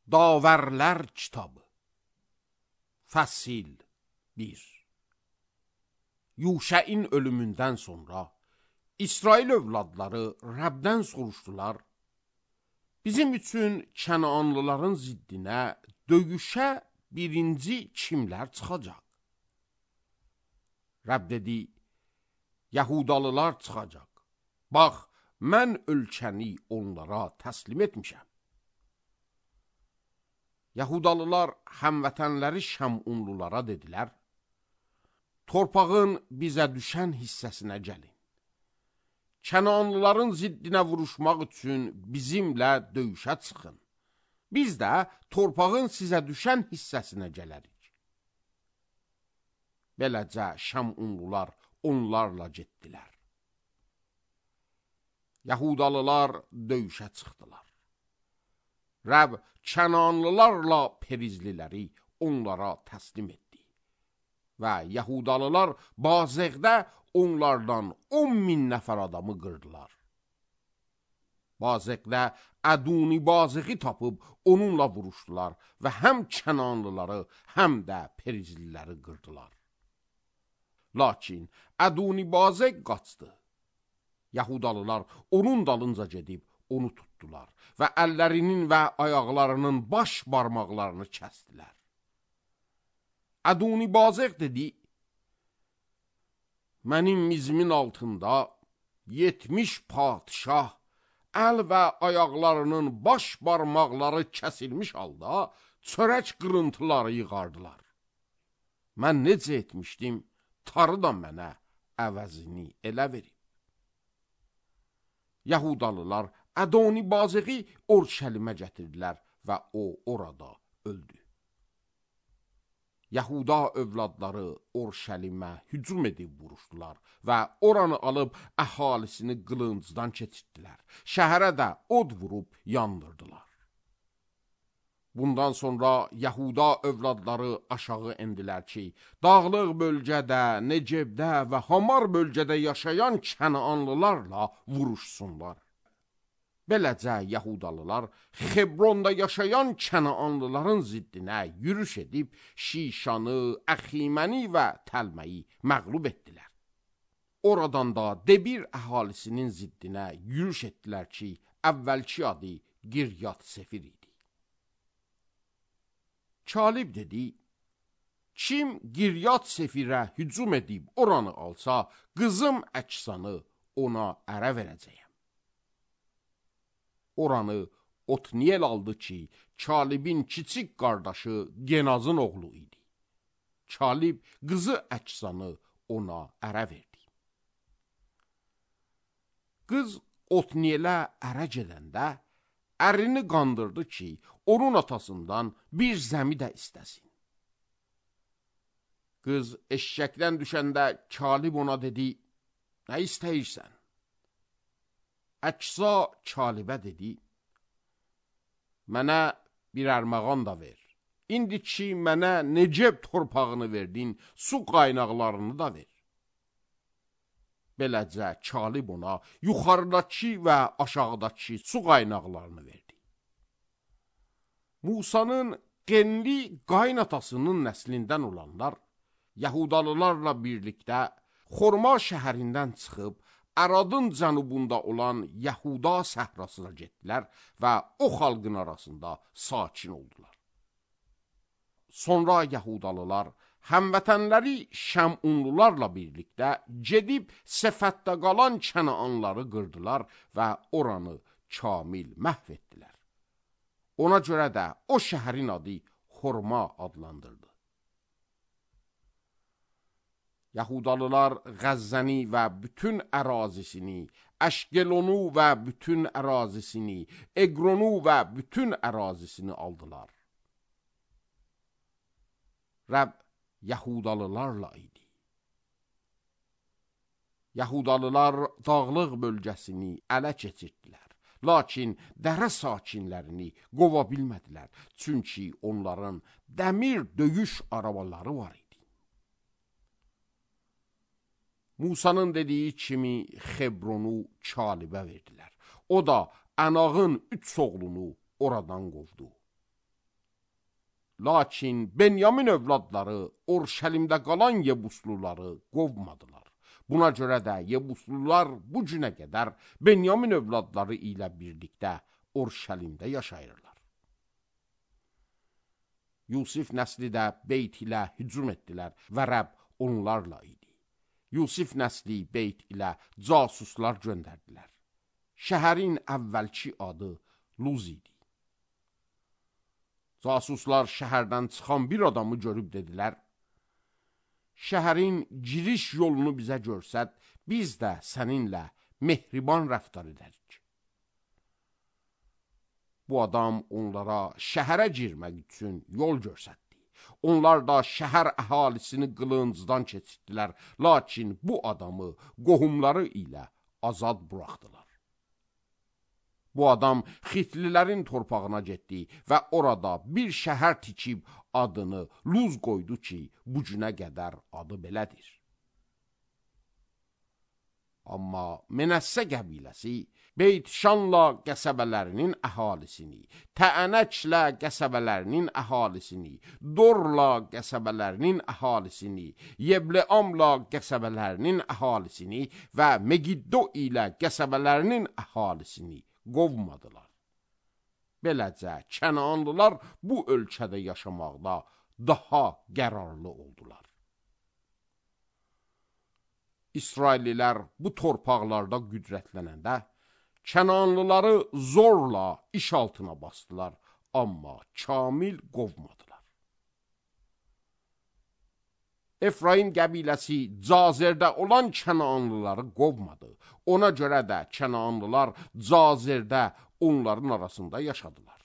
Davərlər kitabı. Fəsil 1. Yuşəin ölümündən sonra İsrail övladları Rəbdən soruşdular, bizim üçün Kənanlıların ziddinə döyüşə birinci kimlər çıxacaq? Rəbb dedi, Yahudalılar çıxacaq. Bax, mən ölkəni onlara təslim etmişəm. Yahudalılar həmvətənləri Şəmunlulara dedilər, torpağın bizə düşən hissəsinə gəlin. Kənanlıların ziddinə vuruşmaq üçün bizimlə döyüşə çıxın. Biz də torpağın sizə düşən hissəsinə gələrik. Beləcə Şəmunlular onlarla getdilər. Yahudalılar döyüşə çıxdılar. Rəbb Kənanlılarla Perizliləri onlara təslim etdi. Və Yahudalılar Bazəqdə onlardan 10.000 nəfər adamı qırdılar. Bazəqdə Əduni Bazəqi tapıb onunla vuruşdular və həm Kənanlıları, həm də Perizliləri qırdılar. Lakin Əduni Bazəq qaçdı. Yahudalılar onun dalınca gedib onu tutdular və əllərinin və ayaqlarının baş barmaqlarını kəsdilər. Əduni Bazəq dedi, mənim mizimin altında 70 padişah əl və ayaqlarının baş barmaqları kəsilmiş halda çörək qırıntıları yığardılar. Mən necə etmişdim, tarı da mənə əvəzini elə verib. Yahudalılar Ədoni Bazəqi Orşəlimə gətirdilər və o orada öldü. Yahuda övladları Orşəlimə hücum edib vuruşdular və oranı alıb əhalisini qılıncdan keçirdilər. Şəhərə də od vurub yandırdılar. Bundan sonra Yahuda övladları aşağı endilər ki, dağlıq bölgədə, Necebdə və Hamar bölgədə yaşayan Kənanlılarla vuruşsunlar. Beləcə Yahudalılar Xebronda yaşayan Kənanlıların ziddinə yürüş edib Şişanı, Əximəni və Təlməyi məğlub etdilər. Oradan da Debir əhalisinin ziddinə yürüş etdilər ki, əvvəlki adı Giryat Sefir idi. Kalib dedi, kim Giryat Sefirə hücum edib oranı alsa, qızım Əksanı ona ərə verəcəyəm. Oranı Otniyel aldı ki, Kalibin kiçik qardaşı Genazın oğlu idi. Kalib qızı Əksanı ona ərə verdi. Qız Otniyelə ərə gedəndə, ərini qandırdı ki, onun atasından bir zəmi də istəsin. Qız eşşəkdən düşəndə Kalib ona dedi, nə istəyirsən? Əksa Kalibə dedi, mənə bir ərməğan da ver. İndi ki, mənə Neceb torpağını verdin, su qaynaqlarını da ver. Beləcə Kalib ona yuxarıdakı və aşağıdakı su qaynaqlarını verdi. Musanın Qenli qaynatasının nəslindən olanlar Yahudalılarla birlikdə Xorma şəhərindən çıxıb Əradın cənubunda olan Yahuda səhrasına getdilər və o xalqın arasında sakin oldular. Sonra Yahudalılar həmvətənləri Şəmunlularla birlikdə gedib Sefətdə qalan Kənanları qırdılar və oranı kamil məhv etdilər. Ona görə də o şəhərin adı Xorma adlandırdı. Yahudalılar Qəzzəni və bütün ərazisini, Əşqelonu və bütün ərazisini, Eqronu və bütün ərazisini aldılar. Rəbb Yahudalılarla idi. Yahudalılar dağlıq bölgəsini ələ keçirdilər. Lakin dərə sakinlərini qova bilmədilər, çünki onların dəmir döyüş arabaları var idi. Musanın dediyi kimi Xebronu Kalibə verdilər. O da Ənağın 3 oğlunu oradan qovdu. Lakin Benyamin övladları Orşəlimdə qalan Yebusluları qovmadılar. Buna görə də Yebuslular bu günə qədər Benyamin övladları ilə birlikdə Orşəlimdə yaşayırlar. Yusif nəsli də Beyt ilə hücum etdilər və Rəbb onlarla idi. Yusif nəsli Beyt ilə casuslar göndərdilər. Şəhərin əvvəlki adı Luz idi. Casuslar şəhərdən çıxan bir adamı görüb dedilər, şəhərin giriş yolunu bizə görsət, biz də səninlə mehriban rəftar edərik. Bu adam onlara şəhərə girmək üçün yol görsətdi. Onlar da şəhər əhalisini qılıncdan keçirdilər, lakin bu adamı qohumları ilə azad buraxdılar. Bu adam Xitlilərin torpağına getdi və orada bir şəhər tikib adını Luz qoydu ki, bu günə qədər adı belədir. Amma Menəssə qəbiləsi Beyt-Şanla qəsəbələrinin əhalisini, Təənəklə qəsəbələrinin əhalisini, Dorla qəsəbələrinin əhalisini, Yebleamla qəsəbələrinin əhalisini və Megiddo ilə qəsəbələrinin əhalisini qovmadılar. Beləcə, Kənaanlılar bu ölkədə yaşamaqda daha qərarlı oldular. İsraillilər bu torpaqlarda qüdrətlənəndə, Kənaanlıları zorla iş altına basdılar, amma kamil qovmadılar. Efraim qəbiləsi Cazerdə olan Kənaanlıları qovmadı. Ona görə də Kənaanlılar Cazerdə onların arasında yaşadılar.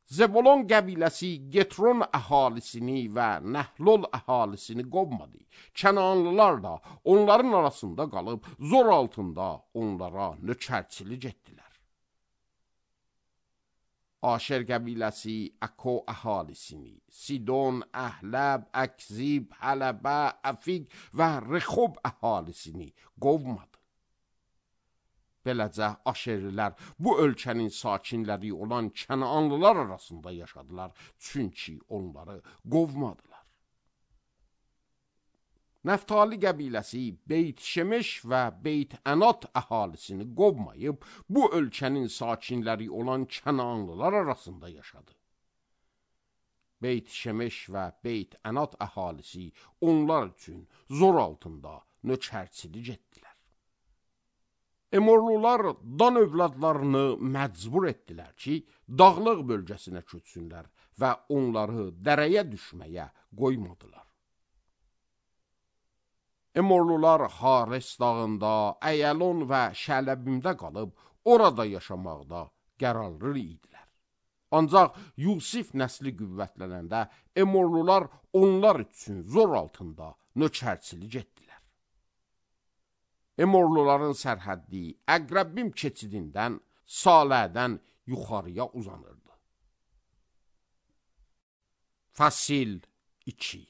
Zebulon qəbiləsi Getron əhalisini və Nəhlol əhalisini qovmadı. Kənaanlılar da onların arasında qalıb zor altında onlara nökərçilik etdilər. Aşer qəbiləsi Əko əhalisini, Sidon, Əhləb, Əkzib, Hələbə, Əfiq və Rexob əhalisini qovmadı. Beləcə, Aşerlilər bu ölkənin sakinləri olan Kənaanlılar arasında yaşadılar, çünki onları qovmadılar. Nəftali qəbiləsi Beyt-Şemeş və Beyt-Ənat əhalisini qovmayıb, bu ölkənin sakinləri olan Kənaanlılar arasında yaşadı. Beyt-Şemeş və Beyt-Ənat əhalisi onlar üçün zor altında nökərçilik etdilər. Emorlular Dan övladlarını məcbur etdilər ki, dağlıq bölgəsinə köçsünlər və onları dərəyə düşməyə qoymadılar. Emorlular Hares dağında, Əyəlon və Şələbimdə qalıb, orada yaşamaqda qərarlı idilər. Ancaq Yusif nəsli qüvvətlənəndə Emorlular onlar üçün zor altında nökərçilik etdilər. Emorluların sərhəddi Əqrəbbim keçidindən, Salədən yuxarıya uzanırdı. Fəsil 2.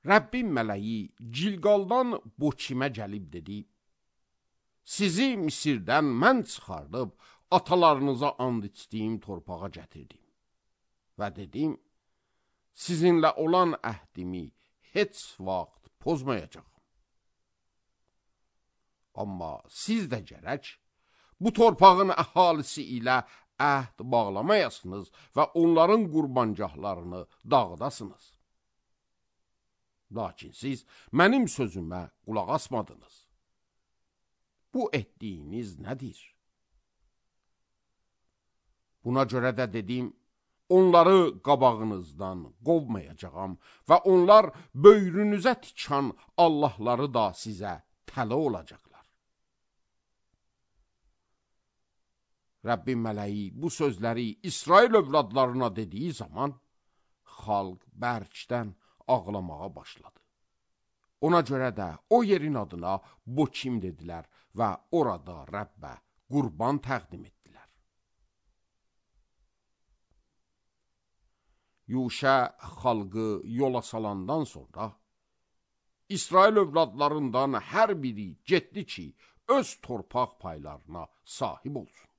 Rəbbin mələyi Cilqaldan Boçimə gəlib dedi, sizi Misirdən mən çıxardıb, atalarınıza and içdiyim torpağa gətirdim. Və dedim, sizinlə olan əhdimi heç vaxt pozmayacaq. Amma siz də gərək, bu torpağın əhalisi ilə əhd bağlamayasınız və onların qurbancahlarını dağıdasınız. Lakin siz mənim sözümə qulaq asmadınız. Bu etdiyiniz nədir? Buna görə də dedim, onları qabağınızdan qovmayacağam və onlar böyrünüzə tikan Allahları da sizə tələ olacaqlar. Rəbbin mələyi bu sözləri İsrail övladlarına dediyi zaman, xalq bərkdən ağlamağa başladı. Ona görə də o yerin adına Boçim dedilər və orada Rəbbə qurban təqdim etdilər. Yuşə xalqı yola salandan sonra, İsrail övladlarından hər biri getdi ki, öz torpaq paylarına sahib olsun.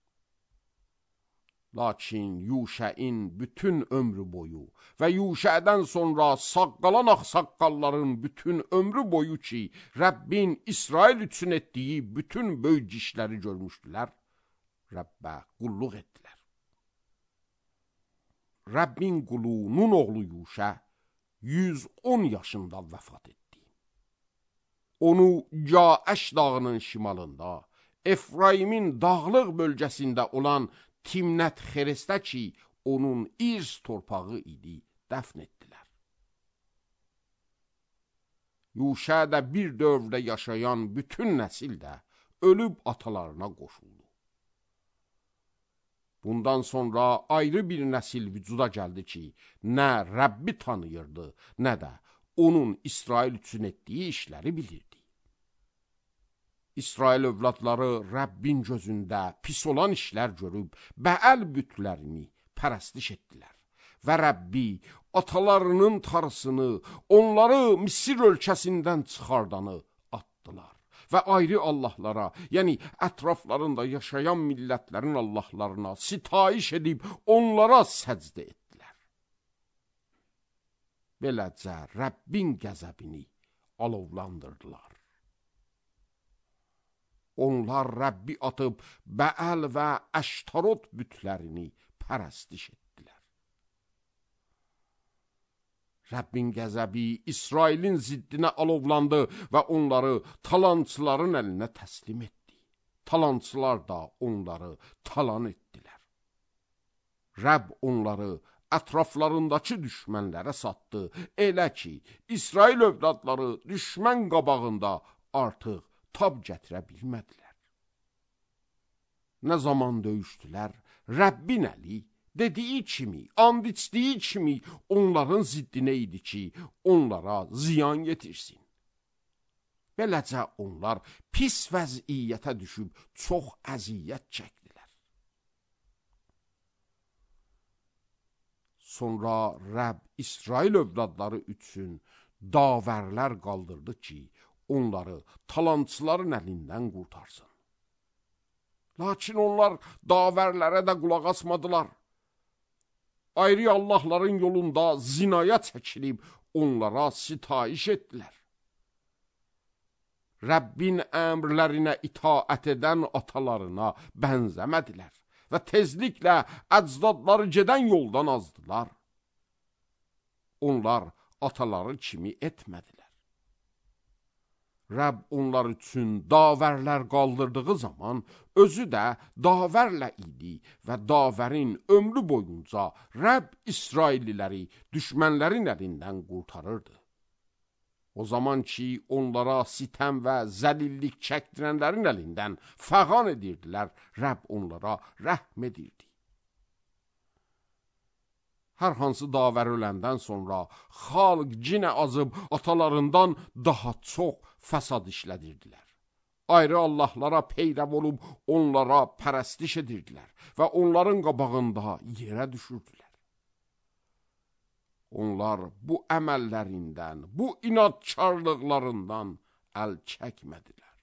Lakin Yuşəin bütün ömrü boyu və Yuşədən sonra sağ qalan ağsaqqalların bütün ömrü boyu ki, Rəbbin İsrail üçün etdiyi bütün böyük işləri görmüşdülər, Rəbbə qulluq etdilər. Rəbbin qulu Nun oğlu Yuşə 110 yaşında vəfat etdi. Onu Caəş dağının şimalında, Efraimin dağlıq bölgəsində olan Timnət Xerestə ki, onun İrs torpağı idi, dəfn etdilər. Yuşədə bir dövrdə yaşayan bütün nəsil də ölüb atalarına qoşuldu. Bundan sonra ayrı bir nəsil vücuda gəldi ki, nə Rəbbi tanıyırdı, nə də onun İsrail üçün etdiyi işləri bilirdi. İsrail övladları Rəbbin gözündə pis olan işlər görüb, Bəəl bütlərini pərəstiş etdilər. Və Rəbbi atalarının tarısını, onları Misir ölkəsindən çıxardanı atdılar. Və ayrı Allahlara, yəni ətraflarında yaşayan millətlərin Allahlarına sitayiş edib, onlara səcdə etdilər. Beləcə Rəbbin qəzəbini alovlandırdılar. Onlar Rəbbi atıb Bəəl və Əştarot bütlərini pərəstiş etdilər. Rəbbin qəzəbi İsrailin ziddinə alovlandı və onları talançıların əlinə təslim etdi. Talançılar da onları talan etdilər. Rəbb onları ətraflarındakı düşmənlərə satdı. Elə ki, İsrail övladları düşmən qabağında artıq tab gətirə bilmədilər. Nə zaman döyüşdülər, Rəbbin əli dediyi kimi, and içdiyi kimi onların ziddinə idi ki, onlara ziyan yetirsin. Beləcə onlar pis vəziyyətə düşüb çox əziyyət çəkdilər. Sonra Rəbb İsrail övladları üçün davərlər qaldırdı ki, onları talançıların əlindən qurtarsın. Lakin onlar davərlərə də qulaq asmadılar. Ayrı Allahların yolunda zinaya çəkilib onlara sitayiş etdilər. Rəbbin əmrlərinə itaət edən atalarına bənzəmədilər və tezliklə əcdadları gedən yoldan azdılar. Onlar ataları kimi etmədilər. Rəbb onlar üçün davərlər qaldırdığı zaman özü də davərlə idi və davərin ömrü boyunca Rəbb İsrailliləri düşmənlərin əlindən qurtarırdı. O zaman ki, onlara sitəm və zəlillik çəkdirənlərin əlindən fəğan edirdilər, Rəbb onlara rəhm edirdi. Hər hansı davər öləndən sonra xalq cinə azıb atalarından daha çox fəsad işlədirdilər. Ayrı Allahlara peyrəv olub onlara pərəstiş edirdilər və onların qabağında yerə düşürdülər. Onlar bu əməllərindən, bu inadkarlıqlarından əl çəkmədilər.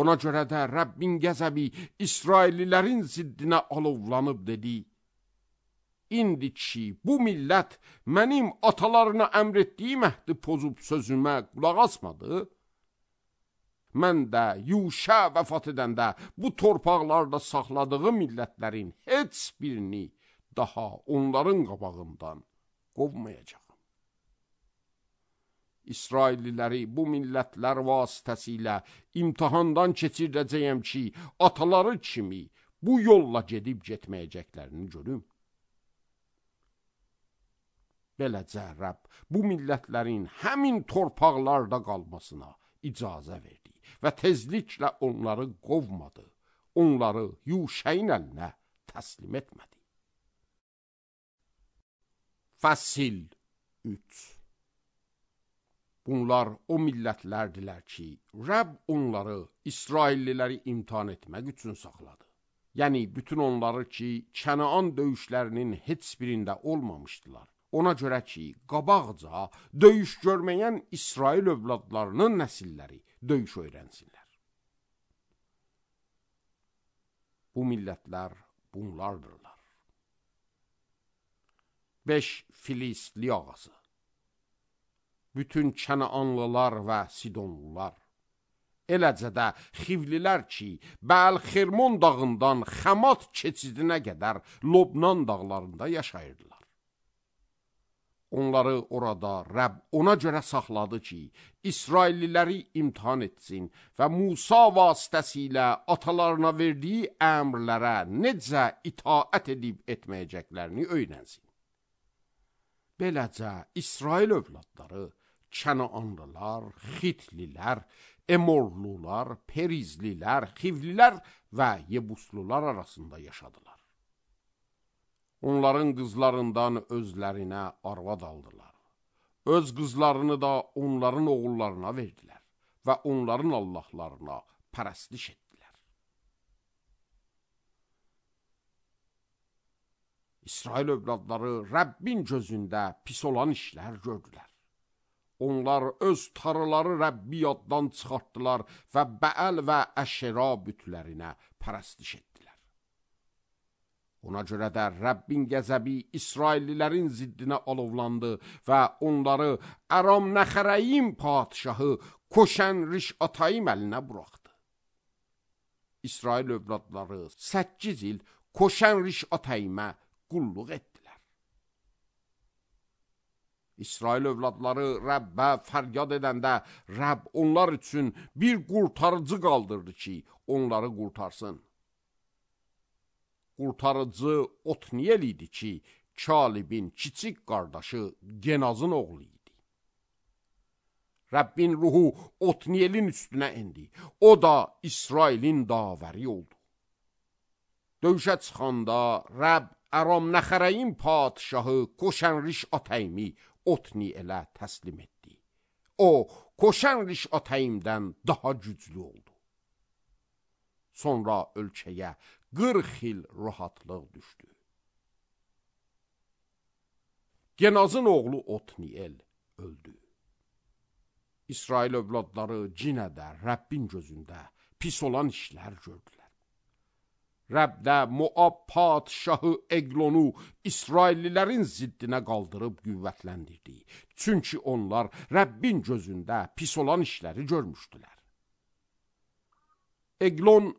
Ona görə də Rəbbin qəzəbi İsraillilərin ziddinə alovlanıb dedi: İndi ki, bu millət mənim atalarına əmr etdiyim əhdi pozub sözümə qulaq asmadı, mən də Yuşə vəfat edəndə bu torpaqlarda saxladığı millətlərin heç birini daha onların qabağından qovmayacağım. İsrailliləri bu millətlər vasitəsilə imtihandan keçirdəcəyəm ki, ataları kimi bu yolla gedib getməyəcəklərini görüm. Beləcə Rəbb bu millətlərin həmin torpaqlarda qalmasına icazə verdi və tezliklə onları qovmadı, onları Yuşəyin əlinə təslim etmədi. Fəsil 3. Bunlar o millətlərdilər ki, Rəbb onları İsrailliləri imtihan etmək üçün saxladı. Yəni bütün onları ki, Kənaan döyüşlərinin heç birində olmamışdılar. Ona görə ki, qabaqca döyüş görməyən İsrail övladlarının nəsilləri döyüş öyrənsinlər. Bu millətlər bunlardırlar. 5 Filistli ağası. Bütün Kənaanlılar və Sidonlular, eləcə də Xivlilər ki, Bəl-Xirmon dağından Xəmat keçidinə qədər Lobnan dağlarında yaşayırdılar. Onları orada Rəbb ona görə saxladı ki, İsrailliləri imtihan etsin və Musa vasitəsilə atalarına verdiyi əmrlərə necə itaət edib etməyəcəklərini öyrənsin. Beləcə İsrail övladları Kənaanlılar, Xitlilər, Emorlular, Perizlilər, Xivlilər və Yebuslular arasında yaşadılar. Onların qızlarından özlərinə arvad aldılar. Öz qızlarını da onların oğullarına verdilər və onların allahlarına pərəstiş etdilər. İsrail övladları Rəbbin gözündə pis olan işlər gördülər. Onlar öz tarıları Rəbbi yaddan çıxartdılar və Bəəl və Əşera bütlərinə pərəstiş etdilər. Ona görə də Rəbbin qəzəbi İsraillilərin ziddinə alovlandı və onları Aram Nəxərəyim padişahı Koşən Rişatayim əlinə buraxdı. İsrail övladları 8 il Koşən Rişatayimə qulluq etdilər. İsrail övladları Rəbbə fəryad edəndə Rəbb onlar üçün bir qurtarıcı qaldırdı ki, onları qurtarsın. Qurtarıcı Otniyel idi ki, Kalibin kiçik qardaşı Genazın oğlu idi. Rəbbin ruhu Otniyelin üstünə indi. O da İsrailin davəri oldu. Döyüşə çıxanda Rəbb Aram Nəxərəyim padişahı Koşən Rişatayimi Otniyelə təslim etdi. O, Koşən Rişatayimdən daha güclü oldu. Sonra ölkəyə 40 il rahatlıq düşdü. Genazın oğlu Otniyel öldü. İsrail övladları cinə də Rəbbin gözündə pis olan işlər gördülər. Rəbb də Moab padişahı Eglonu İsraillilərin ziddinə qaldırıb qüvvətləndirdi. Çünki onlar Rəbbin gözündə pis olan işləri görmüşdülər. Eglon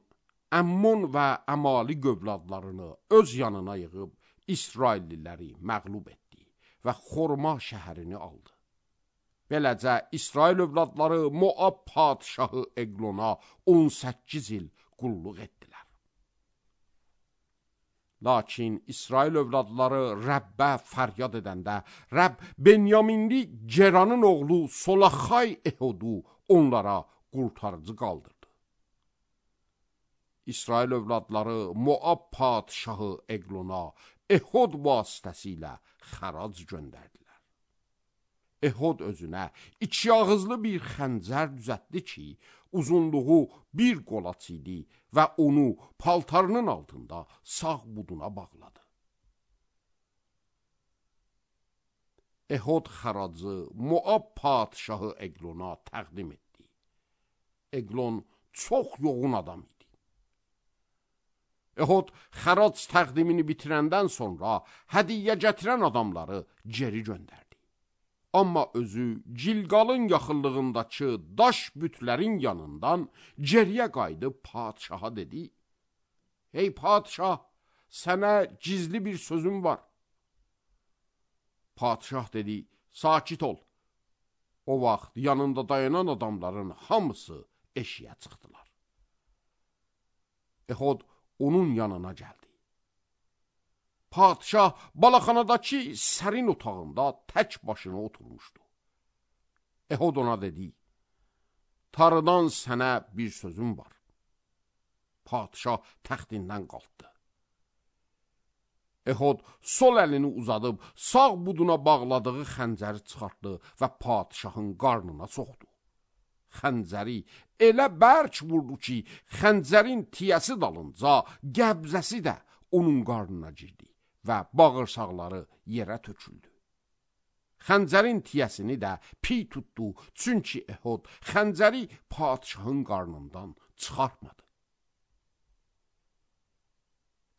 Əmmon və Əmali övladlarını öz yanına yığıb İsrailliləri məğlub etdi və Xorma şəhərini aldı. Beləcə İsrail övladları Moab padişahı Eglona 18 il qulluq etdilər. Lakin İsrail övladları Rəbbə fəryad edəndə Rəbb Benyaminli Geranın oğlu Solaxay Ehodu onlara qurtarıcı qaldırdı. İsrail övladları Moab padişahı Eglona Ehod vasitəsilə xərac göndərdilər. Ehod özünə 2 ağızlı bir xəncər düzəltdi ki, uzunluğu 1 qolaç idi və onu paltarının altında sağ buduna bağladı. Ehod xəracı Moab padişahı Eglona təqdim etdi. Eglon çox yoğun adam idi. Ehod xərac təqdimini bitirəndən sonra hədiyyə gətirən adamları geri göndərdi. Amma özü Gilqalın yaxınlığındakı daş bütlərin yanından geriyə qayıdıb padişaha dedi: "Ey padişah, sənə gizli bir sözüm var." Padişah dedi: "Sakit ol." O vaxt yanında dayanan adamların hamısı eşiyə çıxdılar. Ehod onun yanına gəldi. Padişah balaxanadakı sərin otağında tək başına oturmuşdu. Ehod ona dedi: "Tarıdan sənə bir sözüm var." Padişah təxtindən qalxdı. Ehod sol əlini uzadıb sağ buduna bağladığı xəncəri çıxartdı və padişahın qarnına soxdu. Xəncəri elə bərk vurdu ki, xəncərin tiyəsi dalınca qəbzəsi də onun qarnına girdi və bağırsaqları yerə töküldü. Xəncərin tiyəsini də piy tutdu, çünki Ehod xəncəri padişahın qarnından çıxartmadı.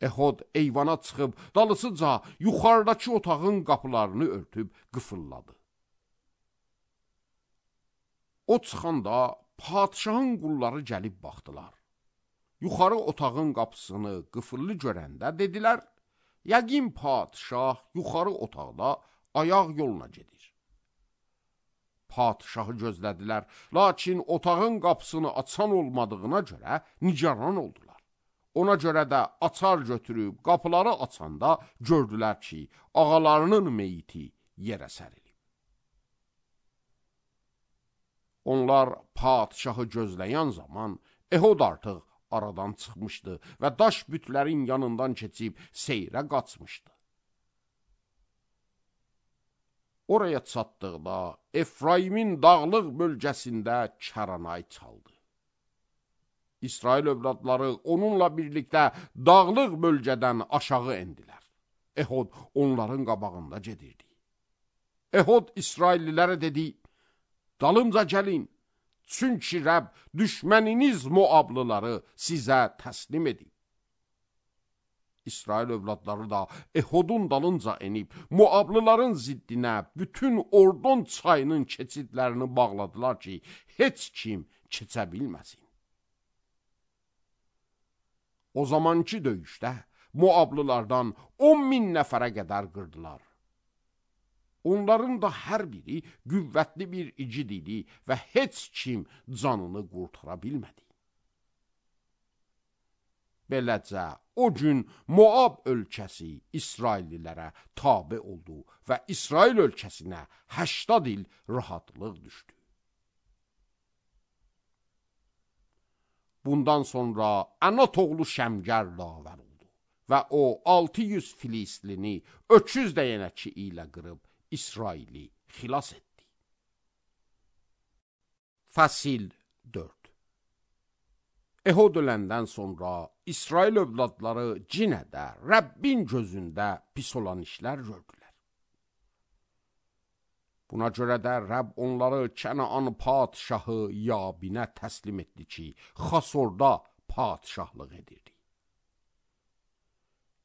Ehud eyvana çıxıb, dalısıca yuxarıdakı otağın qapılarını örtüb qıfılladı. O çıxanda padişahın qulları gəlib baxdılar. Yuxarı otağın qapısını qıfıllı görəndə dedilər, yəqin padişah yuxarı otaqda ayaq yoluna gedir. Padişahı gözlədilər, lakin otağın qapısını açan olmadığına görə nigaran oldular. Ona görə də açar götürüb qapıları açanda gördülər ki, ağalarının meyiti yerə sərilib. Onlar padişahı gözləyən zaman Ehud artıq aradan çıxmışdı və daş bütlərin yanından keçib seyrə qaçmışdı. Oraya çatdıqda Efraimin dağlıq bölgəsində kəranay çaldı. İsrail övladları onunla birlikdə dağlıq bölgədən aşağı endilər. Ehud onların qabağında gedirdi. Ehud İsraillilərə dedi, dalımca gəlin, çünki Rəbb düşməniniz Moablıları sizə təslim edib. İsrail övladları da Ehudun dalınca enib, Moablıların ziddinə bütün Ordon çayının keçidlərini bağladılar ki, heç kim keçə bilməsin. O zamanki döyüşdə Moablılardan 10.000 nəfərə qədər qırdılar. Onların da hər biri qüvvətli bir igid idi və heç kim canını qurtara bilmədi. Beləcə, o gün Moab ölkəsi İsraillilərə tabe oldu və İsrail ölkəsinə 80 il rahatlıq düşdü. Bundan sonra Anat oğlu Şəmgər davər oldu və o 600 Filistlini öküz dəyənəki ilə qırıb İsraili xilas etdi. Fəsil 4. Ehud öləndən sonra İsrail övladları cinə də Rəbbin gözündə pis olan işlər gördülər. Buna görə də Rəbb onları Kənaan padişahı Yabinə təslim etdi ki, Xasorda padişahlıq edirdi.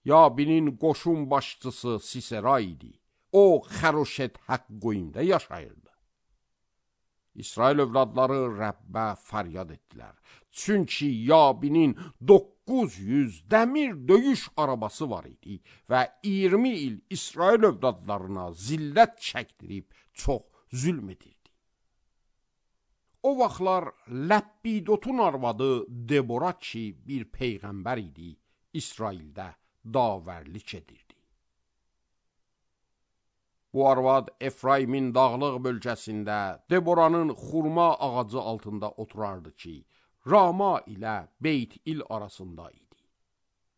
Yabinin qoşun başçısı Sisera idi. O, Xəroşet Həqqoyimdə yaşayırdı. İsrail övladları Rəbbə fəryad etdilər. Çünki Yabinin 900 dəmir döyüş arabası var idi və 20 il İsrail övladlarına zillət çəkdirib çox zülm edirdi. O vaxtlar Ləbbidotun arvadı Debora ki bir peyğəmbər idi, İsraildə davərlik edirdi. Bu arvad Efraimin dağlıq bölgəsində Deboranın xurma ağacı altında oturardı ki, Rama ilə Beyt-İl arasında idi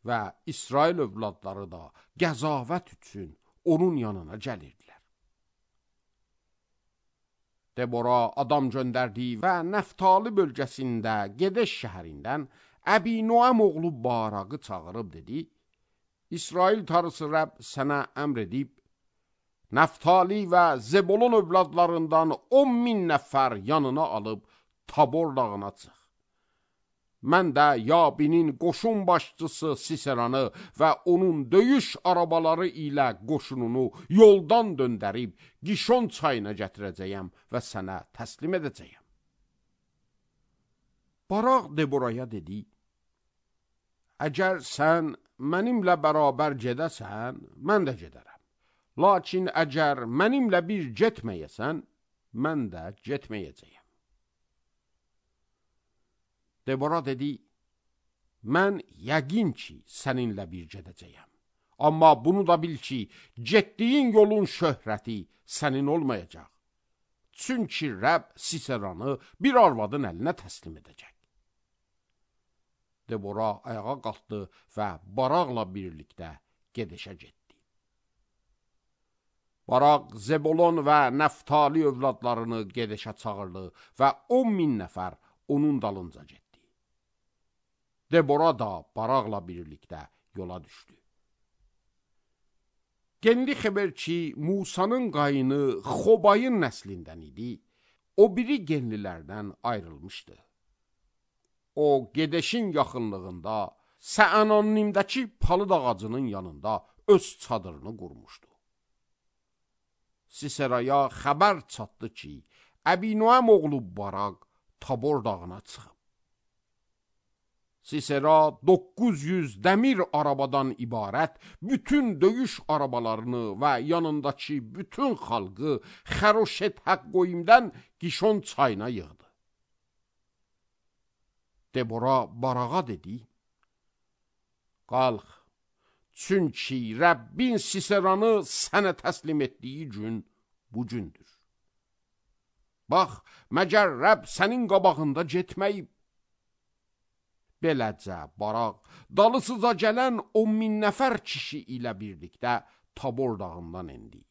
və İsrail övladları da qəzavət üçün onun yanına gəlirdilər. Debora adam göndərdi və Nəftali bölgəsində Gedeş şəhərindən Əbi-Noəm oğlu Baraqı çağırıb dedi, İsrail tarısı Rəbb sənə əmr edib, Nəftali və Zebolon övladlarından 10.000 nəfər yanına alıb Tabor dağına çıx. Mən də Yabinin qoşun başçısı Siseranı və onun döyüş arabaları ilə qoşununu yoldan döndərib Gişon çayına gətirəcəyəm və sənə təslim edəcəyəm. Baraq Deboraya dedi, əgər sən mənimlə bərabər gedəsən, mən də gedərəm. Lakin əgər mənimlə bir getməyəsən, mən də getməyəcəyəm. Debora dedi, mən yəqin ki, səninlə bir gedəcəyəm. Amma bunu da bil ki, getdiyin yolun şöhrəti sənin olmayacaq. Çünki Rəbb Siseranı bir arvadın əlinə təslim edəcək. Debora ayağa qalxdı və Baraqla birlikdə Gedəşə getdi. Baraq Zebolon və Nəftali övladlarını Gedəşə çağırdı və 10.000 nəfər onun dalınca getdi. Debora da Baraqla birlikdə yola düşdü. Genli xəbər ki, Musanın qayını Xobayın nəslindən idi, o biri genlilərdən ayrılmışdı. O, Gedəşin yaxınlığında Səanonimdəki palıd ağacının yanında öz çadırını qurmuşdu. Siseraya xəbər çatdı ki, Əbinoam oğlu Baraq Tabor dağına çıxıb. Sisera 900 dəmir arabadan ibarət bütün döyüş arabalarını və yanındakı bütün xalqı Xəroşet Həqqoyimdən Qişon çayına yığdı. Debora Barağa dedi, qalx, çünki Rəbbin Siseranı sənə təslim etdiyi gün bu gündür. Bax, məgər Rəbb sənin qabağında getməyib. Beləcə Baraq dalısıca gələn 10.000 nəfər kişi ilə birlikdə Tabor dağından endi.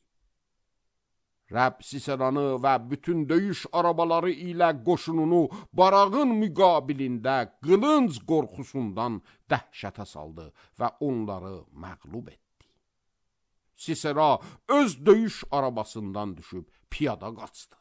Rəbb Siseranı və bütün döyüş arabaları ilə qoşununu Barağın müqabilində qılınc qorxusundan dəhşətə saldı və onları məğlub etdi. Sisera öz döyüş arabasından düşüb piyada qaçdı.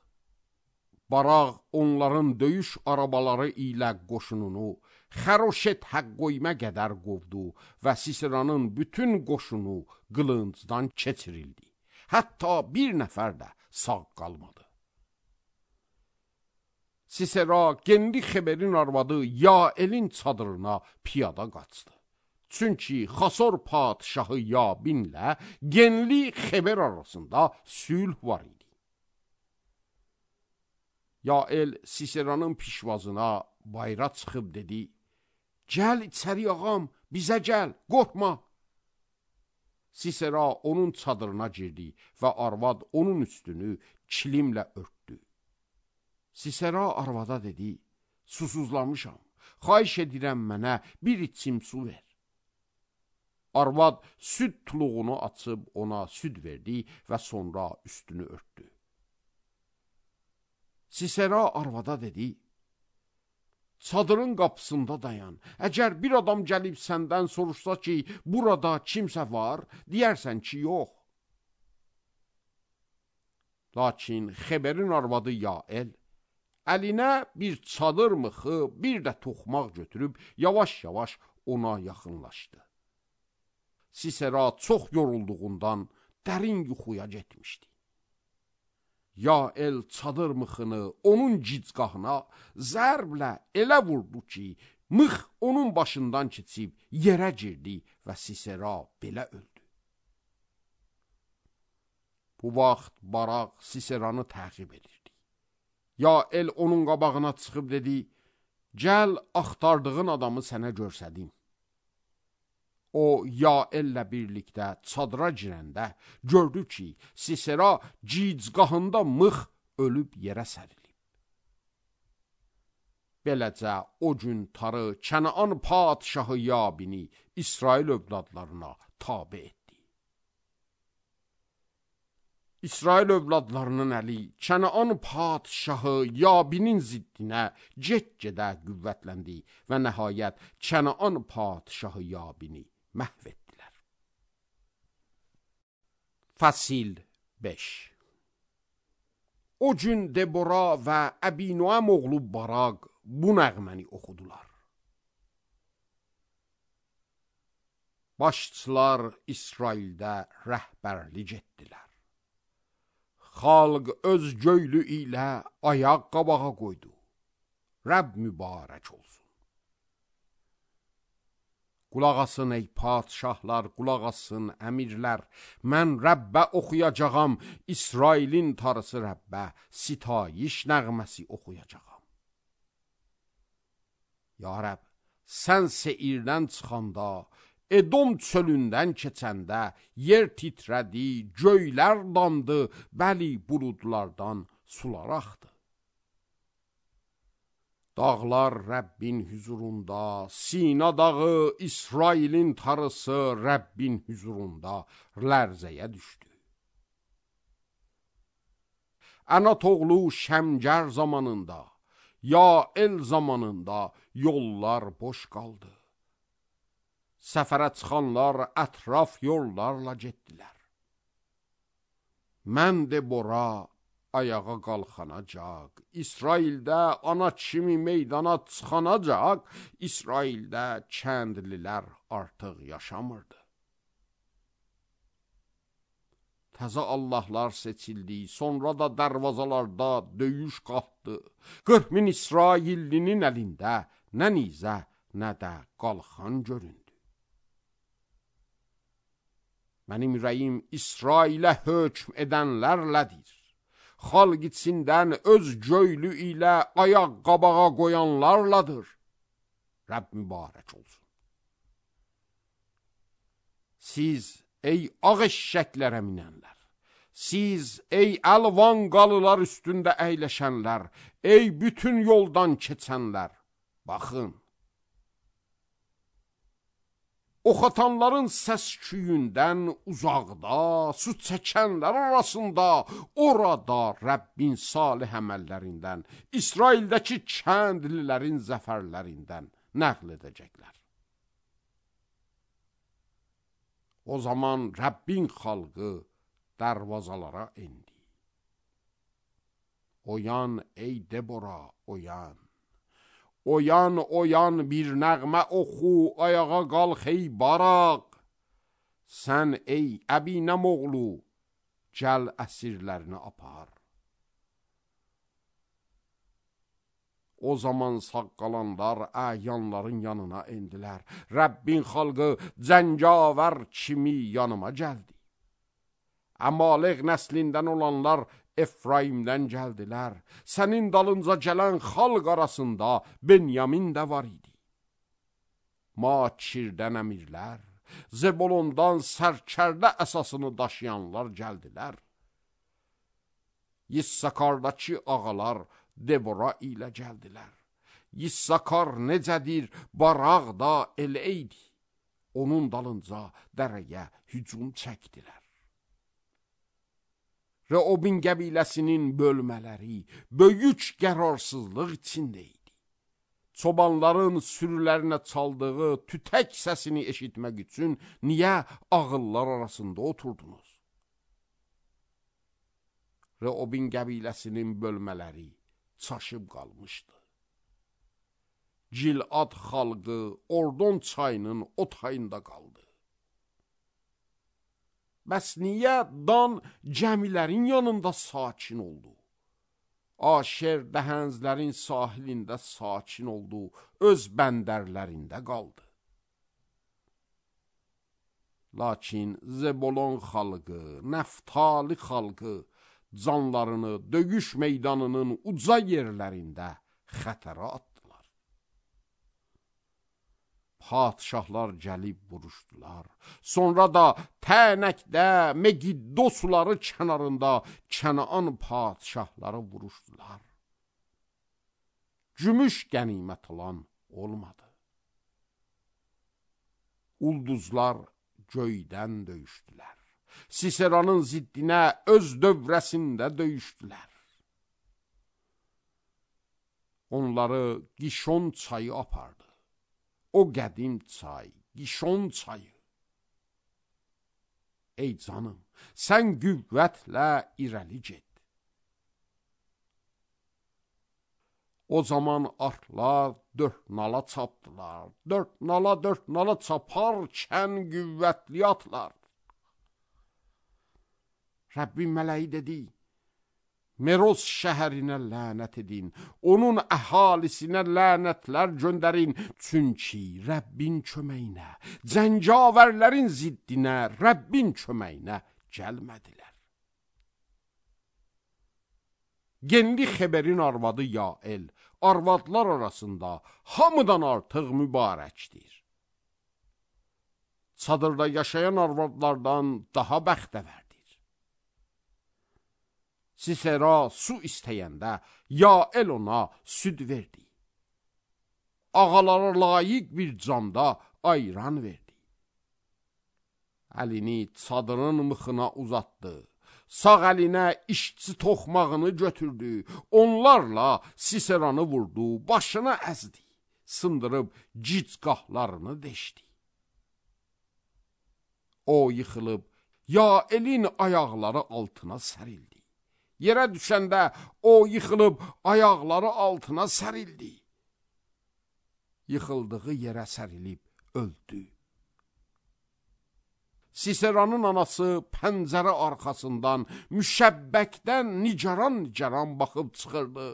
Baraq onların döyüş arabaları ilə qoşununu Xəroşet Həqqoymə qədər qovdu və Siseranın bütün qoşunu qılıncdan keçirildi. Hətta bir nəfər də sağ qalmadı. Sisera Genli Xeberin arvadı Yaelin çadırına piyada qaçdı. Çünki Xasor padşahı Yabinlə Genli Xeber arasında sülh var idi. Yael Siseranın pişvazına bayra çıxıb dedi, gəl içəri ağam, bizə gəl, qorxma. Sisera onun çadırına girdi və arvad onun üstünü kilimlə örtdü. Sisera arvada dedi, susuzlamışam, xahiş edirəm mənə bir içim su ver. Arvad süd tuluğunu açıb ona süd verdi və sonra üstünü örtdü. Sisera arvada dedi, çadırın qapısında dayan. Əgər bir adam gəlib səndən soruşsa ki, burada kimsə var, deyərsən ki, yox. Lakin Xeberin arvadı Yael əlinə bir çadır mıxı, bir də toxmaq götürüb yavaş-yavaş ona yaxınlaşdı. Sisera çox yorulduğundan dərin yuxuya getmişdi. Yael çadır mıxını onun gicgahına zərblə elə vurdu ki, mıx onun başından keçib yerə girdi və Sisera belə öldü. Bu vaxt Baraq Siseranı təqib edirdi. Yael onun qabağına çıxıb dedi, gəl axtardığın adamı sənə görsədim. O, Yaellə birlikdə çadıra girəndə gördü ki, Sisera gicgahında mıx ölüb yerə sərilib. Beləcə o gün tarı Kənaan padşahı Yabini İsrail övladlarına tabe etdi. İsrail övladlarının əli Kənaan padşahı Yabinin ziddinə get-gedə qüvvətləndi və nəhayət Kənaan padşahı Yabini məhv etdilər. Fəsil 5. O gün Debora və Əbinoam oğlu Baraq bu nəğməni oxudular. Başçılar İsraildə rəhbərlik etdilər. Xalq öz göylü ilə ayaq qabağa qoydu. Rəbb mübarək olsun. Qulaq asın ey padşahlar, qulaq asın əmirlər. Mən Rəbbə oxuyacağam, İsrailin tarısı Rəbbə sitayiş nəğməsi oxuyacağam. Ya Rəbb, sən Seirdən çıxanda, Edom çölündən keçəndə yer titrədi, göylər dandı, bəli buludlardan sular axdı. Dağlar Rəbbin hüzurunda, Sina dağı İsrailin tarısı Rəbbin hüzurunda lərzəyə düşdü. Ənat oğlu Şəmgər zamanında, Yael zamanında yollar boş qaldı. Səfərə çıxanlar ətraf yollarla getdilər. Mən Debora ayağa qalxanacaq. İsraildə ana kimi meydana çıxanacaq. İsraildə kəndlilər artıq yaşamırdı. Təzə Allahlar seçildi, sonra da dərvazalarda döyüş qalxdı. 40 min İsraillinin əlində nə nizə, nə də qalxan göründü. Mənim ürəyim İsrailə hökm edənlərlədir. Xalq içindən öz göylü ilə ayaq qabağa qoyanlarladır. Rəbb mübarək olsun. Siz, ey ağ eşşəklərə minənlər, siz, ey əlvan qalılar üstündə əyləşənlər, ey bütün yoldan keçənlər, baxın. Oxatanların səs-küyündən uzaqda, su çəkənlər arasında, orada Rəbbin salih əməllərindən, İsraildəki kəndlilərin zəfərlərindən nəql edəcəklər. O zaman Rəbbin xalqı dərvazalara endi. Oyan ey Debora, oyan. Oyan, oyan bir nəğmə oxu, ayağa qalx ey Baraq. Sən ey Əbinəm oğlu, gəl əsirlərini apar. O zaman sağ qalanlar əyanların yanına endilər. Rəbbin xalqı cəngavər kimi yanıma gəldi. Əmalıq nəslindən olanlar Efraimdən gəldilər. Sənin dalınca gələn xalq arasında Benyamin də var idi. Makirdən əmirlər, Zebolondan sərkərdə əsasını daşıyanlar gəldilər. Yissakardakı ağalar Debora ilə gəldilər. Yissakar necədir, Baraq da elə idi. Onun dalınca dərəyə hücum çəkdilər. Reobin qəbiləsinin bölmələri böyük qərarsızlıq içində idi. Çobanların sürülərinə çaldığı tütək səsini eşitmək üçün niyə ağıllar arasında oturdunuz? Reobin qəbiləsinin bölmələri çaşıb qalmışdı. Gilad xalqı Ordon çayının o tayında qaldı. Bəs niyə Dan gəmilərin yanında sakin oldu? Aşer dəhənzlərin sahilində sakin oldu, öz bəndərlərində qaldı. Lakin Zebolon xalqı, Nəftali xalqı canlarını döyüş meydanının uca yerlərində xətərə atdılar. Padişahlar gəlib vuruşdular. Sonra da Tənəkdə, Megiddo suları kənarında Kənaan padişahları vuruşdular. Gümüş qənimət alan olmadı. Ulduzlar göydən döyüşdülər. Siseranın ziddinə öz dövrəsində döyüşdülər. Onları Gişon çayı apardı. O qədim çay, Gişon çayı. Ey canım, sən qüvvətlə irəli get. O zaman atlar dörd nala çapdılar. Dörd nala çaparkən qüvvətli atlar. Rəbbin mələyi dedi, Meroz şəhərinə lənət edin, onun əhalisinə lənətlər göndərin, çünki Rəbbin köməyinə, cəngavərlərin ziddinə, Rəbbin köməyinə gəlmədilər. Genli Xeberin arvadı Yael, arvadlar arasında hamıdan artıq mübarəkdir. Çadırda yaşayan arvadlardan daha bəxtəvərdir. Sisera su istəyəndə Yael ona süd verdi. Ağalara layiq bir camda ayran verdi. Əlini çadırın mıxına uzatdı. Sağ əlinə işçi toxmağını götürdü. Onlarla Siseranı vurdu, başına əzdi. Sındırıb gicqahlarını deşdi. O yıxılıb Yaelin ayaqları altına sərildi. Yerə düşəndə o yıxılıb ayaqları altına sərildi. Yıxıldığı yerə sərilib öldü. Siseranın anası pəncərə arxasından müşəbbəkdən nicaran baxıb çıxırdı.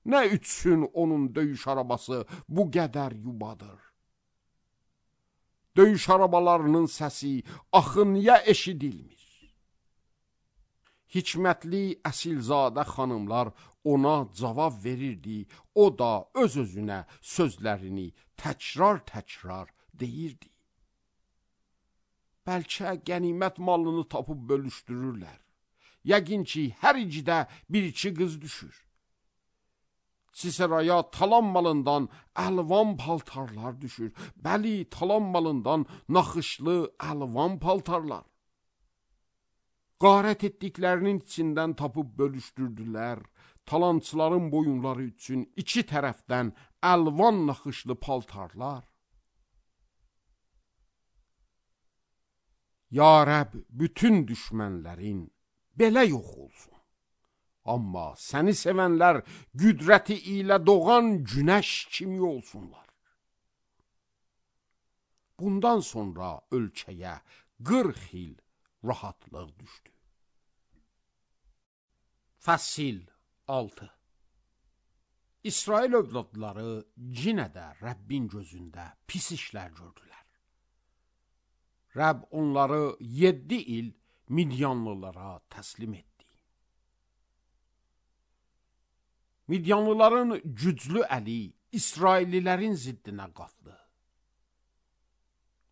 Nə üçün onun döyüş arabası bu qədər yubadır? Döyüş arabalarının səsi axı niyə eşidilmir? Hikmətli əsilzadə xanımlar ona cavab verirdi, o da öz-özünə sözlərini təkrar deyirdi. Bəlkə qənimət malını tapıb bölüşdürürlər. Yəqin ki, hər icidə bir-iki qız düşür. Siseraya talan malından əlvan paltarlar düşür. Bəli, talan malından naxışlı əlvan paltarlar. Qarət etdiklərinin içindən tapıb bölüşdürdülər. Talançıların boyunları üçün iki tərəfdən əlvan naxışlı paltarlar. Ya Rəbb, bütün düşmənlərin belə yox olsun. Amma səni sevənlər qüdrəti ilə doğan günəş kimi olsunlar. Bundan sonra ölkəyə 40 il rahatlıq düşdü. Fəsil 6. İsrail övladları yenə də Rəbbin gözündə pis işlər gördülər. Rəbb onları 7 il Midyanlılara təslim etdi. Midyanlıların güclü əli İsraillilərin ziddinə qalxdı.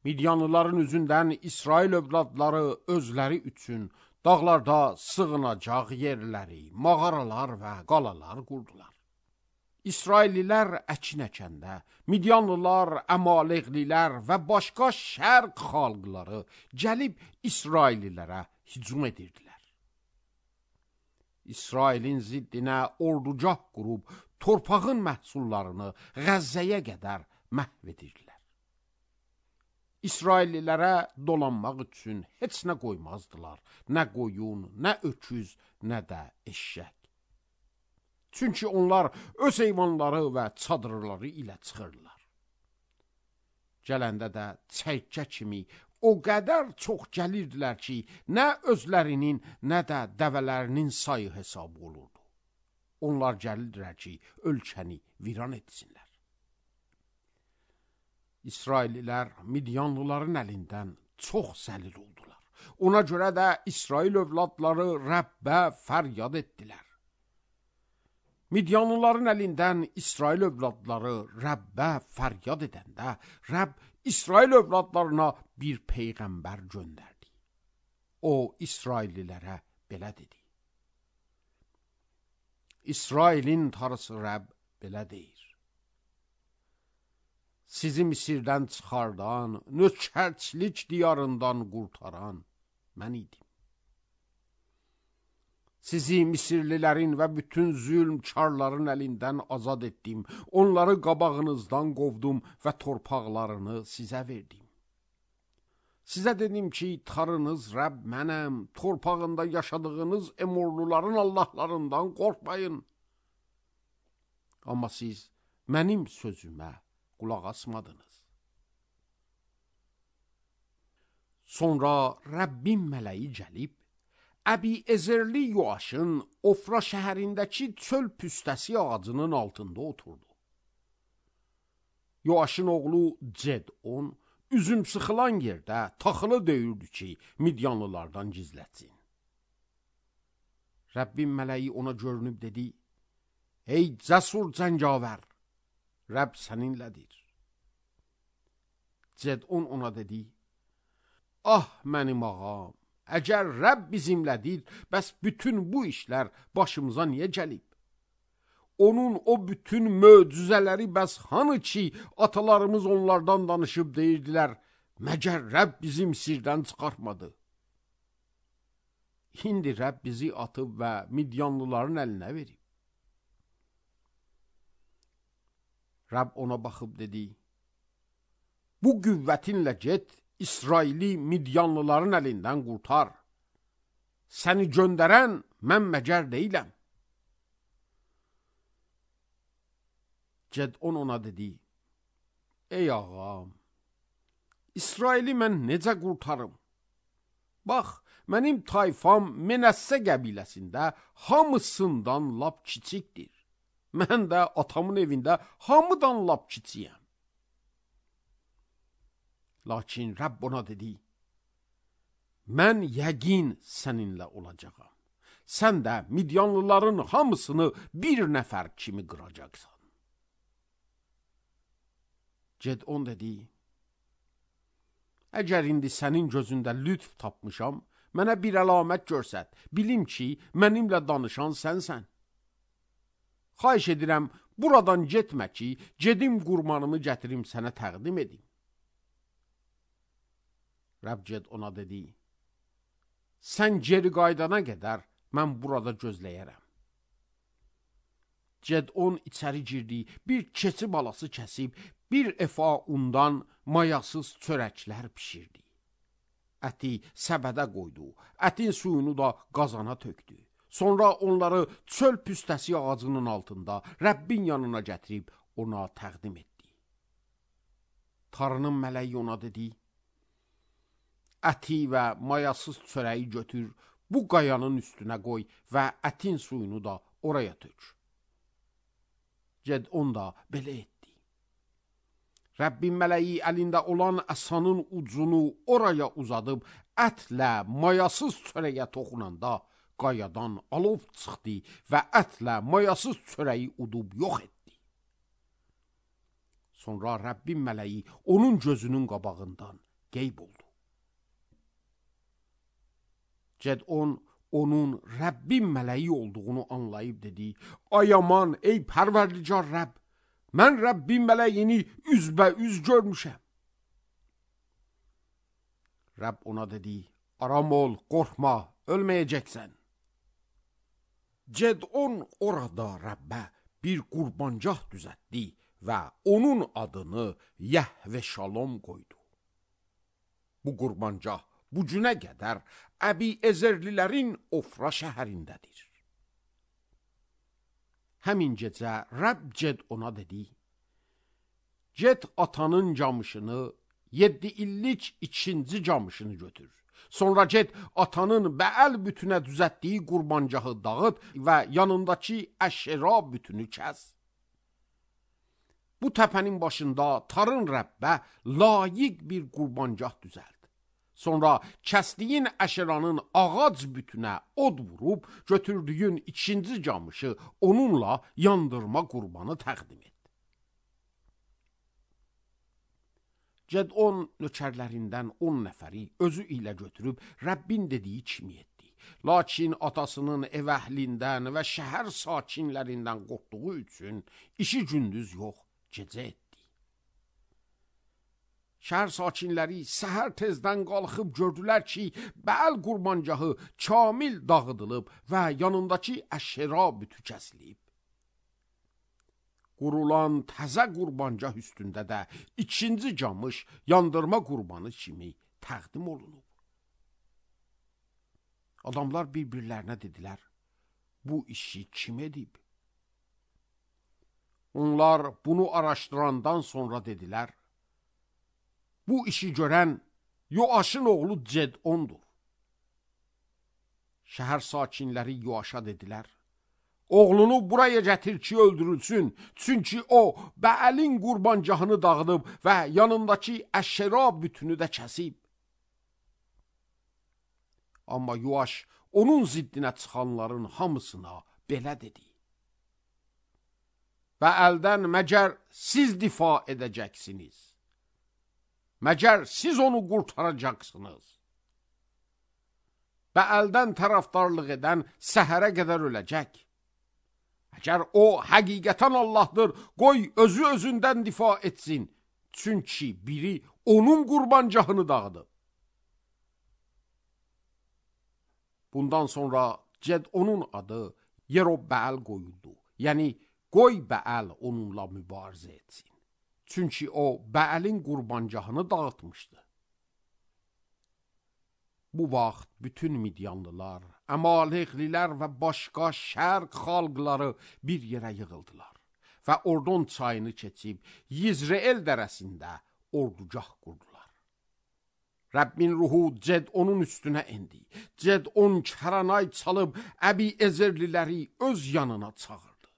Midyanlıların üzündən İsrail övladları özləri üçün dağlarda sığınacaq yerləri, mağaralar və qalalar qurdular. İsraillilər əkin əkəndə, Midyanlılar, Əmaleqlilər və başqa şərq xalqları gəlib İsraillilərə hücum edirdilər. İsrailin ziddinə ordugah qurub, torpağın məhsullarını Qəzzəyə qədər məhv edirdilər. İsraillilərə dolanmaq üçün heç nə qoymazdılar, nə qoyun, nə öküz, nə də eşşək. Çünki onlar öz heyvanları və çadırları ilə çıxırlar. Gələndə də çəykə kimi o qədər çox gəlirdilər ki, nə özlərinin, nə də dəvələrinin sayı hesab olurdu. Onlar gəlirdilər ki, ölkəni viran etsinlər. İsraillilər Midyanlıların əlindən çox zəlil oldular. Ona görə də İsrail övladları Rəbbə fəryad etdilər. Midyanlıların əlindən İsrail övladları Rəbbə fəryad edəndə, Rəbb İsrail övladlarına bir peyğəmbər göndərdi. O, İsraillilərə belə dedi. İsrailin Tanrısı Rəbb belə deyir. Sizi Misirdən çıxardan, nökərçilik diyarından qurtaran mən idim. Sizi Misirlilərin və bütün zülmkarların əlindən azad etdim. Onları qabağınızdan qovdum və torpaqlarını sizə verdim. Sizə dedim ki, Tanrınız Rəbb mənəm, torpağında yaşadığınız Emorluların Allahlarından qorxmayın. Amma siz mənim sözümə qulaq asmadınız. Sonra Rəbbin mələyi gəlib, Əbi-Ezerli Yoaşın Ofra şəhərindəki çöl püstəsi ağacının altında oturdu. Yoaşın oğlu Cedon üzüm sıxılan yerdə taxılı döyürdü ki, Midyanlılardan gizlətsin. Rəbbin mələyi ona görünüb dedi, ey cəsur cəngavər, Rəbb səninlədir. Cedon ona dedi, ah mənim ağam, əgər Rəbb bizimlədir, bəs bütün bu işlər başımıza niyə gəlib? Onun o bütün möcüzələri bəs hanı ki, atalarımız onlardan danışıb deyirdilər, məgər Rəbb bizi Misirdən çıxartmadı? İndi Rəbb bizi atıb və Midyanlıların əlinə verib. Rəbb ona baxıb dedi, bu qüvvətinlə get, İsraili Midyanlıların əlindən qurtar. səni göndərən mən məgər deyiləm. Gedon ona dedi, ey ağam, İsraili mən necə qurtarım? Bax, mənim tayfam Menəssə qəbiləsində hamısından lap kiçikdir. Mən də atamın evində hamıdan lap kiçiyəm. Lakin Rəbb ona dedi, mən yəqin səninlə olacağam. Sən də Midyanlıların hamısını bir nəfər kimi qıracaqsan. Gedon dedi, əgər indi sənin gözündə lütf tapmışam, mənə bir əlamət görsət, bilim ki, mənimlə danışan sənsən. Xahiş edirəm, buradan getmə ki, gedim qurbanımı gətirim sənə təqdim edim. Rəbb Gedona dedi, sən geri qaydana qədər mən burada gözləyərəm. Gedon içəri girdi, bir keçi balası kəsib, bir efa undan mayasız çörəklər pişirdi. Əti səbədə qoydu, ətin suyunu da qazana tökdü. Sonra onları çöl püstəsi ağacının altında Rəbbin yanına gətirib ona təqdim etdi. Tanrının mələyi ona dedi, əti və mayasız çörəyi götür, bu qayanın üstünə qoy və ətin suyunu da oraya tök. Gedon da belə etdi. Rəbbin mələyi əlində olan əsanın ucunu oraya uzadıb, ətlə mayasız çörəyə toxunanda qayadan alov çıxdı və ətlə mayasız çörəyi udub yox etdi. Sonra Rəbbin mələyi onun gözünün qabağından qeyb oldu. Gedon onun Rəbbin mələyi olduğunu anlayıb dedi, ay aman, ey pərverdigar Rəbb, mən Rəbbin mələyini üzbəüz görmüşəm. Rəbb ona dedi, aram ol, qorxma, ölməyəcəksən. Gedon orada Rəbbə bir qurbancaq düzəltdi və onun adını Yəhvə Şalom qoydu. Bu qurbancaq bu günə qədər Əbi-Ezerlilərin Ofra şəhərindədir. Həmin gecə Rəbb Gedona dedi, get atanın camışını, 7 illik ikinci camışını götür. Sonra get atanın Bəəl bütünə düzəltdiyi qurbancağı dağıt və yanındakı Əşera bütünü kəs. Bu təpənin başında tarın Rəbbə layiq bir qurbancaq düzəlt. Sonra kəsdiyin Əşeranın ağac bütünə od vurub, götürdüyün ikinci camışı onunla yandırma qurbanı təqdim et. Gedon nökərlərindən 10 nəfəri özü ilə götürüb Rəbbin dediyi kimi etdi. Lakin atasının ev əhlindən və şəhər sakinlərindən qorxduğu üçün işi gündüz yox, gecə etdi. Şəhər sakinləri səhər tezdən qalxıb gördülər ki, Bəəl qurbancağı kamil dağıdılıb və yanındakı Əşera bütü kəsilib. Qurulan təzə qurbancaq üstündə də ikinci camış yandırma qurbanı kimi təqdim olunub. Adamlar bir-birlərinə dedilər, bu işi kim edib? Onlar bunu araşdırandan sonra dedilər, bu işi görən Yoaşın oğlu Gedondur. Şəhər sakinləri Yoaşa dedilər, oğlunu buraya gətir ki, öldürülsün, çünki o Bəəlin qurbancağını dağıdıb və yanındakı Əşera bütünü də kəsib. Amma Yoaş onun ziddinə çıxanların hamısına belə dedi, Bəəldən məgər siz difa edəcəksiniz? Məgər siz onu qurtaracaqsınız? Bəəldən tərəfdarlıq edən səhərə qədər öləcək. Əgər o həqiqətən Allahdır, qoy özü özündən difa etsin. Çünki biri onun qurbancağını dağıdıb. Bundan sonra Gedonun adı Yerobəəl qoyuldu. Yəni, qoy Bəəl onunla mübarizə etsin. Çünki o Bəəlin qurbancağını dağıtmışdı. Bu vaxt bütün Midyanlılar, Əmaleqlilər və başqa şərq xalqları bir yerə yığıldılar və Ordon çayını keçib Yizreel dərəsində ordugah qurdular. Rəbbin ruhu Cedonun üstünə endi. Cedon kəranay çalıb Əbi-Ezerliləri öz yanına çağırdı.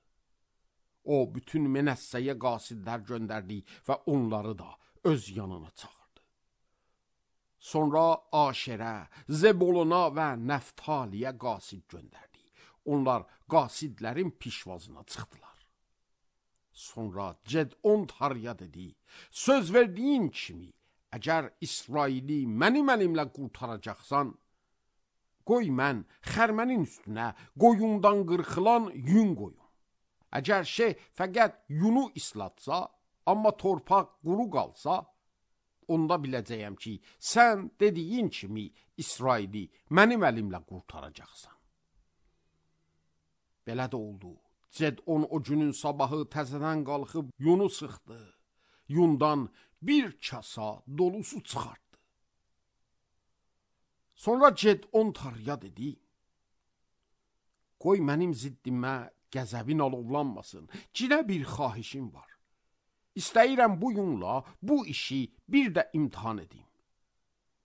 O, bütün Menəssəyə qasidlər göndərdi və onları da öz yanına çağırdı. Sonra Aşerə, Zeboluna və Nəftaliyə qasid göndərdi. Onlar qasidlərin pişvazına çıxdılar. Sonra Cedon Tarıya dedi, söz verdiyin kimi, əgər İsraili mənim əlimlə qurtaracaqsan, qoy mən xərmənin üstünə qoyundan qırxılan yün qoyum. Əgər fəqət yunu islatsa, amma torpaq quru qalsa, onda biləcəyəm ki, sən dediyin kimi İsraili mənim əlimlə qurtaracaqsan. Belə də oldu. Cedon o günün sabahı təzədən qalxıb yunu sıxdı. Yundan bir kasa dolusu çıxartdı. Sonra Cedon Tarıya dedi, qoy mənim ziddimə qəzəbin alovlanmasın, cinə bir xahişim var. İstəyirəm bu yunla bu işi bir də imtihan edim.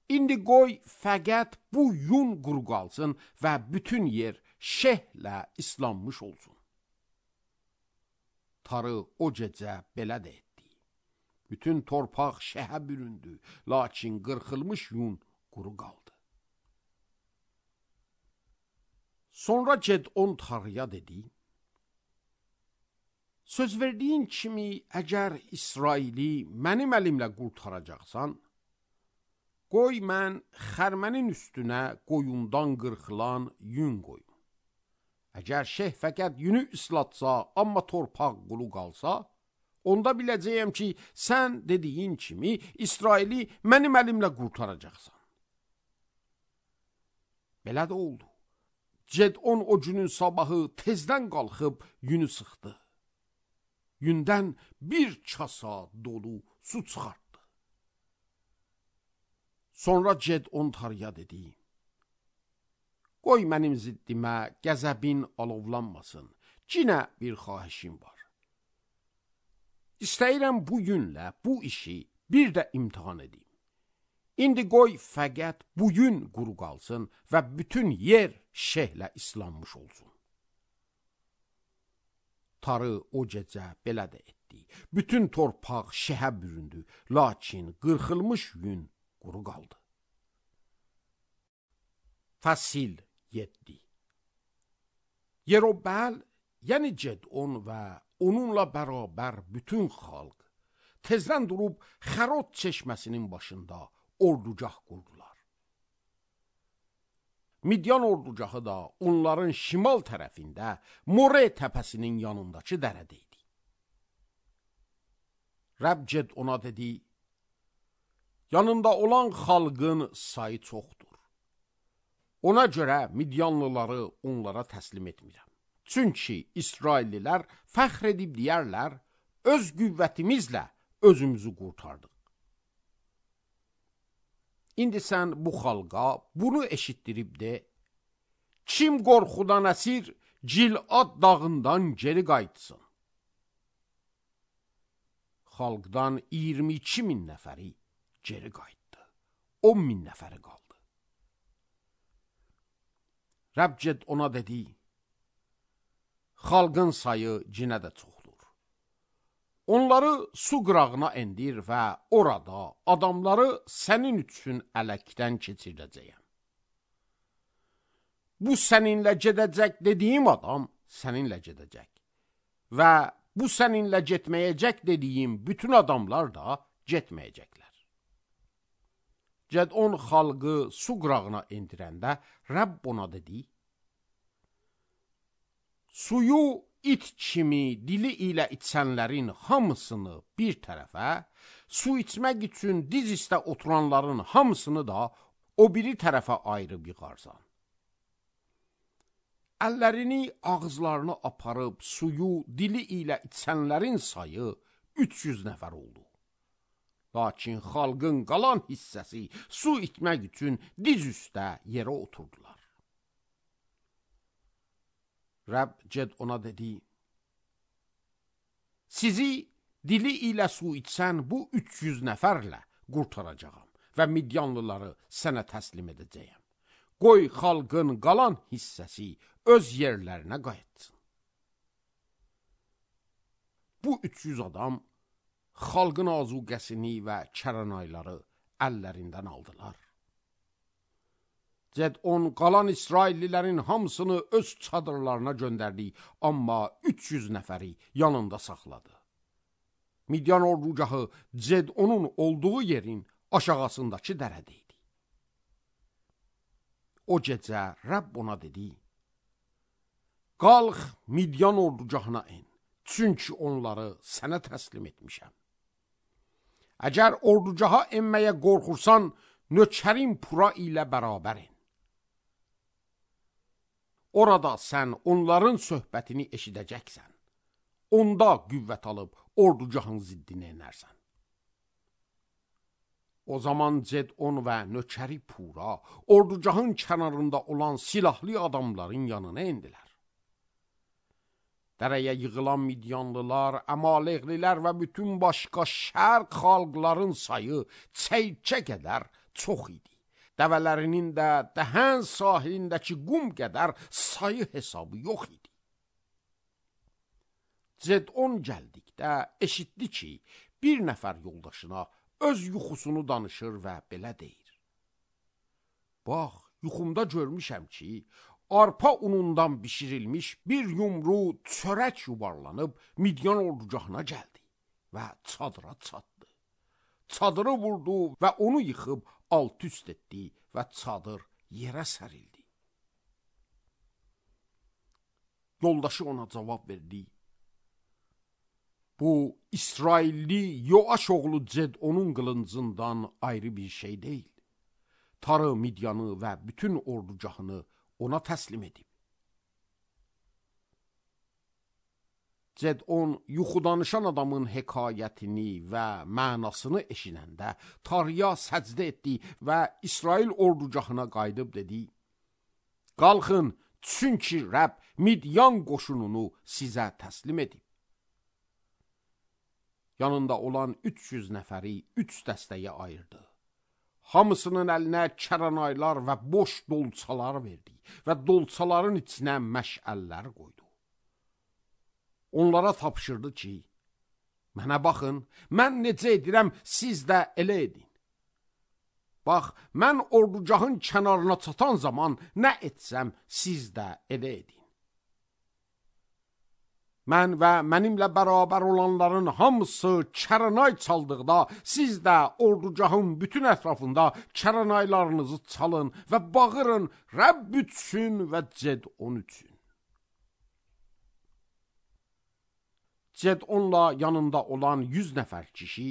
İndi qoy fəqət bu yun quru qalsın və bütün yer şehlə islanmış olsun. Tarı o gecə belə də etdi. Bütün torpaq şəhə büründü, lakin qırxılmış yun quru qaldı. Sonra Cedon Tarıya dedi, söz verdiyin kimi, əgər İsraili mənim əlimlə qurtaracaqsan, qoy mən xərmənin üstünə qoyundan qırxılan yün qoyum. Əgər fəqət yünü islatsa, amma torpaq quru qalsa, onda biləcəyəm ki, sən dediyin kimi İsraili mənim əlimlə qurtaracaqsan. Belə də oldu. Cedon o günün sabahı tezdən qalxıb yünü sıxdı. Yündən bir kasa dolu su çıxartdı. Sonra Cedon Tarıya dedi, qoy mənim ziddimə qəzəbin alovlanmasın, cinə bir xahişim var. İstəyirəm bu günlə bu işi bir də imtihan edim. İndi qoy fəqət bu gün quru qalsın və bütün yer şehlə islanmış olsun. Tarı o gecə belə də etdi. Bütün torpaq şəhə büründü, lakin qırxılmış yün quru qaldı. Fəsil 7. Yerobəl, yəni Cedon və onunla bərabər bütün xalq tezdən durub Xərod çeşməsinin başında ordugah qurdular. Midyan ordugahı da onların şimal tərəfində More təpəsinin yanındakı dərədə idi. Rəbb Cedona dedi, yanında olan xalqın sayı çoxdur. Ona görə Midyanlıları onlara təslim etmirəm. Çünki İsraillilər fəxr edib deyərlər, öz qüvvətimizlə özümüzü qurtardıq. İndi sən bu xalqa bunu eşitdirib de, kim qorxudan əsir Cilad dağından geri qayıtsın. Xalqdan 22 min nəfəri geri qayıtdı. 10 min nəfəri qaldı. Rəbb Cedona dedi, xalqın sayı cinə də çoxdur. Onları su qırağına endir və orada adamları sənin üçün ələkdən keçirəcəyəm. Bu səninlə gedəcək dediyim adam səninlə gedəcək. Və bu səninlə getməyəcək dediyim bütün adamlar da getməyəcəklər. Cedon xalqı su qırağına endirəndə Rəbb ona dedi, suyu it kimi dili ilə içənlərin hamısını bir tərəfə, su içmək üçün diz üstə oturanların hamısını da o biri tərəfə ayırıb yığarsan. Əllərini ağızlarını aparıb suyu dili ilə içənlərin sayı 300 nəfər oldu. Lakin xalqın qalan hissəsi su içmək üçün diz üstə yerə oturdular. Rəbb Gedona dedi, sizi dili ilə su içsən bu 300 nəfərlə qurtaracağam və Midyanlıları sənə təslim edəcəyəm. Qoy xalqın qalan hissəsi öz yerlərinə qayıtsın. Bu 300 adam xalqın azuqəsini və kəranayları əllərindən aldılar. Gedon qalan İsraillilərin hamısını öz çadırlarına göndərdi, amma 300 nəfəri yanında saxladı. Midyan ordugahı Gedonun olduğu yerin aşağısındakı dərədə idi. O gecə Rəbb ona dedi, qalx Midyan ordugahına en, çünki onları sənə təslim etmişəm. Əgər ordugaha enməyə qorxursan, nökərin Pura ilə bərabər en. Orada sən onların söhbətini eşidəcəksən. Onda qüvvət alıb ordugahın ziddinə enərsən. O zaman Gedon və nökəri Pura ordugahın kənarında olan silahlı adamların yanına endilər. Dərəyə yığılan Midyanlılar, Əmaleqlilər və bütün başqa şərq xalqların sayı çeykə qədər çox idi. Dəvələrinin də dəhən sahilindəki qum qədər sayı hesabı yox idi. Gedon gəldikdə eşitdi ki, bir nəfər yoldaşına öz yuxusunu danışır və belə deyir. Bax, yuxumda görmüşəm ki, arpa unundan bişirilmiş bir yumru çörək yuvarlanıb Midyan ordugahına gəldi və çadıra çatdı. Çadırı vurdu və onu yıxıb alt-üst etdi və çadır yerə sərildi. Yoldaşı ona cavab verdi. Bu, İsrailli Yoaş oğlu Gedonun qılıncından ayrı bir şey deyil. Tarı Midyanı və bütün ordugahını ona təslim edib. Gedon yuxudanışan adamın hekayətini və mənasını eşidəndə Tarıya səcdə etdi və İsrail ordugahına qayıdıb dedi, qalxın, çünki Rəbb Midyan qoşununu sizə təslim edib. Yanında olan 300 nəfəri 3 dəstəyə ayırdı. Hamısının əlinə kəranaylar və boş dolçalar verdi və dolçaların içinə məşəllər qoydu. Onlara tapşırdı ki, mənə baxın, mən necə edirəm, siz də elə edin. Bax, mən ordugahın kənarına çatan zaman nə etsəm, siz də elə edin. Mən və mənimlə bərabər olanların hamısı kəranay çaldıqda, siz də ordugahın bütün ətrafında kəranaylarınızı çalın və bağırın Rəbb üçün və Gedon üçün. Gedonla yanında olan 100 nəfər kişi,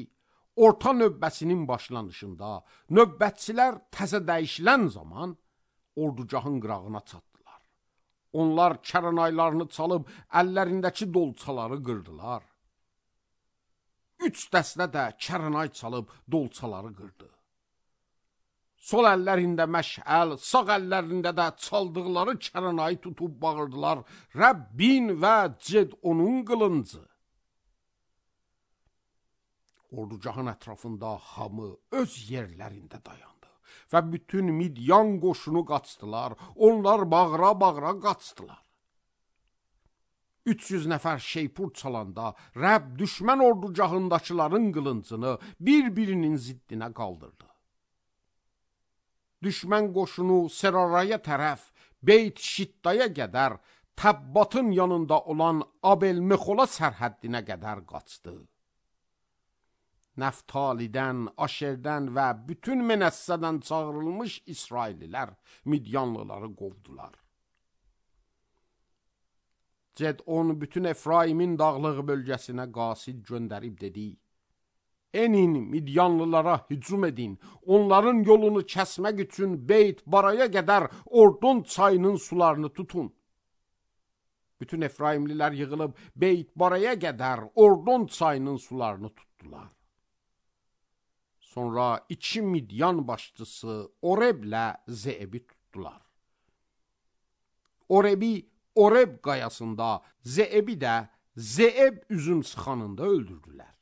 orta növbəsinin başlanışında növbətçilər təzə dəyişilən zaman ordugahın qırağına çatdılar. Onlar kəranaylarını çalıb əllərindəki dolçaları qırdılar. 3 dəstə də kəranay çalıb dolçaları qırdı. Sol əllərində məşəl, sağ əllərində də çaldıqları kəranayı tutub bağırdılar, Rəbbin və Gedonun qılıncı. Ordugahın ətrafında hamı öz yerlərində dayandı və bütün Midyan qoşunu qaçdılar, onlar bağıra-bağıra qaçdılar. 300 nəfər şeypur çalanda Rəbb düşmən ordugahındakıların qılıncını bir-birinin ziddinə qaldırdı. Düşmən qoşunu Seraraya tərəf Beyt Şiddaya qədər Təbbatın yanında olan Abel-Mexola sərhəddinə qədər qaçdı. Nəftalidən, Aşerdən və bütün Menəssədən çağırılmış İsraillilər Midyanlıları qovdular. Gedon bütün Efraimin dağlıq bölgəsinə qasid göndərib dedi, enin Midyanlılara hücum edin, onların yolunu kəsmək üçün Beyt Baraya qədər Ordon çayının sularını tutun. Bütün Efraimlilər yığılıb Beyt Baraya qədər Ordon çayının sularını tutdular. Sonra 2 Midyan başçısı Oreblə Zeebi tutdular. Orebi Oreb qayasında, Zeebi də Zeeb üzüm sıxanında öldürdülər.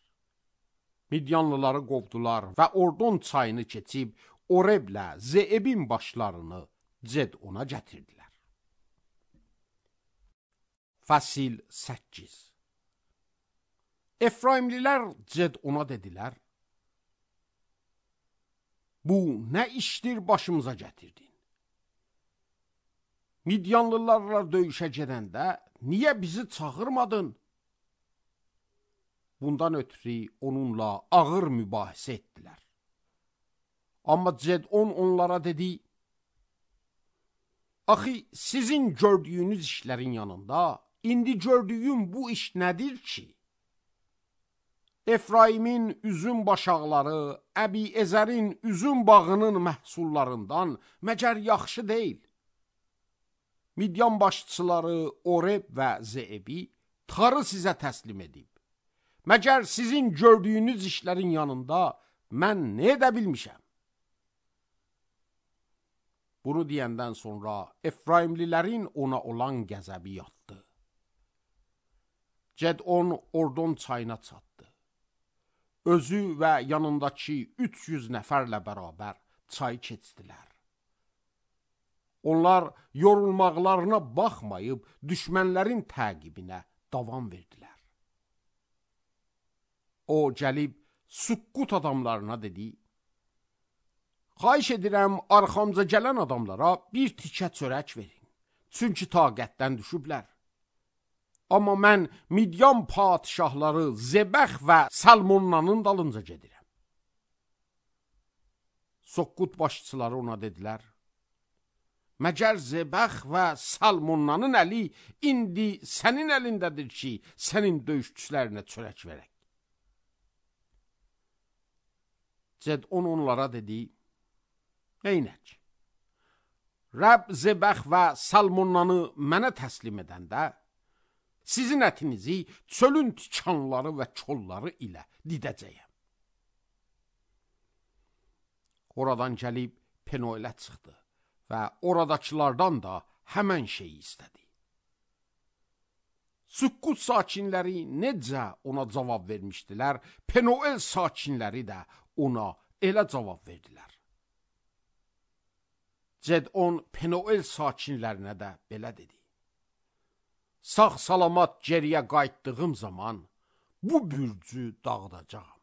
Midyanlıları qovdular və Ordon çayını keçib Oreblə Zeebin başlarını Cedona gətirdilər. Fəsil 8. Efraimlilər Cedona dedilər: Bu nə işdir başımıza gətirdin? Midyanlılarla döyüşə gedəndə niyə bizi çağırmadın? Bundan ötürü onunla ağır mübahisə etdilər. Amma Cedon onlara dedi: Axı sizin gördüyünüz işlərin yanında indi gördüyüm bu iş nədir ki? Efraimin üzüm başaqları, Əbi-Ezərin üzüm bağının məhsullarından məgər yaxşı deyil? Midyan başçıları Oreb və Zeebi tarı sizə təslim edib. Məgər sizin gördüyünüz işlərin yanında mən nə edə bilmişəm? Bunu deyəndən sonra Efraimlilərin ona olan qəzəbi yatdı. Cedon Ordon çayına çatdı. Özü və yanındakı 300 nəfərlə bərabər çay keçdilər. Onlar yorulmaqlarına baxmayıb düşmənlərin təqibinə davam verdilər. O gəlib Sukkut adamlarına dedi: Xahiş edirəm, arxamca gələn adamlara bir tikə çörək verin, çünki taqətdən düşüblər. Amma mən Midyan padişahları Zebəx və Salmonnanın dalınca gedirəm. Sukkut başçıları ona dedilər: Məgər Zebəx və Salmonnanın əli indi sənin əlindədir ki, sənin döyüşçülərinə çörək verək. Cedon onlara dedi: Neynək? Rəbb Zebəx və Salmonnanı mənə təslim edəndə, sizin ətinizi çölün tikanları və çolları ilə didəcəyəm. Oradan gəlib Penoelə çıxdı və oradakılardan da həmən şeyi istədi. Sukkut sakinləri necə ona cavab vermişdilər, Penoel sakinləri də ona elə cavab verdilər. Cedon Penoel sakinlərinə də belə dedi: Sağ-salamat geriyə qayıtdığım zaman bu bürcü dağıdacağam.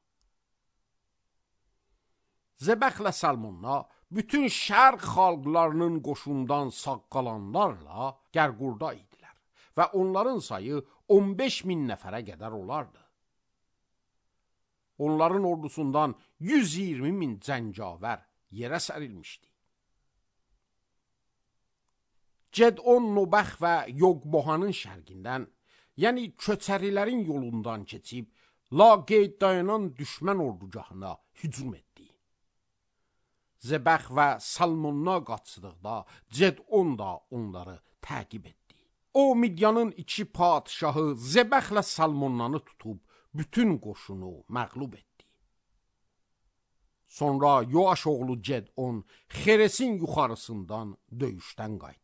Zebəxlə Salmonna bütün şərq xalqlarının qoşundan sağ qalanlarla Gərqurda idilər və onların sayı 15.000 nəfərə qədər olardı. Onların ordusundan 120.000 cəngavər yerə sərilmişdi. Cedon Nobəx və Yogbohanın şərqindən, yəni köçərilərin yolundan keçib, laqeyd dayanan düşmən ordugahına hücum etdi. Zebəx və Salmonna qaçdıqda, Cedon da onları təqib etdi. O, Midyanın 2 padişahı Zebəxlə Salmonnanı tutub, bütün qoşunu məğlub etdi. Sonra Yoaş oğlu Cedon Xeresin yuxarısından döyüşdən qayıtdı.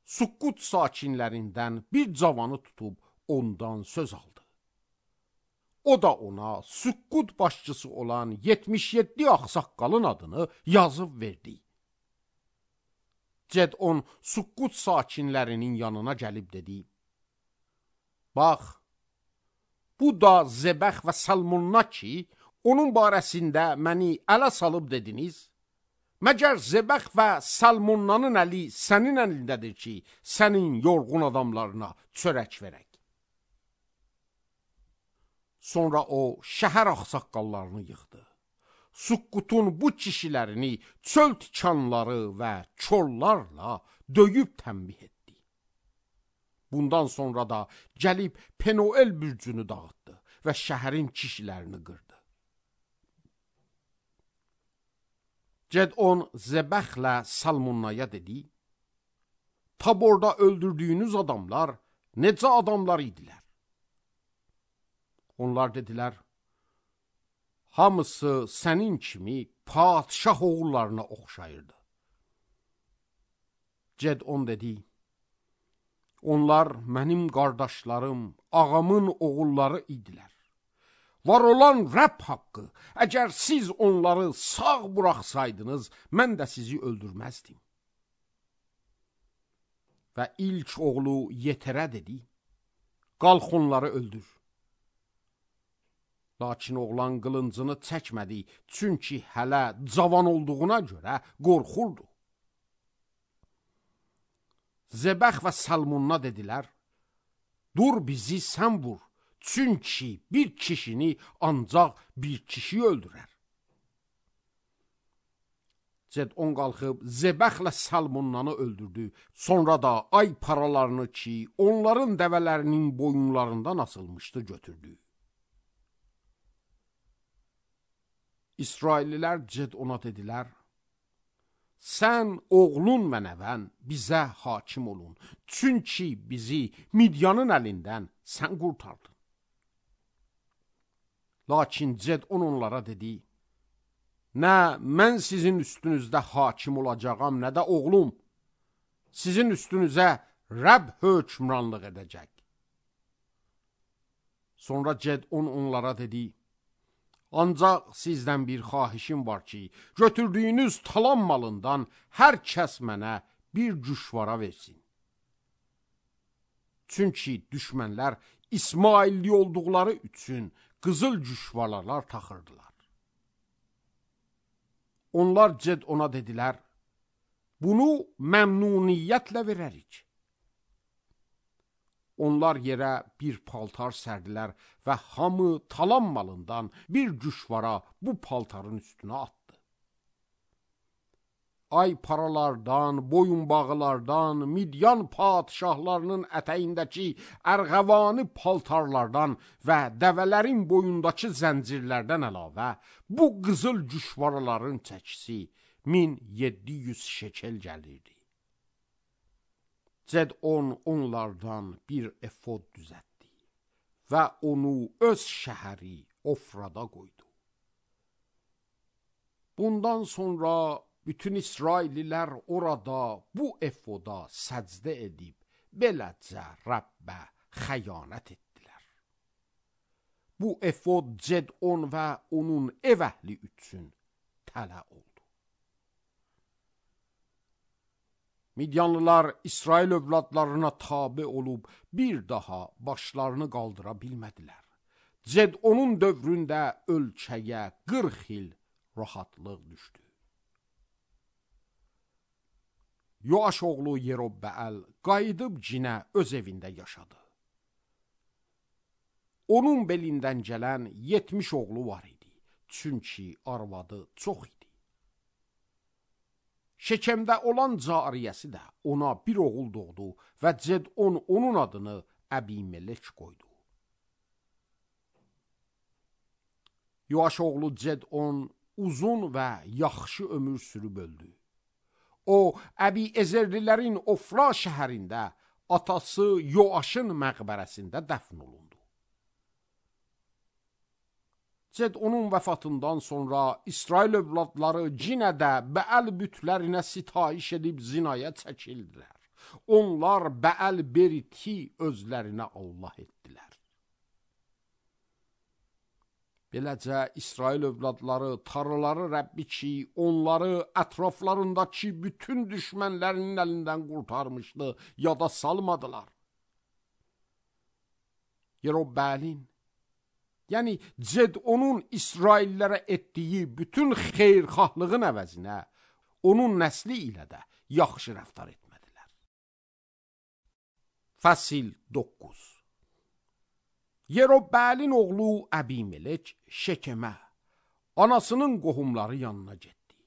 Sukkut sakinlərindən bir cavanı tutub ondan söz aldı. O da ona Sukkut başçısı olan 77 ağsaqqalın adını yazıb verdi. Cedon Sukkut sakinlərinin yanına gəlib dedi: Bax, bu da Zebəx və Salmonna ki, onun barəsində məni ələ salıb dediniz. Məgər Zebəx və Salmonnanın əli sənin əlindədir ki, sənin yorğun adamlarına çörək verək. Sonra o, şəhər ağsaqqallarını yığdı. Sukkutun bu kişilərini çöl tikanları və çollarla döyüb tənbih etdi. Bundan sonra da gəlib Penoel bürcünü dağıtdı və şəhərin kişilərini qırdı. Cedon Zebəxlə Salmonnaya dedi: Taborda öldürdüyünüz adamlar necə adamlar idilər? Onlar dedilər: hamısı sənin kimi padşah oğullarına oxşayırdı. Cedon dedi, onlar mənim qardaşlarım, ağamın oğulları idilər. Var olan Rəbb haqqı, əgər siz onları sağ buraxsaydınız, mən də sizi öldürməzdim. Və ilk oğlu Yeterə dedi, qalx onları öldür. Lakin oğlan qılıncını çəkmədi, çünki hələ cavan olduğuna görə qorxurdu. Zebəx və Salmunna dedilər, dur bizi sən vur, çünki bir kişini ancaq bir kişi öldürər. Cedon qalxıb Zebəxlə Salmunnanı öldürdü, sonra da ay paralarını ki, onların dəvələrinin boyunlarından asılmışdı götürdü. İsraillilər Cedona dedilər, sən oğlun və nəvən bizə hakim olun, çünki bizi Midyanın əlindən sən qurtardın. Lakin Cedon onlara dedi, nə mən sizin üstünüzdə hakim olacağam, nə də oğlum, sizin üstünüzə Rəbb hökmranlıq edəcək. Sonra Cedon onlara dedi, ancaq sizdən bir xahişim var ki, götürdüyünüz talan malından hər kəs mənə bir cüşvara versin. Çünki düşmənlər İsmailli olduqları üçün qızıl cüşvaralar taxırdılar. Onlar Cedona dedilər, bunu məmnuniyyətlə verərik. Onlar yerə bir paltar sərdilər və hamı talan malından bir cüşvara bu paltarın üstünə atdı. Ay paralardan, boyunbağılardan, Midyan padişahlarının ətəyindəki ərğəvani paltarlardan və dəvələrin boyundakı zəncirlərdən əlavə, bu qızıl cüşvaraların çəkisi 1700 şekel gəlirdi. Cedon onlardan bir efod düzəltdi və onu öz şəhəri Ofrada qoydu. Bundan sonra bütün İsraillilər orada bu efoda səcdə edib, beləcə Rəbbə xəyanət etdilər. Bu efod Cedon və onun ev əhli üçün tələ oldu. Midyanlılar İsrail övladlarına tabe olub bir daha başlarını qaldıra bilmədilər. Cedonun dövründə ölkəyə 40 il rahatlıq düşdü. Yoaş oğlu Yerobbəəl qayıdıb cinə öz evində yaşadı. Onun belindən gələn 70 oğlu var idi, çünki arvadı çox idi. Şekemdə olan cariyəsi də ona bir oğul doğdu və Cedon onun adını Əbimelek qoydu. Yoaş oğlu Cedon uzun və yaxşı ömür sürüb öldü. O, Əbiezerlilərin Ofra şəhərində atası Yoaşın məqbərəsində dəfn olundu. Cedonun vəfatından sonra İsrail övladları cinə də Bəəl bütlərinə sitayiş edib zinaya çəkildilər. Onlar Bəəl Beriti özlərinə Allah etdilər. Beləcə İsrail övladları tarlaları Rəbbi ki, onları ətraflarındakı bütün düşmənlərinin əlindən qurtarmışdı, yada salmadılar. Yerobbəəlin, yəni Cedonun İsraillərə etdiyi bütün xeyrxahlığın əvəzinə onun nəsli ilə də yaxşı rəftar etmədilər. Fəsil 9. Yerobbəəlin oğlu Əbimelek Şekemə, anasının qohumları yanına getdi.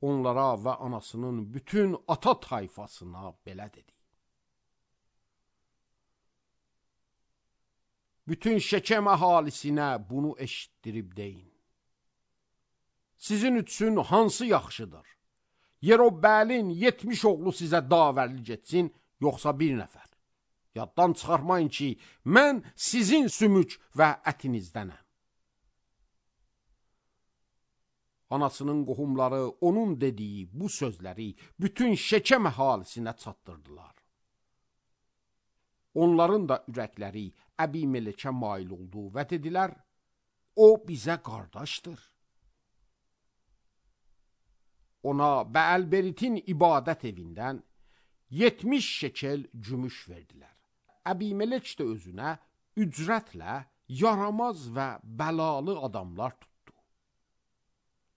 Onlara və anasının bütün ata tayfasına belə dedi. Bütün Şekem əhalisinə bunu eşitdirib deyin. Sizin üçün hansı yaxşıdır? Yerobbəəlin 70 oğlu sizə davərli getsin, yoxsa bir nəfər? Yaddan çıxarmayın ki, mən sizin sümük və ətinizdənəm. Anasının qohumları onun dediyi bu sözləri bütün Şekem əhalisinə çatdırdılar. Onların da ürəkləri Əbimelekə mail oldu və dedilər, o bizə qardaşdır. Ona Bəəlberitin ibadət evindən 70 şekel gümüş verdilər. Əbimelek də özünə ücrətlə yaramaz və bəlalı adamlar tutdu.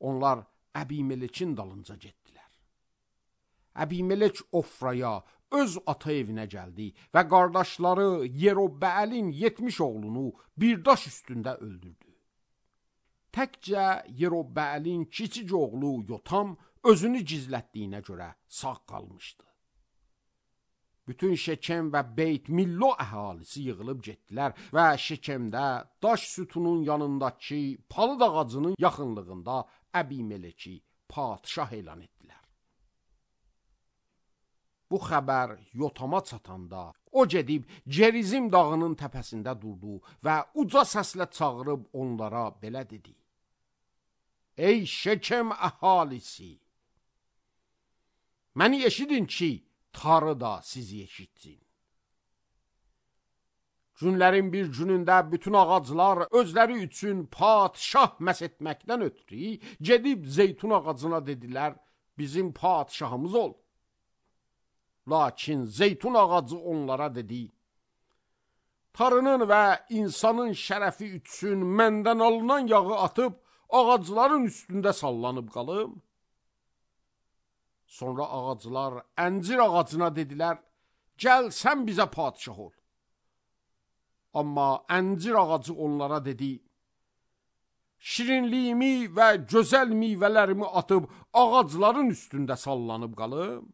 Onlar Əbimelekin dalınca getdilər. Əbimelek Ofraya, öz ata evinə gəldi və qardaşları Yerobbəəlin 70 oğlunu bir daş üstündə öldürdü. Təkcə Yerobbəəlin kiçik oğlu Yotam özünü gizlətdiyinə görə sağ qalmışdı. Bütün Şekem və Beyt Millo əhalisi yığılıb getdilər və Şekemdə daş sütunun yanındakı palıd ağacının yaxınlığında Əbimeleki padişah elan etdilər. Bu xəbər Yotama çatanda o gedib Gerizim dağının təpəsində durdu və uca səslə çağırıb onlara belə dedi. Ey Şekem əhalisi! Məni eşidin ki, Tanrı da sizi eşitsin. Günlərin bir günündə bütün ağaclar özləri üçün padişah məs etməkdən ötürü gedib zeytun ağacına dedilər, bizim padişahımız ol. Lakin zeytun ağacı onlara dedi, Tanrının və insanın şərəfi üçün məndən alınan yağı atıb ağacların üstündə sallanıb qalım. Sonra ağaclar əncir ağacına dedilər, gəl sən bizə padişah ol. Amma əncir ağacı onlara dedi, şirinliyimi və gözəl meyvələrimi atıb ağacların üstündə sallanıb qalım.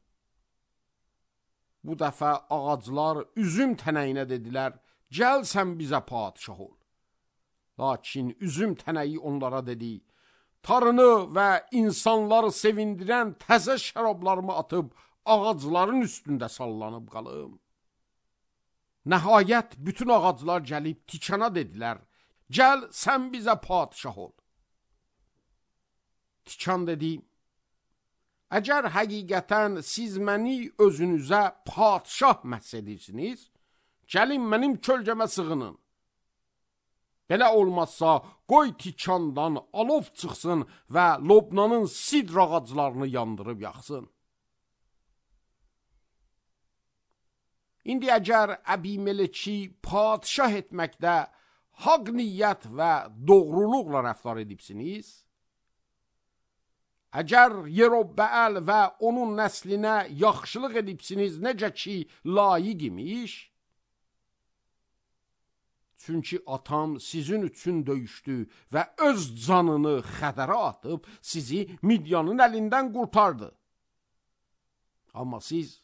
Bu dəfə ağaclar üzüm tənəyinə dedilər, gəl sən bizə padişah ol. Lakin üzüm tənəyi onlara dedi, Tanrını və insanları sevindirən təzə şərablarımı atıb ağacların üstündə sallanıb qalım. Nəhayət bütün ağaclar gəlib tikana dedilər, gəl sən bizə padişah ol. Tikan dedi, əgər həqiqətən siz məni özünüzə padişah məhs edirsiniz, gəlin mənim kölgəmə sığının. Belə olmazsa, qoy tikandan alov çıxsın və Lobnanın sidr ağaclarını yandırıb yaxsın. İndi əgər Əbimeleki padişah etməkdə haqq niyyət və doğruluqla rəftar edibsiniz, əgər Yerobbəəl və onun nəslinə yaxşılıq edibsiniz, necə ki layiq imiş, çünki atam sizin üçün döyüşdü və öz canını xətərə atıb sizi Midyanın əlindən qurtardı. Amma siz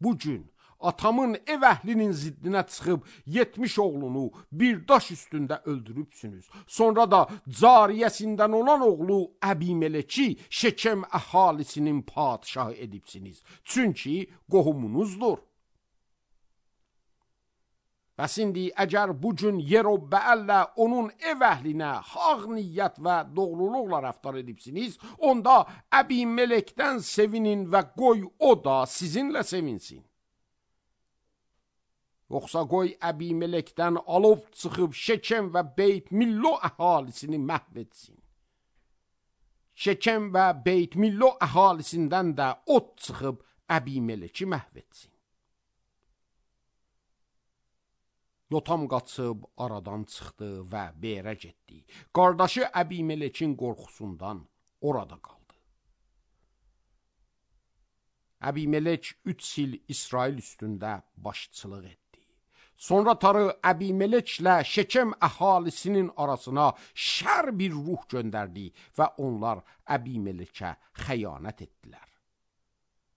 bugün atamın ev əhlinin ziddinə çıxıb 70 oğlunu bir daş üstündə öldürübsünüz. Sonra da cariyəsindən olan oğlu Əbimeleki Şekem əhalisinin padişahı edibsiniz. Çünki qohumunuzdur. Bəs indi əgər bugün Yerobbəəllə onun ev əhlinə haq niyyət və doğruluqla rəftar edibsiniz, onda Əbimelekdən sevinin və qoy o da sizinlə sevinsin. Yoxsa qoy Əbimelekdən alov çıxıb Şekem və Beyt Millo əhalisini məhv etsin. Şekem və Beyt Millo əhalisindən də od çıxıb Əbimeleki məhv etsin. Yotam qaçıb aradan çıxdı və Berə getdi. Qardaşı Əbimelekin qorxusundan orada qaldı. Əbimelek 3 il İsrail üstündə başçılıq etdi. Sonra Tanrı Əbimeleklə Şekem əhalisinin arasına şər bir ruh göndərdi və onlar Əbimelekə xəyanət etdilər.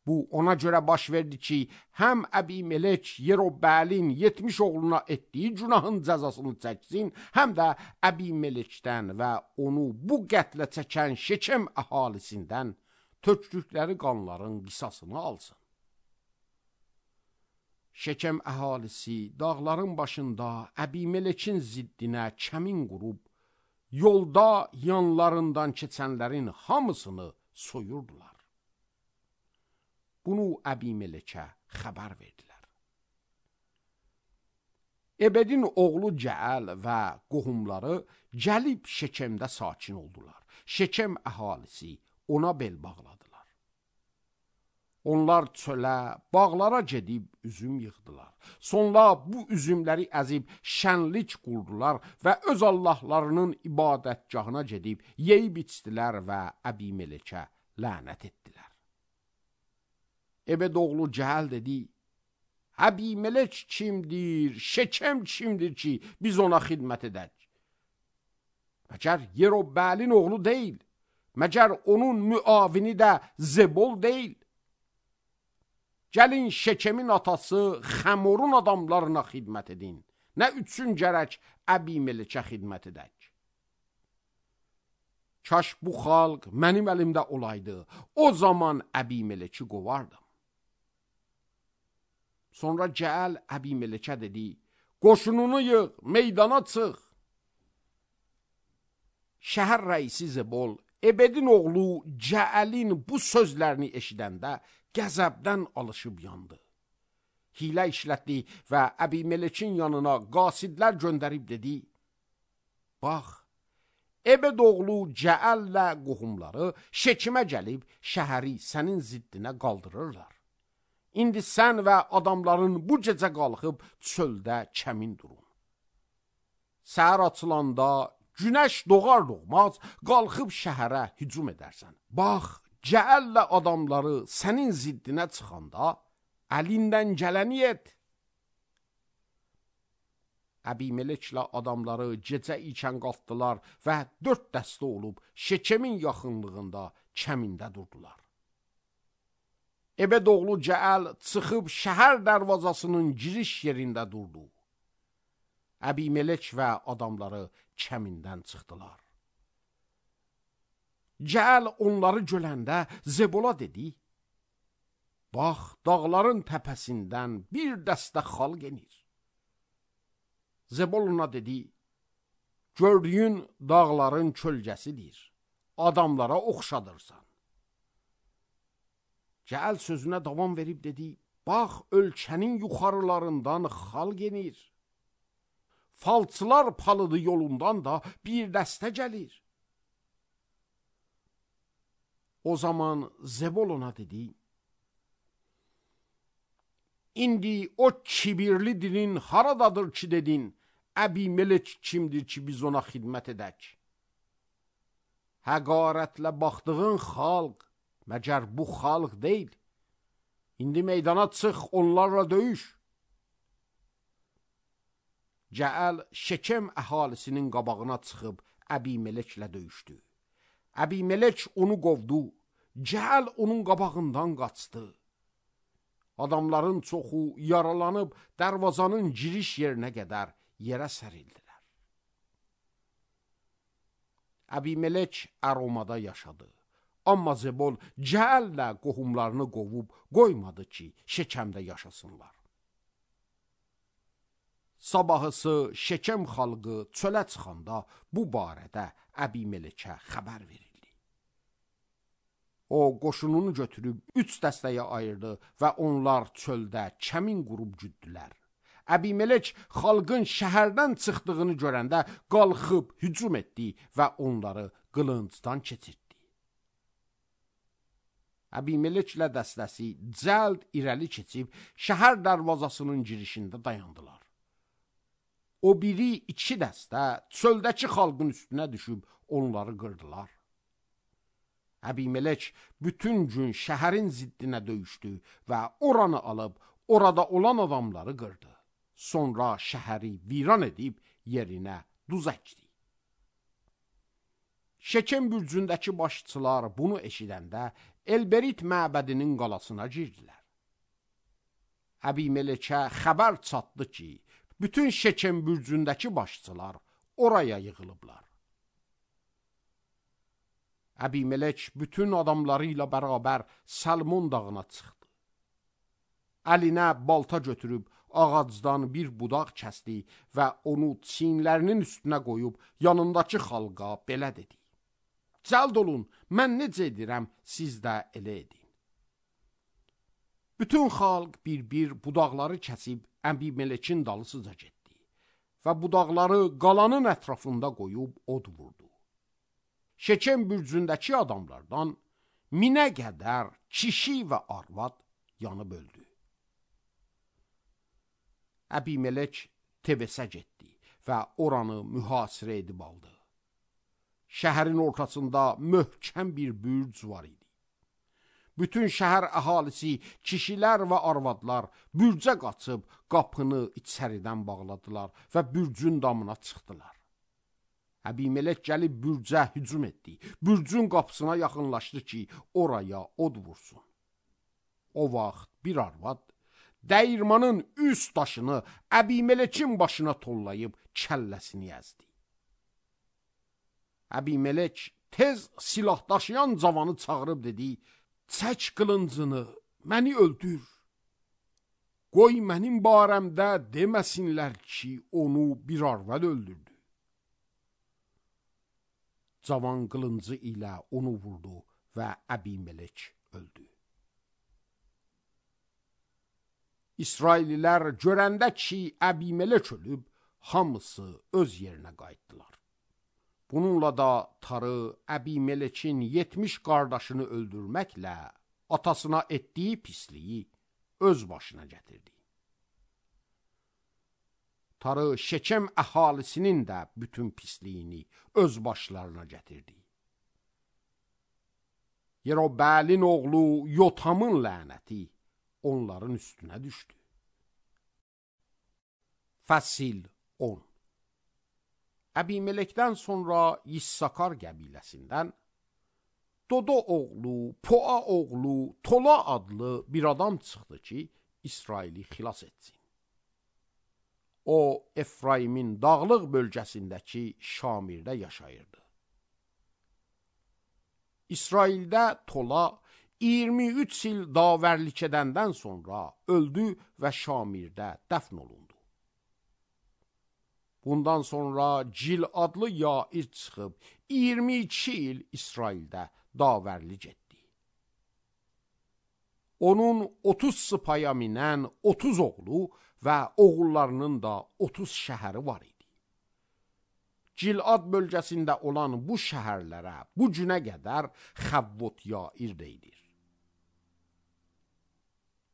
Bu ona görə baş verdi ki, həm Əbimelek Yerobbəəlin 70 oğluna etdiyi günahın cəzasını çəksin, həm də Əbimelekdən və onu bu qətlə çəkən Şekem əhalisindən tökdükləri qanların qisasını alsın. Şekem əhalisi dağların başında Əbimelekin ziddinə kəmin qurub yolda yanlarından keçənlərin hamısını soyurdular. Bunu Əbimelekə xəbər verdilər. Ebedin oğlu Cəəl və qohumları gəlib Şekemdə sakin oldular. Şekem əhalisi ona bel bağladılar. Onlar çölə, bağlara gedib üzüm yığdılar. Sonra bu üzümləri əzib şənlik qurdular və öz Allahlarının ibadətgahına gedib yeyib içdilər və Əbimelekə lənət etdilər. Ebed oğlu Cəəl dedi, Əbimelek kimdir, Şekem kimdir ki, biz ona xidmət edək? Məgər Yerobəlin oğlu deyil, məgər onun müavini də Zebol deyil? Gəlin Şekemin atası Xəmorun adamlarına xidmət edin. Nə üçün gərək Əbimelekə xidmət edək? Kaş bu xalq mənim əlimdə olaydı, o zaman Əbimeleki qovardım. Sonra Cəəl Əbimelekə dedi, qoşununu yığ, meydana çıx. Şəhər rəisi Zebol, Ebedin oğlu Cəəlin bu sözlərini eşidəndə qəzəbdən alışıb yandı. Hilə işlətdi və Əbimelekin yanına qasidlər göndərib dedi, bax, Ebed oğlu Cəəllə qohumları Şekimə gəlib şəhəri sənin ziddinə qaldırırlar. İndi sən və adamların bu gecə qalxıb çöldə kəmin durun. Səhər açılanda günəş doğar-doğmaz qalxıb şəhərə hücum edərsən. Bax, Cəəllə adamları sənin ziddinə çıxanda əlindən gələni et. Əbimeleklə adamları gecə ikən qalxdılar və 4 dəstə olub Şekemin yaxınlığında kəmində durdular. Ebed oğlu Cəəl çıxıb şəhər dərvazasının giriş yerində durdu. Əbimelek və adamları kəmindən çıxdılar. Cəəl onları görəndə Zebola dedi, bax, dağların təpəsindən bir dəstə xalq enir. Zebol ona dedi, gördüyün dağların kölgəsidir, adamlara oxşadırsan. Cəəl sözünə davam verib dedi, bax, ölkənin yuxarılarından xalq enir. Falçılar palıdı yolundan da bir dəstə gəlir. O zaman Zebol ona dedi, İndi o kibirli dilin haradadır ki dedin, Əbimelek kimdir ki biz ona xidmət edək? Həqarətlə baxdığın xalq, məgər bu xalq deyil. İndi meydana çıx, onlarla döyüş. Cəəl Şekem əhalisinin qabağına çıxıb Əbimeleklə döyüşdü. Əbimelek onu qovdu, Cəəl onun qabağından qaçdı. Adamların çoxu yaralanıb dərvazanın giriş yerinə qədər yerə sərildilər. Əbimelek Əromada yaşadı. Amma Zebol Cəəllə qohumlarını qovub qoymadı ki, Şekemdə yaşasınlar. Sabahısı Şekem xalqı çölə çıxanda bu barədə Əbimelekə xəbər verildi. O, qoşununu götürüb 3 dəstəyə ayırdı və onlar çöldə kəmin qurub güddülər. Əbimelek xalqın şəhərdən çıxdığını görəndə qalxıb hücum etdi və onları qılıncdan keçirtdi. Əbimeleklə dəstəsi cəld irəli keçib şəhər dərvazasının girişində dayandılar. O biri 2 dəstə çöldəki xalqın üstünə düşüb onları qırdılar. Əbimelek bütün gün şəhərin ziddinə döyüşdü və oranı alıb orada olan adamları qırdı. Sonra şəhəri viran edib yerinə duz əkdi. Şekem bürcündəki başçılar bunu eşidəndə Elberit məbədinin qalasına girdilər. Əbimelekə xəbər çatdı ki, bütün Şekem bürcündəki başçılar oraya yığılıblar. Əbimelek bütün adamları ilə bərabər Salmon dağına çıxdı. Əlinə balta götürüb ağacdan bir budaq kəsdi və onu çiyinlərinin üstünə qoyub yanındakı xalqa belə dedi: Cəld olun, mən necə edirəm, siz də elə edin. Bütün xalq bir-bir budaqları kəsib Əbimelekin dalısıca getdi və budaqları qalanın ətrafında qoyub od vurdu. Şekem bürcündəki adamlardan 1000-ə qədər kişi və arvad yanıb öldü. Əbimelek Tebesə getdi və oranı mühasirə edib aldı. Şəhərin ortasında möhkəm bir bürc var idi. Bütün şəhər əhalisi, kişilər və arvadlar bürcə qaçıb qapını içəridən bağladılar və bürcün damına çıxdılar. Əbimelek gəlib bürcə hücum etdi. Bürcün qapısına yaxınlaşdı ki, oraya od vursun. O vaxt bir arvad dəyirmanın üst daşını Əbimelekin başına tollayıb kəlləsini əzdi. Əbimelek tez silah daşıyan cavanı çağırıb dedi: Çək qılıncını, məni öldür. Qoy mənim barəmdə deməsinlər ki, onu bir arvad öldürdü. Cavan qılıncı ilə onu vurdu və Əbimelek öldü. İsraililər görəndə ki, Əbimelek ölüb, hamısı öz yerinə qayıtdılar. Bununla da Tarı Əbimelekin 70 qardaşını öldürməklə atasına etdiyi pisliyi öz başına gətirdi. Tarı Şekem əhalisinin də bütün pisliyini öz başlarına gətirdi. Yerobəlin oğlu Yotamın lənəti onların üstünə düşdü. Fəsil 10. Əbimelekdən sonra Yissakar qəbiləsindən Dodo oğlu, Poa oğlu, Tola adlı bir adam çıxdı ki, İsraili xilas etsin. O, Efraimin dağlıq bölgəsindəki Şamirdə yaşayırdı. İsraildə Tola 23 il davərlik edəndən sonra öldü və Şamirdə dəfn olundu. Bundan sonra Cil adlı Yair çıxıb 22 il İsraildə davərlik etdi. Onun 30 sıpaya minən 30 oğlu və oğullarının da 30 şəhəri var idi. Cilad bölgəsində olan bu şəhərlərə bu günə qədər Xəvvot Yair deyilir.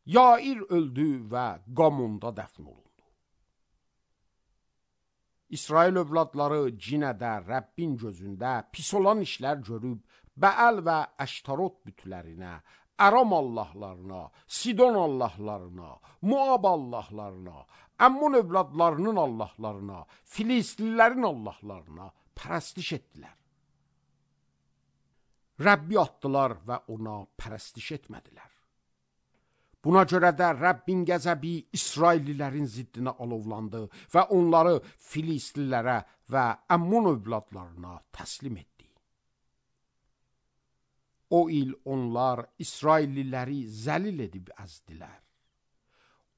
Yair öldü və Qamonda dəfn olundu. İsrail övladları cinədə Rəbbin gözündə pis olan işlər görüb, Bəəl və Əştarot bütlərinə, Aram allahlarına, Sidon allahlarına, Moab allahlarına, Əmmun övladlarının allahlarına, Filistlilərin allahlarına pərəstiş etdilər. Rəbbi atdılar və ona pərəstiş etmədilər. Buna görə də Rəbbin qəzəbi İsraillilərin ziddinə alovlandı və onları Filistlilərə və Əmmun övladlarına təslim etdi. O il onlar İsrailliləri zəlil edib əzdilər.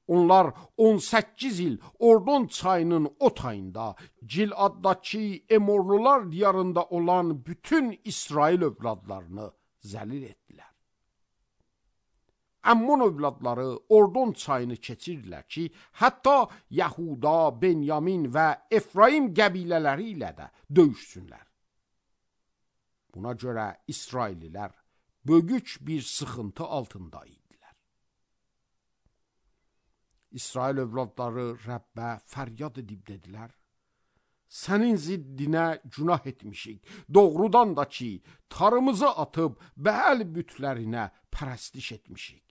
Onlar 18 il Ordon çayının o tayında, Giladdakı Emorlular diyarında olan bütün İsrail övladlarını zəlil etdilər. Əmmun övladları Ordon çayını keçirdilər ki, hətta Yahuda, Benyamin və Efraim qəbilələri ilə də döyüşsünlər. Buna görə İsraillilər böyük bir sıxıntı altında idilər. İsrail övladları Rəbbə fəryad edib dedilər: Sənin ziddinə günah etmişik, doğrudan da ki, tarımızı atıb Bəəl bütlərinə pərəstiş etmişik.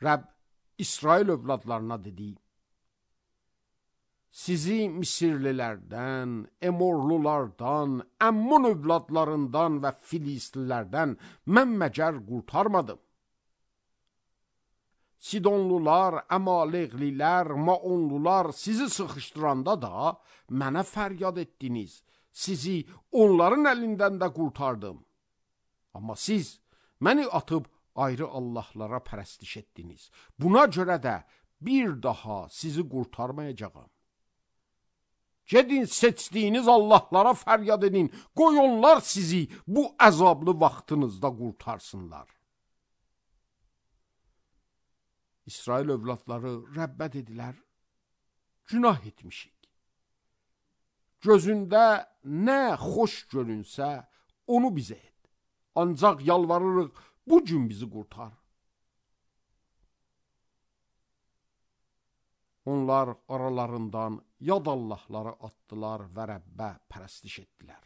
Rəbb İsrail övladlarına dedi: Sizi Misirlilərdən, Emorlulardan, Əmmun övladlarından və Filistlilərdən mən məgər qurtarmadım. Sidonlular, Əmaleqlilər, Maonlular sizi sıxışdıranda da mənə fəryad etdiniz. Sizi onların əlindən də qurtardım. Amma siz məni atıb ayrı Allahlara pərəstiş etdiniz. Buna görə də bir daha sizi qurtarmayacağam. Gedin seçdiyiniz Allahlara fəryad edin, qoy onlar sizi bu əzablı vaxtınızda qurtarsınlar. İsrail övladları Rəbbə dedilər, günah etmişik. Gözündə nə xoş görünsə, onu bizə et. Ancaq yalvarırıq, bu gün bizi qurtar. Onlar aralarından yad Allahları atdılar və Rəbbə pərəstiş etdilər.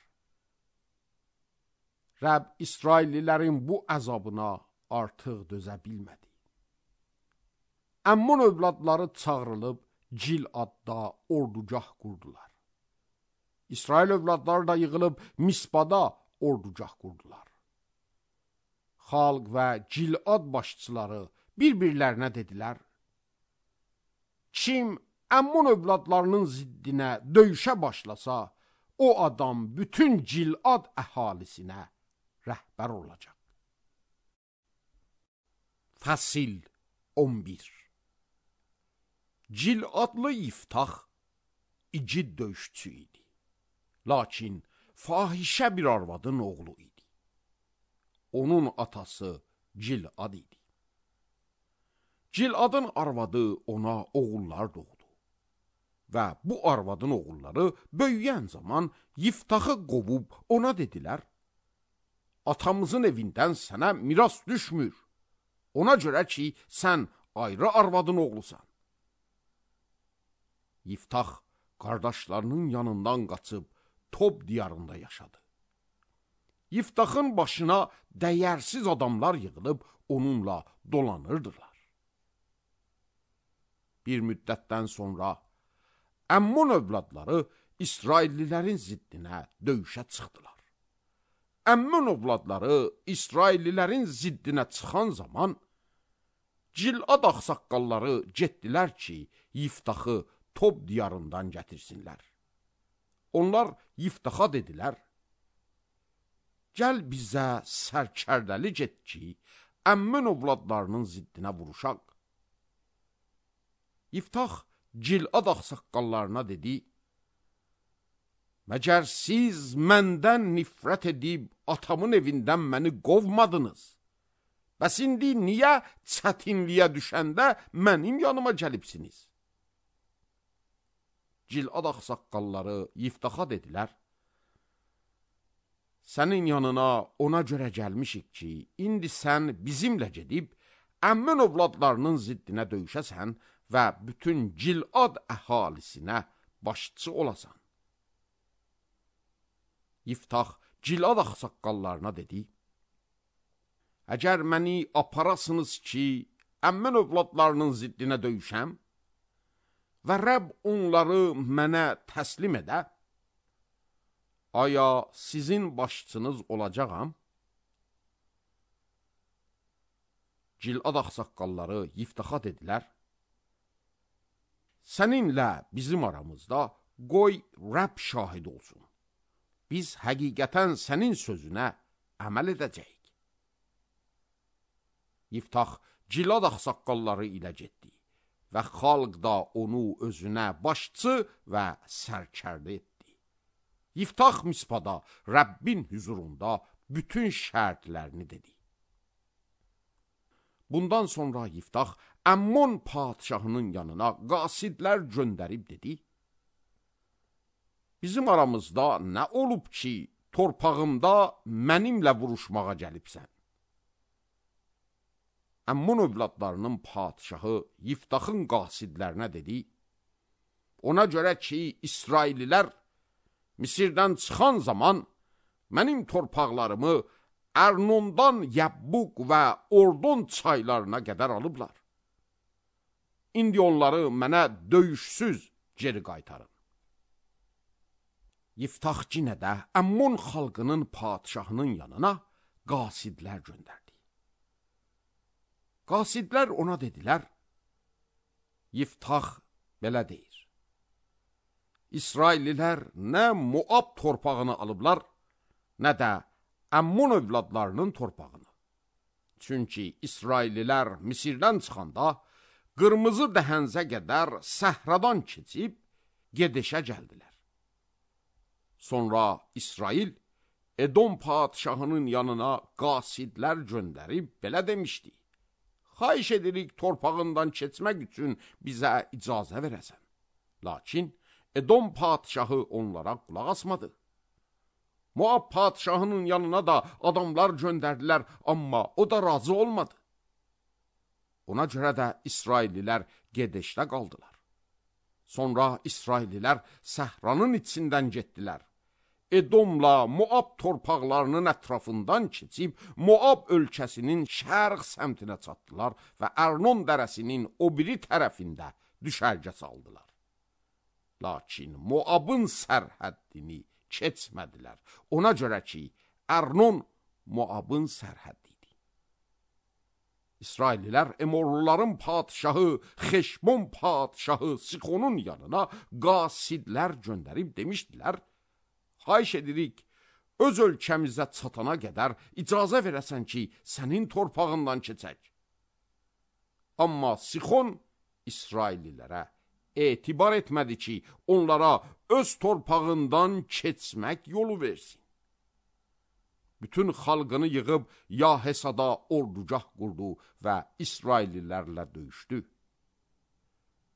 Rəbb İsraillilərin bu əzabına artıq dözə bilmədi. Əmmun övladları çağrılıb Giladda ordugah qurdular. İsrail övladları da yığılıb Mispada ordugah qurdular. Xalq və Gilad başçıları bir-birlərinə dedilər, kim Əmmun övladlarının ziddinə döyüşə başlasa, o adam bütün Gilad əhalisinə rəhbər olacaq. Fəsil 11. Giladlı Yiftax igid döyüşçü idi. Lakin fahişə bir arvadın oğlu idi. Onun atası Gilad idi. Giladın arvadı ona oğullar doğdu. Və bu arvadın oğulları böyüyən zaman Yiftaxı qovub ona dedilər, atamızın evindən sənə miras düşmür. Ona görə ki, sən ayrı arvadın oğlusan. Yiftax qardaşlarının yanından qaçıb Tob diyarında yaşadı. Yiftaxın başına dəyərsiz adamlar yığılıb onunla dolanırdılar. Bir müddətdən sonra Əmmun övladları İsraillilərin ziddinə döyüşə çıxdılar. Əmmun övladları İsraillilərin ziddinə çıxan zaman Gilad ağsaqqalları getdilər ki, Yiftaxı Tob diyarından gətirsinlər. Onlar Yiftaxa dedilər, gəl bizə sərkərdəli get ki, Əmmun övladlarının ziddinə vuruşaq. Yiftax Gilad ağsaqqallarına dedi, məgər siz məndən nifrət edib atamın evindən məni qovmadınız? Bəs indi niyə çətinliyə düşəndə mənim yanıma gəlibsiniz? Gilad ağsaqqalları Yiftaxa dedilər, sənin yanına ona görə gəlmişik ki, indi sən bizimlə gedib Əmmun övladlarının ziddinə döyüşəsən və bütün Gilad əhalisinə başçı olasan. Yiftax Gilad ağsaqqallarına dedi, əgər məni aparasınız ki, Əmmun övladlarının ziddinə döyüşəm və Rəbb onları mənə təslim edə, aya sizin başçınız olacağam? Gilad ağsaqqalları Yiftaxa dedilər, səninlə bizim aramızda qoy Rəbb şahid olsun. Biz həqiqətən sənin sözünə əməl edəcəyik. Yiftax Gilad ağsaqqalları ilə getdi və xalq da onu özünə başçı və sərkərdə etdi. Yiftax Mispada Rəbbin hüzurunda bütün şərtlərini dedi. Bundan sonra Yiftax Əmmon padişahının yanına qasidlər göndərib dedi, bizim aramızda nə olub ki, torpağımda mənimlə vuruşmağa gəlibsən? Əmmon övladlarının padişahı Yiftaxın qasidlərinə dedi, ona görə ki, İsraillilər Misirdən çıxan zaman mənim torpaqlarımı Ərnondan Yəbbuq və Ordon çaylarına qədər alıblar. İndi onları mənə döyüşsüz geri qaytarın. Yiftax yenə də Əmmon xalqının padişahının yanına qasidlər göndərdi. Qasidlər ona dedilər, Yiftax belə deyir, İsraillilər nə Moab torpağını alıblar, nə də Əmmon övladlarının torpağını. Çünki İsraillilər Misirdən çıxanda qırmızı dəhənzə qədər səhradan keçib gedişə gəldilər. Sonra İsrail Edom padişahının yanına qasidlər göndərib belə demişdi: xahiş edirik torpağından keçmək üçün bizə icazə verəsən. Lakin Edom padişahı onlara qulaq asmadı. Moab padişahının yanına da adamlar göndərdilər, amma o da razı olmadı. Ona görə də İsraillilər gedişdə qaldılar. Sonra İsraillilər səhranın içindən getdilər. Edomla Moab torpaqlarının ətrafından keçib Moab ölkəsinin şərq səmtinə çatdılar və Ərnon dərəsinin o biri tərəfində düşərgə saldılar. Lakin Moabın sərhəddini keçmədilər. Ona görə ki, Ərnon Moabın sərhəddi idi. İsraillilər Emorluların padişahı Xeşbon padişahı Sixonun yanına qasidlər göndərib demişdilər: xahiş edirik, öz ölkəmizə çatana qədər icazə verəsən ki, sənin torpağından keçək. Amma Sixon İsraillilərə etibar etmədi ki, onlara öz torpağından keçmək yolu versin. Bütün xalqını yığıb Yahesada ordugah qurdu və İsraillilərlə döyüşdü.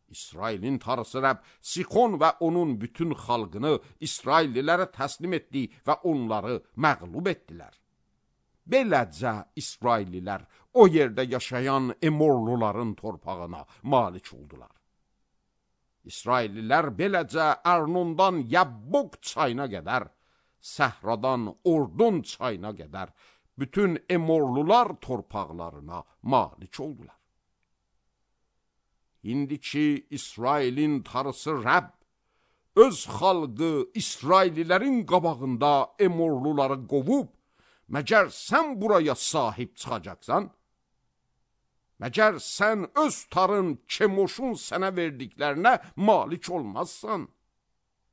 İsrailin tarısı Rəbb Sixon və onun bütün xalqını İsraillilərə təslim etdi və onları məğlub etdilər. Beləcə İsraillilər o yerdə yaşayan Emorluların torpağına malik oldular. İsraillilər beləcə Ərnondan Yabbok çayına qədər, səhradan Ordon çayına qədər bütün Emorlular torpaqlarına malik oldular. İndiki İsrailin tarısı Rəbb öz xalqı İsraillilərin qabağında Emorluları qovub, məgər sən buraya sahib çıxacaqsan? Məgər sən öz tarın Kemoşun sənə verdiklərinə malik olmazsan?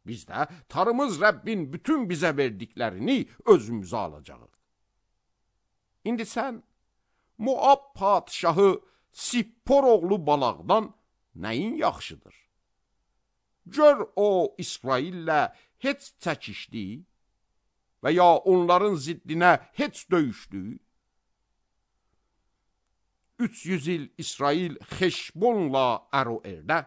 Biz də tarımız Rəbbin bütün bizə verdiklərini özümüzə alacağıq. İndi sən Moab padişahı Sippor oğlu Balaqdan nəyin yaxşıdır? Gör o İsraillə heç çəkişdi və ya onların ziddinə heç döyüşdü? 300 il İsrail Xeşbonla Əroerdə,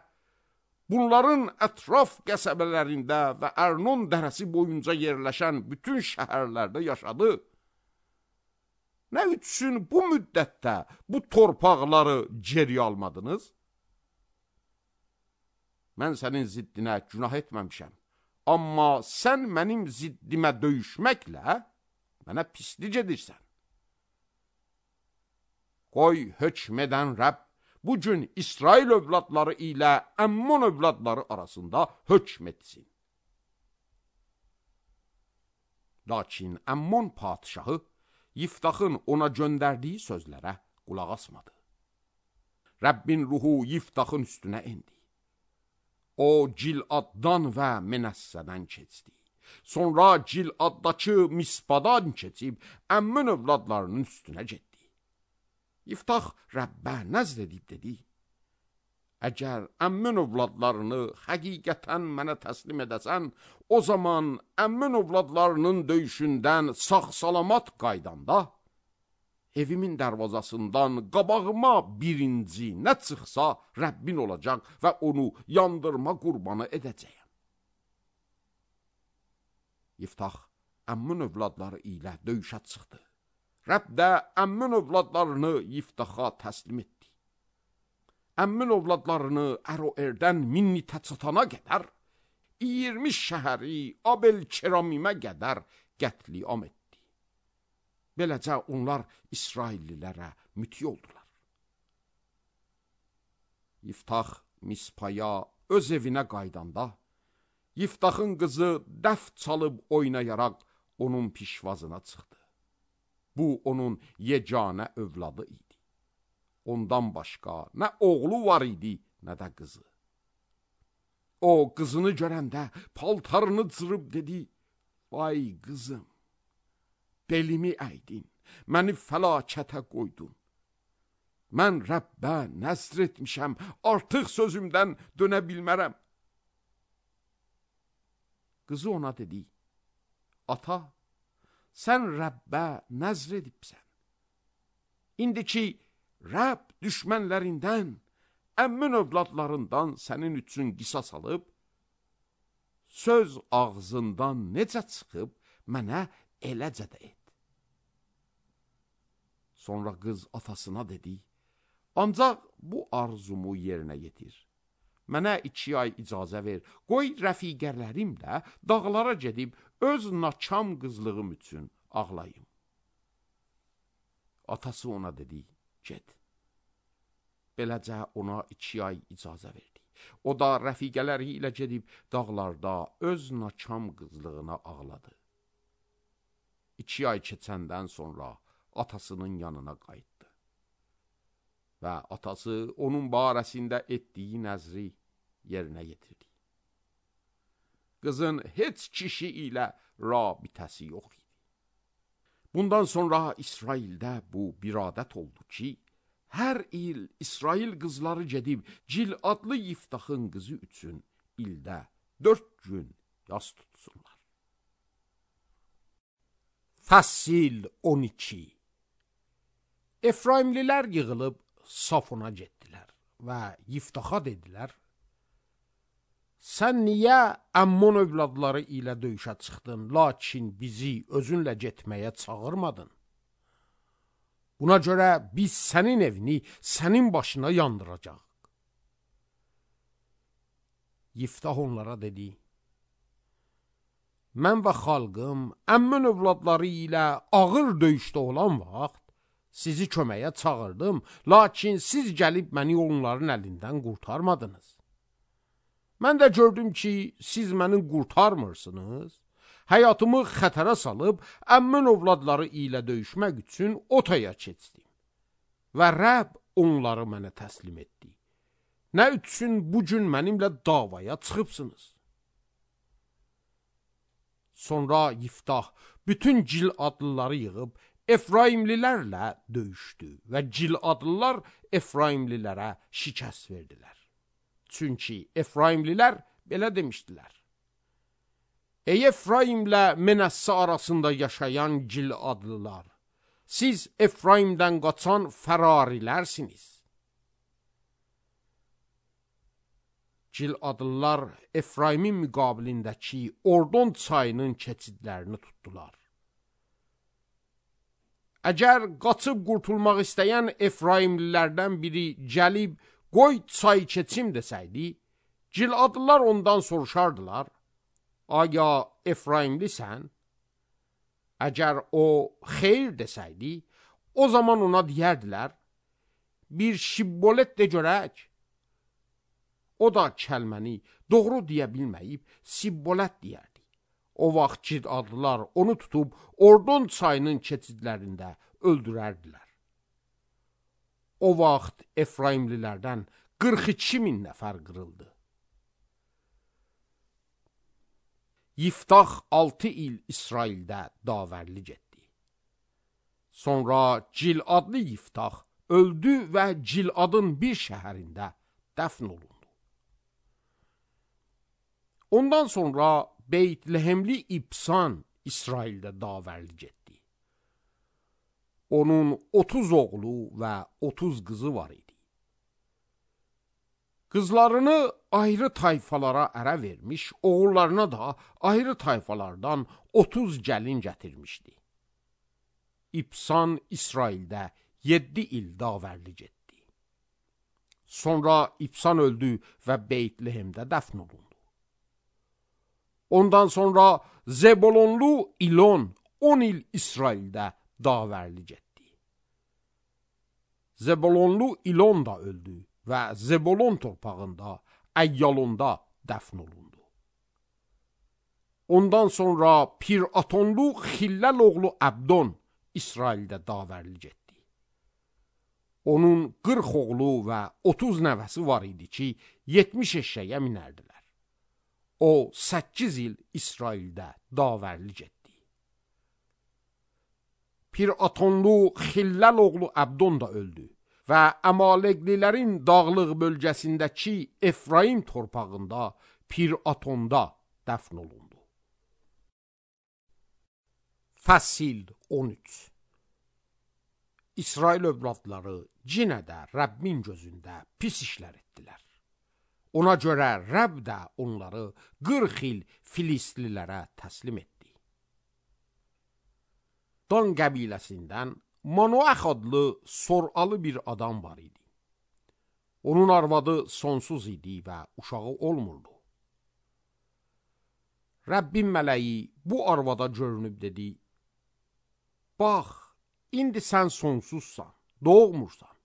bunların ətraf qəsəbələrində və Ərnon dərəsi boyunca yerləşən bütün şəhərlərdə yaşadı. Nə üçün bu müddətdə bu torpaqları geri almadınız? Mən sənin ziddinə günah etməmişəm, amma sən mənim ziddimə döyüşməklə mənə pislik edirsən. Qoy hökm edən Rəbb bugün İsrail övladları ilə Əmmon övladları arasında hökm etsin. Lakin Əmmon padişahı Yiftaxın ona göndərdiyi sözlərə qulaq asmadı. Rəbbin ruhu Yiftaxın üstünə indi. O Giladdan və Menəssədən keçdi. Sonra Giladdakı Mispadan keçib Əmmon övladlarının üstünə getdi. Yiftax Rəbbə nəzr edib dedi: əgər Əmmon övladlarını həqiqətən mənə təslim edəsən, o zaman Əmmon övladlarının döyüşündən sağ-salamat qaydanda, evimin dərvazasından qabağıma birinci nə çıxsa Rəbbin olacaq və onu yandırma qurbanı edəcəyəm. Yiftax Əmmon övladları ilə döyüşə çıxdı. Rəbb də Əmmon övladlarını Yiftaxa təslim etdi. Əmmon övladlarını Əroerdən Minnitə çatana qədər 20 şəhəri Abel-Keramimə qədər qətliam etdi. Beləcə onlar İsraillilərə müti oldular. Yiftax Mispaya öz evinə qaydanda, Yiftaxın qızı dəf çalıb oynayaraq onun pişvazına çıxdı. Bu onun yeganə övladı idi. Ondan başqa nə oğlu var idi, nə də qızı. O qızını görəndə paltarını cırıb dedi: vay qızım, belimi əydin, məni fəlakətə qoydun. Mən Rəbbə nəzr etmişəm, artıq sözümdən dönə bilmərəm. Qızı ona dedi, ata, sən Rəbbə nəzr edibsən. İndi ki, Rəbb düşmənlərindən, əmmin övladlarından sənin üçün qisas alıb, söz ağzından necə çıxıb, mənə eləcə də et. Sonra qız atasına dedi, ancaq bu arzumu yerinə yetir. Mənə 2 ay icazə ver, qoy rəfiqələrimlə dağlara gedib öz naçam qızlığım üçün ağlayım. Atası ona dedi, get. Beləcə ona 2 ay icazə verdi. O da rəfiqələri ilə gedib dağlarda öz naçam qızlığına ağladı. 2 ay keçəndən sonra atasının yanına qayıtdı. Və atası onun barəsində etdiyi nəzri yerinə yetirdi. Qızın heç kişi ilə rabitəsi yox idi. Bundan sonra İsraildə bu bir adət oldu ki, hər il İsrail qızları gedib Cil adlı Yiftahın qızı üçün ildə 4 gün yas tutsunlar. Fəsil 12. Efraimlilər yığılıb Safona getdilər və Yiftaha dedilər, sən niyə Əmmon övladları ilə döyüşə çıxdın, lakin bizi özünlə getməyə çağırmadın? Buna görə biz sənin evini sənin başına yandıracaq. Yiftah onlara dedi, mən və xalqım Əmmon övladları ilə ağır döyüşdə olan vaxt sizi köməyə çağırdım, lakin siz gəlib məni onların əlindən qurtarmadınız. Mən də gördüm ki, siz məni qurtarmırsınız, həyatımı xətərə salıb Əmmon övladları ilə döyüşmək üçün otaya keçdim. Və Rəbb onları mənə təslim etdi. Nə üçün bugün mənimlə davaya çıxıbsınız? Sonra Yiftah bütün Cil adlıları yığıb Efraimlilərlə döyüşdü və Cil adlılar Efraimlilərə şikəst verdilər. Çünki Efraimlilər belə demişdilər, ey Efraimlə Menəssə arasında yaşayan Cil adlılar, siz Efraimdən qaçan fərarilərsiniz. Cil adlılar Efraimin müqabilindəki Ordon çayının keçidlərini tutdular. Əgər qaçıb qurtulmaq istəyən Efraimlilərdən biri gəlib, qoy çay keçim desəydi, Cil adlılar ondan soruşardılar, aya Efraimlisən? Əgər o xeyr desəydi, o zaman ona deyərdilər, bir şibbolet de görək. O da kəlməni doğru deyə bilməyib, sibbolət deyərdi. O vaxt Cil adlılar onu tutub Ordon çayının keçidlərində öldürərdilər. O vaxt Efraimlilərdən 42 min nəfər qırıldı. Yiftah 6 il İsraildə davərli getdi. Sonra Cil adlı Yiftah öldü və Cil adın bir şəhərində dəfn olundu. Ondan sonra Beytlehemli İbsan İsraildə davərli getdi. Onun 30 oğlu və 30 qızı var idi. Qızlarını ayrı tayfalara ərə vermiş, oğullarına da ayrı tayfalardan 30 gəlin gətirmişdi. İbsan İsraildə 7 il davərli getdi. Sonra İbsan öldü və Beytlehemdə dəfn olundu. Ondan sonra Zebolonlu İlon 10 il İsraildə davərli getdi. Zebolonlu İlon da öldü və Zebolon torpağında, Əyyalonda dəfn olundu. Ondan sonra Piratonlu Xilləl oğlu Əbdon İsraildə davərli getdi. Onun 40 oğlu və 30 nəvəsi var idi ki, 70 eşşəyə minərdilər. O 8 il İsraildə davərli getdi. Piratonlu Xilləl oğlu Əbdon da öldü və Əmaleqlilərin dağlıq bölgəsindəki Efraim torpağında Piratonda dəfn olundu. Fəsil 13. İsrail övladları yenə də Rəbbin gözündə pis işlər etdilər. Ona görə Rəbb də onları 40 il Filistlilərə təslim etdi. Dan qəbiləsindən Manoax adlı soralı bir adam var idi. Onun arvadı sonsuz idi və uşağı olmurdu. Rəbbin mələyi bu arvada görünüb dedi: Bax, indi sən sonsuzsan, doğmursan.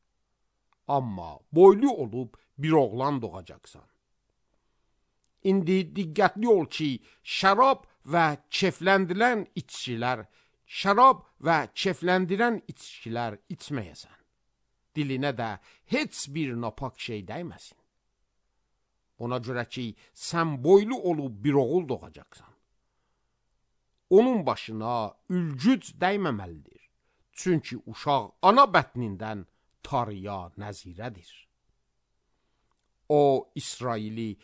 Amma boylu olub bir oğlan doğacaqsan. İndi diqqətli ol ki, şərab və kefləndirən içkilər içməyəsən. Dilinə də heç bir napak şey dəyməsin. Ona görə ki, sən boylu olub bir oğul doğacaqsan. Onun başına ülgüc dəyməməlidir. Çünki uşaq ana bətnindən tarıya nəzirədir. O İsraili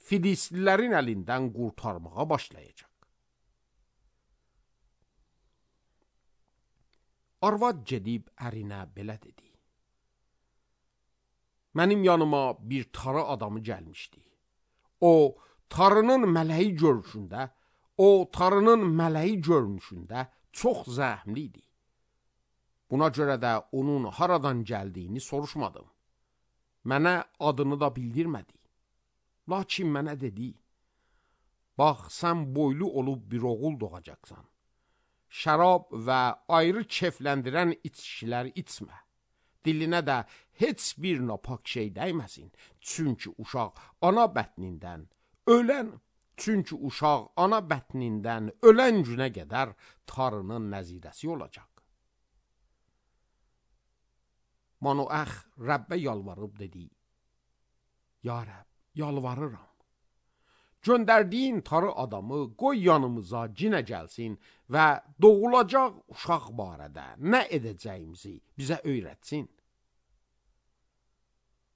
Filistlilərin əlindən qurtarmağa başlayacaq. Arvad gedib ərinə belə dedi: Mənim yanıma bir tarı adamı gəlmişdi. O tarının mələyi görünüşündə çox zəhmli idi. Buna görə də onun haradan gəldiyini soruşmadım. Mənə adını da bildirmədi. Lakin mənə dedi: Bax, sən boylu olub bir oğul doğacaqsan. Şərab və ayrı kefləndirən içkilər içmə. Dilinə də heç bir napak şey dəyməsin. Çünki uşaq ana bətnindən ölən günə qədər tarının nəzirəsi olacaq. Manoax Rəbbə yalvarıb dedi: Ya Rəbb, yalvarıram. Göndərdiyin tarı adamı qoy yanımıza cinə gəlsin və doğulacaq uşaq barədə nə edəcəyimizi bizə öyrətsin.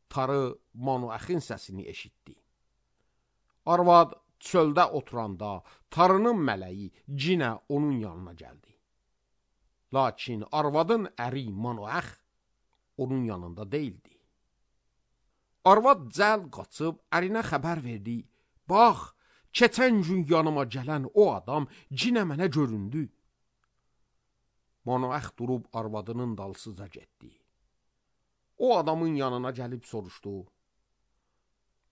Tarı Manoaxın səsini eşitdi. Arvad çöldə oturanda tarının mələyi cinə onun yanına gəldi. Lakin arvadın əri Manoax onun yanında deyildi. Arvad cəld qaçıb ərinə xəbər verdi: Bax, keçən gün yanıma gələn o adam cinə mənə göründü. Manoax durub arvadının dalsıca getdi. O adamın yanına gəlib soruşdu: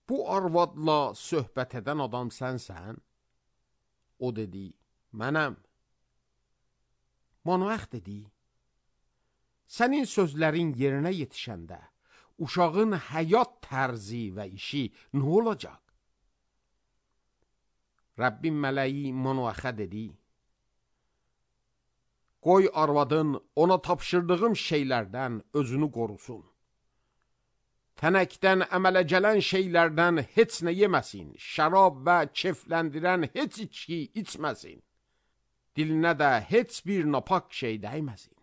Bu arvadla söhbət edən adam sənsən? O dedi: Mənəm. Manoax dedi: Sənin sözlərin yerinə yetişəndə uşağın həyat tərzi və işi nə olacaq? Rəbbin mələyi Manoaxa dedi: Qoy arvadın ona tapşırdığım şeylərdən özünü qorusun. Tənəkdən əmələ gələn şeylərdən heç nə yeməsin, şərab və kefləndirən heç içki içməsin. Dilinə də heç bir napak şey dəyməsin.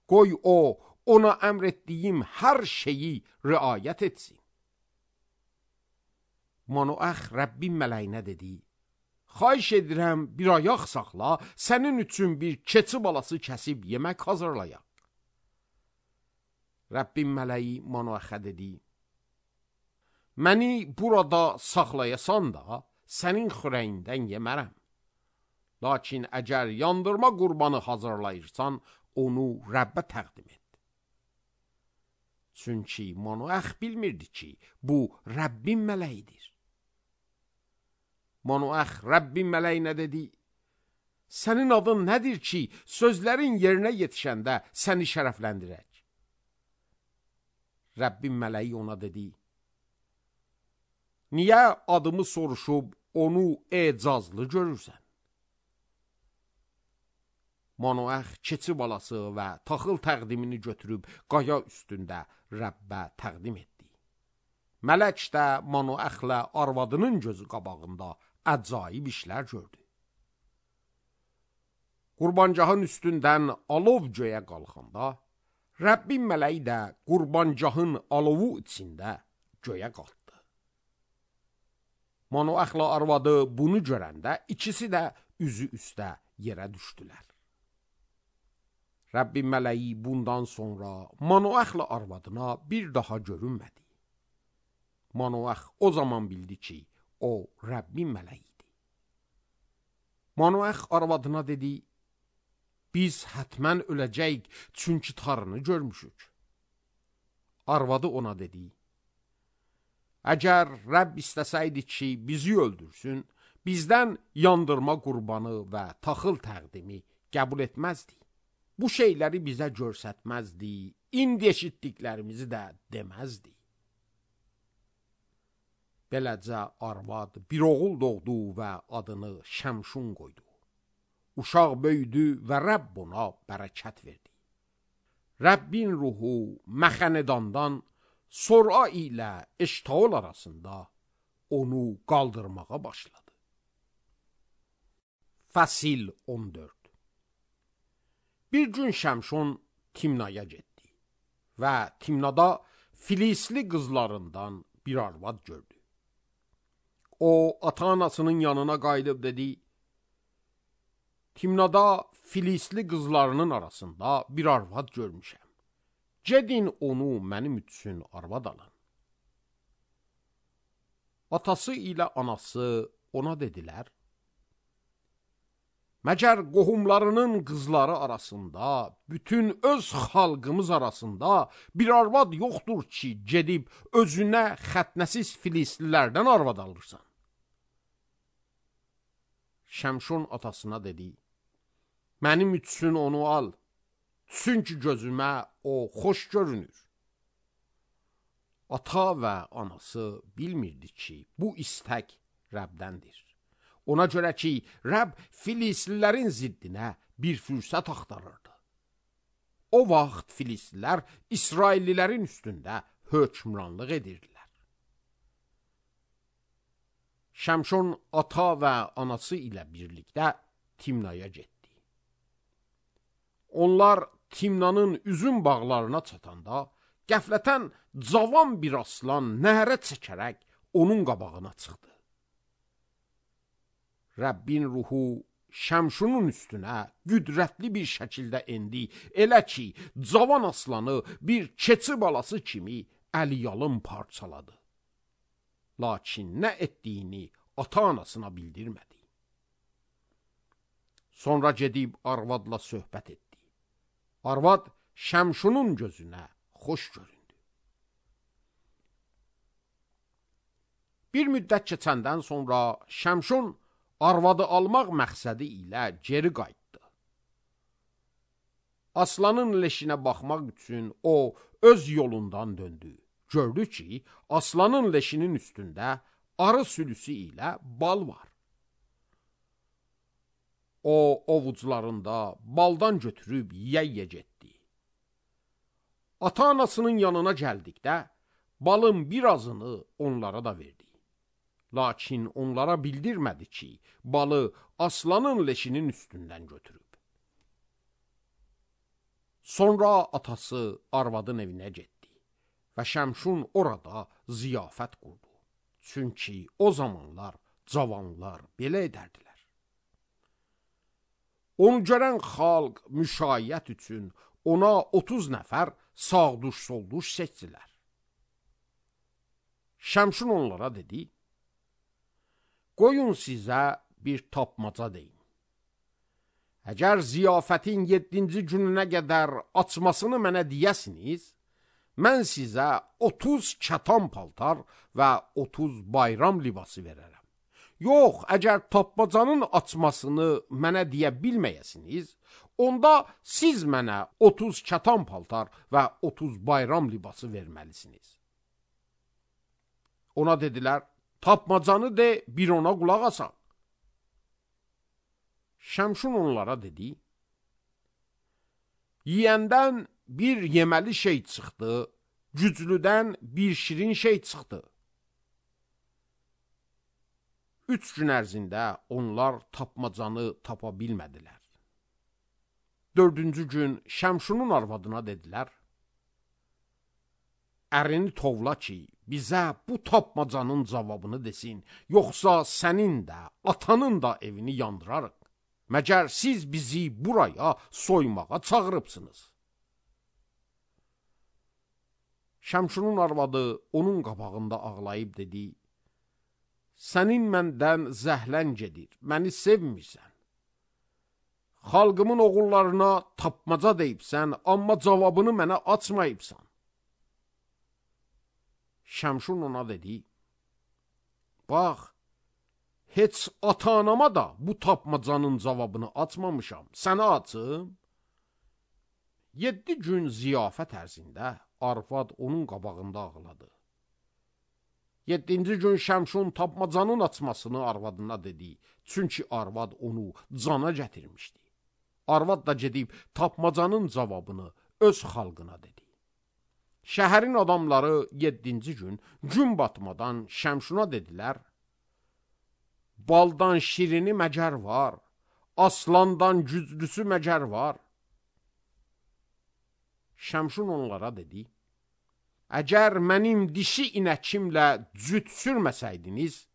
Qoy o, ona əmr etdiyim hər şeyi riayət etsin. Manoax Rəbbin mələyinə dedi: Xahiş edirəm, bir ayaq saxla, sənin üçün bir keçi balası kəsib yemək hazırlayaq. Rəbbin mələyi Manoaxa dedi: Məni burada saxlayasan da, sənin xörəyindən yemərəm. Lakin əgər yandırma qurbanı hazırlayırsan, onu Rəbbə təqdim et. Çünki Manoax bilmirdi ki, bu Rəbbin mələyidir. Manoax Rəbbin mələyinə dedi: Sənin adın nədir ki, sözlərin yerinə yetişəndə səni şərəfləndirək? Rəbbin mələyi ona dedi: Niyə adımı soruşub onu ecazlı görürsən? Manoax keçi balası və taxıl təqdimini götürüb qaya üstündə Rəbbə təqdim etdi. Mələk də Manoaxla arvadının gözü qabağında əcaib işlər gördü. Qurbancahın üstündən alov göyə qalxanda, Rəbbin mələyi də qurbancahın alovu içində göyə qalxdı. Manoaxla arvadı bunu görəndə ikisi də üzü üstə yerə düşdülər. Rəbbin mələyi bundan sonra Manoaxla arvadına bir daha görünmədi. Manoax o zaman bildi ki, o Rəbbin mələyidir. Manoax arvadına dedi, biz hətmən öləcəyik, çünki tarını görmüşük. Arvadı ona dedi, əgər Rəbb istəsəydi ki, bizi öldürsün, bizdən yandırma qurbanı və taxıl təqdimi qəbul etməzdi. Bu şeyləri bizə görsətməzdi, indi eşitdiklərimizi də deməzdi. Beləcə arvad bir oğul doğdu və adını Şəmşun qoydu. Uşaq böyüdü və Rəbb ona bərəkət verdi. Rəbbin ruhu Məxənedandan Sora ilə Eştaol arasında onu qaldırmağa başladı. Fəsil 14. Bir gün Şəmşun Timnaya getdi və Timnada Filisli qızlarından bir arvad gördü. O, ata-anasının yanına qayıdıb dedi, Timnada Filisli qızlarının arasında bir arvad görmüşəm. Gedin onu mənim üçün arvad alın. Atası ilə anası ona dedilər, məgər qohumlarının qızları arasında, bütün öz xalqımız arasında bir arvad yoxdur ki, gedib özünə xətnəsiz Filislilərdən arvad alırsan. Şəmşun atasına dedi, mənim üçün onu al, çünki gözümə o xoş görünür. Ata və anası bilmirdi ki, bu istək Rəbdəndir. Ona görə ki, Rəbb Filislilərin ziddinə bir fürsət axtarırdı. O vaxt Filistlilər İsraillilərin üstündə hökmranlıq edirdilər. Şəmşun ata və anası ilə birlikdə Timnaya getdi. Onlar Timnanın üzüm bağlarına çatanda, qəflətən cavan bir aslan nəhərə çəkərək onun qabağına çıxdı. Rəbbin ruhu Şəmşunun üstünə qüdrətli bir şəkildə endi, elə ki, cavan aslanı bir keçi balası kimi əliyalın parçaladı. Lakin nə etdiyini ata-anasına bildirmədi. Sonra gedib arvadla söhbət etdi. Arvad Şəmşunun gözünə xoş göründü. Bir müddət keçəndən sonra Şəmşun arvadı almaq məqsədi ilə geri qayıtdı. Aslanın leşinə baxmaq üçün o öz yolundan döndü. Gördü ki, aslanın leşinin üstündə arı sürüsü ilə bal var. O, ovucularında baldan götürüb yeyə getdi. Ata-anasının yanına gəldikdə, balın birazını onlara da verdi. Lakin onlara bildirmədi ki, balı aslanın leşinin üstündən götürüb. Sonra atası arvadın evinə getdi və Şəmşun orada ziyafət qurdu. Çünki o zamanlar cavanlar belə edərdilər. Onu görən xalq müşayiət üçün ona 30 nəfər sağduş-solduş seçdilər. Şəmşun onlara dedi, qoyun sizə bir tapmaca deyim. Əgər ziyafətin 7-ci gününə qədər açmasını mənə deyəsiniz, mən sizə 30 kətan paltar və 30 bayram libası verərəm. Yox, əgər tapmacanın açmasını mənə deyə bilməyəsiniz, onda siz mənə 30 kətan paltar və 30 bayram libası verməlisiniz. Ona dedilər, tapmacanı de, bir ona qulaq asaq. Şəmşun onlara dedi, yiyəndən bir yeməli şey çıxdı, güclüdən bir şirin şey çıxdı. 3 gün ərzində onlar tapmacanı tapa bilmədilər. 4-cü gün Şəmşunun arvadına dedilər, ərini tovla ki, bizə bu tapmacanın cavabını desin, yoxsa sənin də, atanın da evini yandırarıq. Məgər siz bizi buraya soymağa çağırıbsınız. Şəmşunun arvadı onun qabağında ağlayıb dedi, sənin məndən zəhlən gedir, məni sevmirsən. Xalqımın oğullarına tapmaca deyibsən, amma cavabını mənə açmayıbsan. Şəmşun ona dedi, bax, heç ata-anama da bu tapmacanın cavabını açmamışam, sənə açım. 7 gün ziyafət ərzində arvad onun qabağında ağladı. 7-ci gün Şəmşun tapmacanın açmasını arvadına dedi, çünki arvad onu cana gətirmişdi. Arvad da gedib tapmacanın cavabını öz xalqına dedi. Şəhərin adamları 7-ci gün batmadan Şəmşuna dedilər, baldan şirini məcər var, aslandan güclüsü məcər var. Şəmşun onlara dedi, əgər mənim dişi inəkimlə cüt sürməsəydiniz,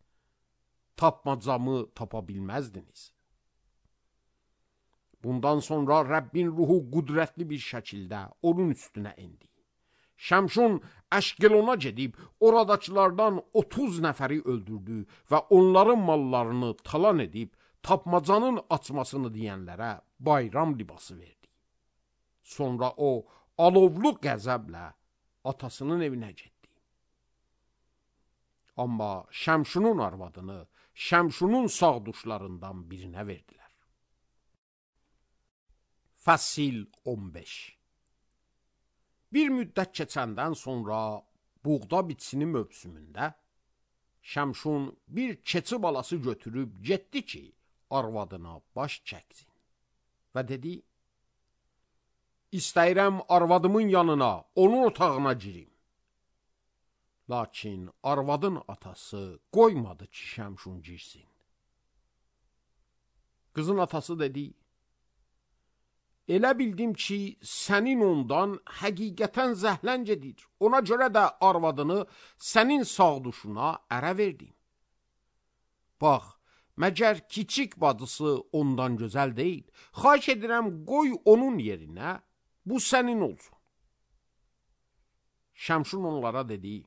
tapmacamı tapa bilməzdiniz. Bundan sonra Rəbbin ruhu qüdrətli bir şəkildə onun üstünə indi. Şəmşun Əşqelona gedib, oradakılardan 30 nəfəri öldürdü və onların mallarını talan edib, tapmacanın açmasını deyənlərə bayram libası verdi. Sonra o, alovlu qəzəblə atasının evinə getdi. Amma Şəmşunun arvadını Şəmşunun sağduşlarından birinə verdilər. Fəsil 15. Bir müddət keçəndən sonra buğda biçini mövsümündə Şəmşun bir keçi balası götürüb getdi ki, arvadına baş çəksin. Və dedi, İstəyirəm arvadımın yanına, onun otağına girim. Lakin arvadın atası qoymadı ki, Şəmşun girsin. Qızın atası dedi, elə bildim ki, sənin ondan həqiqətən zəhlən gedir. Ona görə də arvadını sənin sağduşuna ərə verdim. Bax, məgər kiçik bacısı ondan gözəl deyil. Xahiş edirəm, qoy onun yerinə, bu sənin olsun. Şəmşun onlara dedi,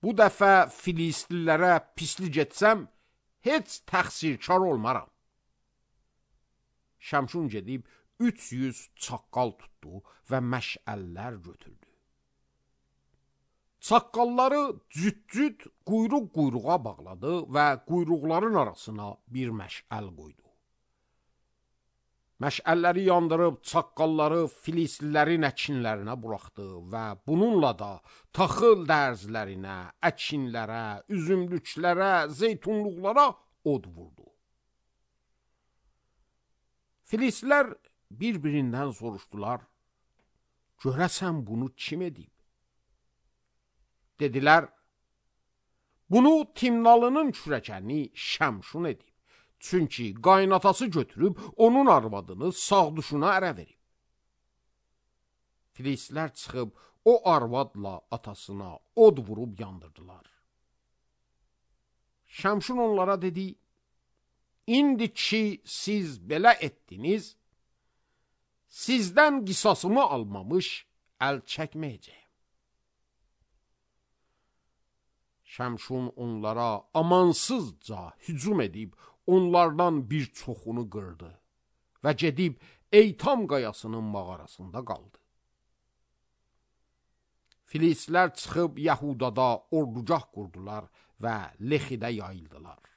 bu dəfə Filistlilərə pislik etsəm, heç təqsirkar olmaram. Şəmşun gedib 300 çaqqal tutdu və məşəllər götürdü. Çaqqalları cüt-cüt quyruq-quyruğa bağladı və quyruqların arasına bir məşəl qoydu. Məşəlləri yandırıb çaqqalları Filistlilərin əkinlərinə buraxdı və bununla da taxıl dərzlərinə, əkinlərə, üzümlüklərə, zeytunluqlara od vurdu. Filistlilər bir-birindən soruşdular, görəsən bunu kim edib? Dedilər, bunu Timnalının kürəkəni Şəmşun edib. Çünki qaynatası götürüb onun arvadını sağduşuna ərə verib. Filistlilər çıxıb o arvadla atasına od vurub yandırdılar. Şəmşun onlara dedi, İndi ki siz belə etdiniz, sizdən qisasımı almamış əl çəkməyəcəyim. Şəmşun onlara amansızca hücum edib, onlardan bir çoxunu qırdı və gedib Eytam qayasının mağarasında qaldı. Filistlilər çıxıb Yəhudada ordugah qurdular və Lexidə yayıldılar.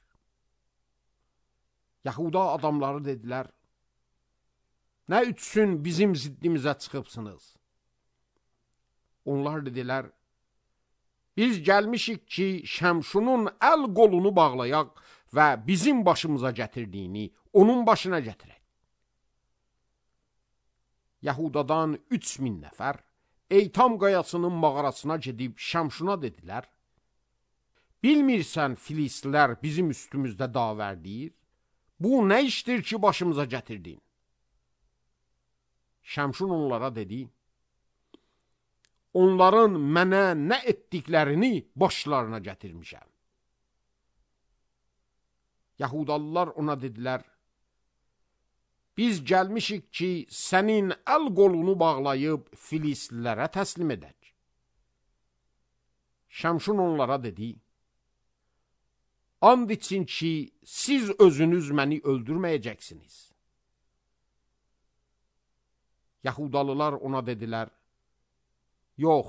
Yahuda adamları dedilər, nə üçün bizim ziddimizə çıxıbsınız? Onlar dedilər, biz gəlmişik ki, Şəmşunun əl qolunu bağlayaq və bizim başımıza gətirdiyini onun başına gətirək. Yahudadan 3000 nəfər Eytam qayasının mağarasına gedib Şəmşuna dedilər, bilmirsən Filistlilər bizim üstümüzdə davər deyir? Bu nə işdir ki, başımıza gətirdin? Şəmşun onlara dedi, onların mənə nə etdiklərini başlarına gətirmişəm. Yahudalılar ona dedilər, biz gəlmişik ki, sənin əl qolunu bağlayıb Filistlilərə təslim edək. Şəmşun onlara dedi, and için ki, siz özünüz məni öldürməyəcəksiniz. Yahudalılar ona dedilər, yox,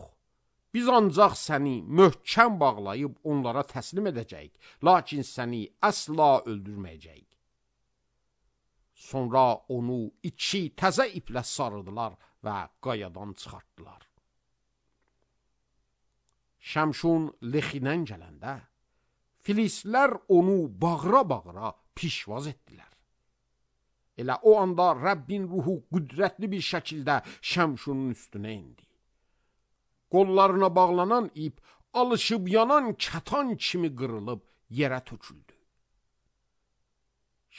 biz ancaq səni möhkəm bağlayıb onlara təslim edəcəyik, lakin səni əsla öldürməyəcəyik. Sonra onu 2 təzə iplə sarıdılar və qayadan çıxartdılar. Şəmşun Lexidən gələndə, Filistlər onu bağıra-bağıra pişvaz etdilər. Elə o anda Rəbbin ruhu qüdrətli bir şəkildə Şəmşunun üstünə indi. Qollarına bağlanan ip alışıb yanan kətan kimi qırılıb yerə töküldü.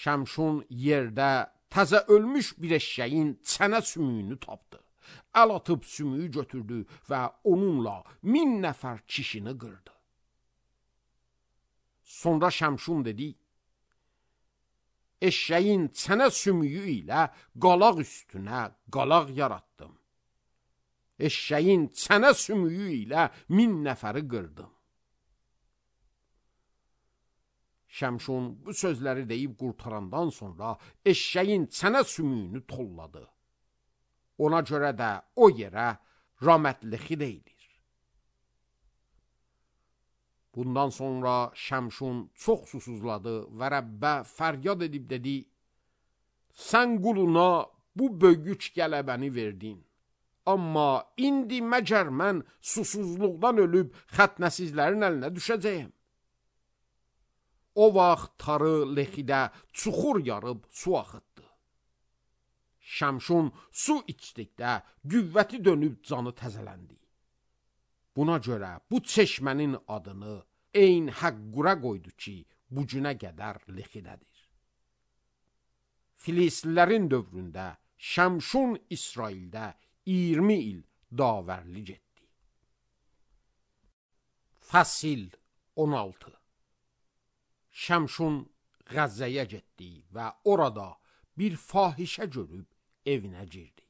Şəmşun yerdə təzə ölmüş bir eşşəyin çənə sümüyünü tapdı. Əl atıb sümüyü götürdü və onunla 1000 nəfər kişini qırdı. Sonra Şəmşun dedi, eşşəyin çənə sümüyü ilə qalaq üstünə qalaq yaratdım. Eşşəyin çənə sümüyü ilə 1000 nəfəri qırdım. Şəmşun bu sözləri deyib qurtarandan sonra eşşəyin çənə sümüyünü tolladı. Ona görə də o yerə Ramət-Lexi deyilir. Bundan sonra Şəmşun çox susuzladı və Rəbbə fəryad edib dedi, sən quluna bu böyük qələbəni verdin. Amma indi məgər mən susuzluqdan ölüb xətnəsizlərin əlinə düşəcəyəm. O vaxt tarı Lexidə çuxur yarıb su axıtdı. Şəmşun su içdikdə qüvvəti dönüb canı təzələndi. Buna görə bu çeşmənin adını Eyn Həqqura qoydu ki, bu günə qədər Lexidədir. Filistlilərin dövründə Şəmşun İsraildə 20 il davərlik etdi. Fəsil 16. Şəmşun Qəzzəyə getdi və orada bir fahişə görüb evinə girdi.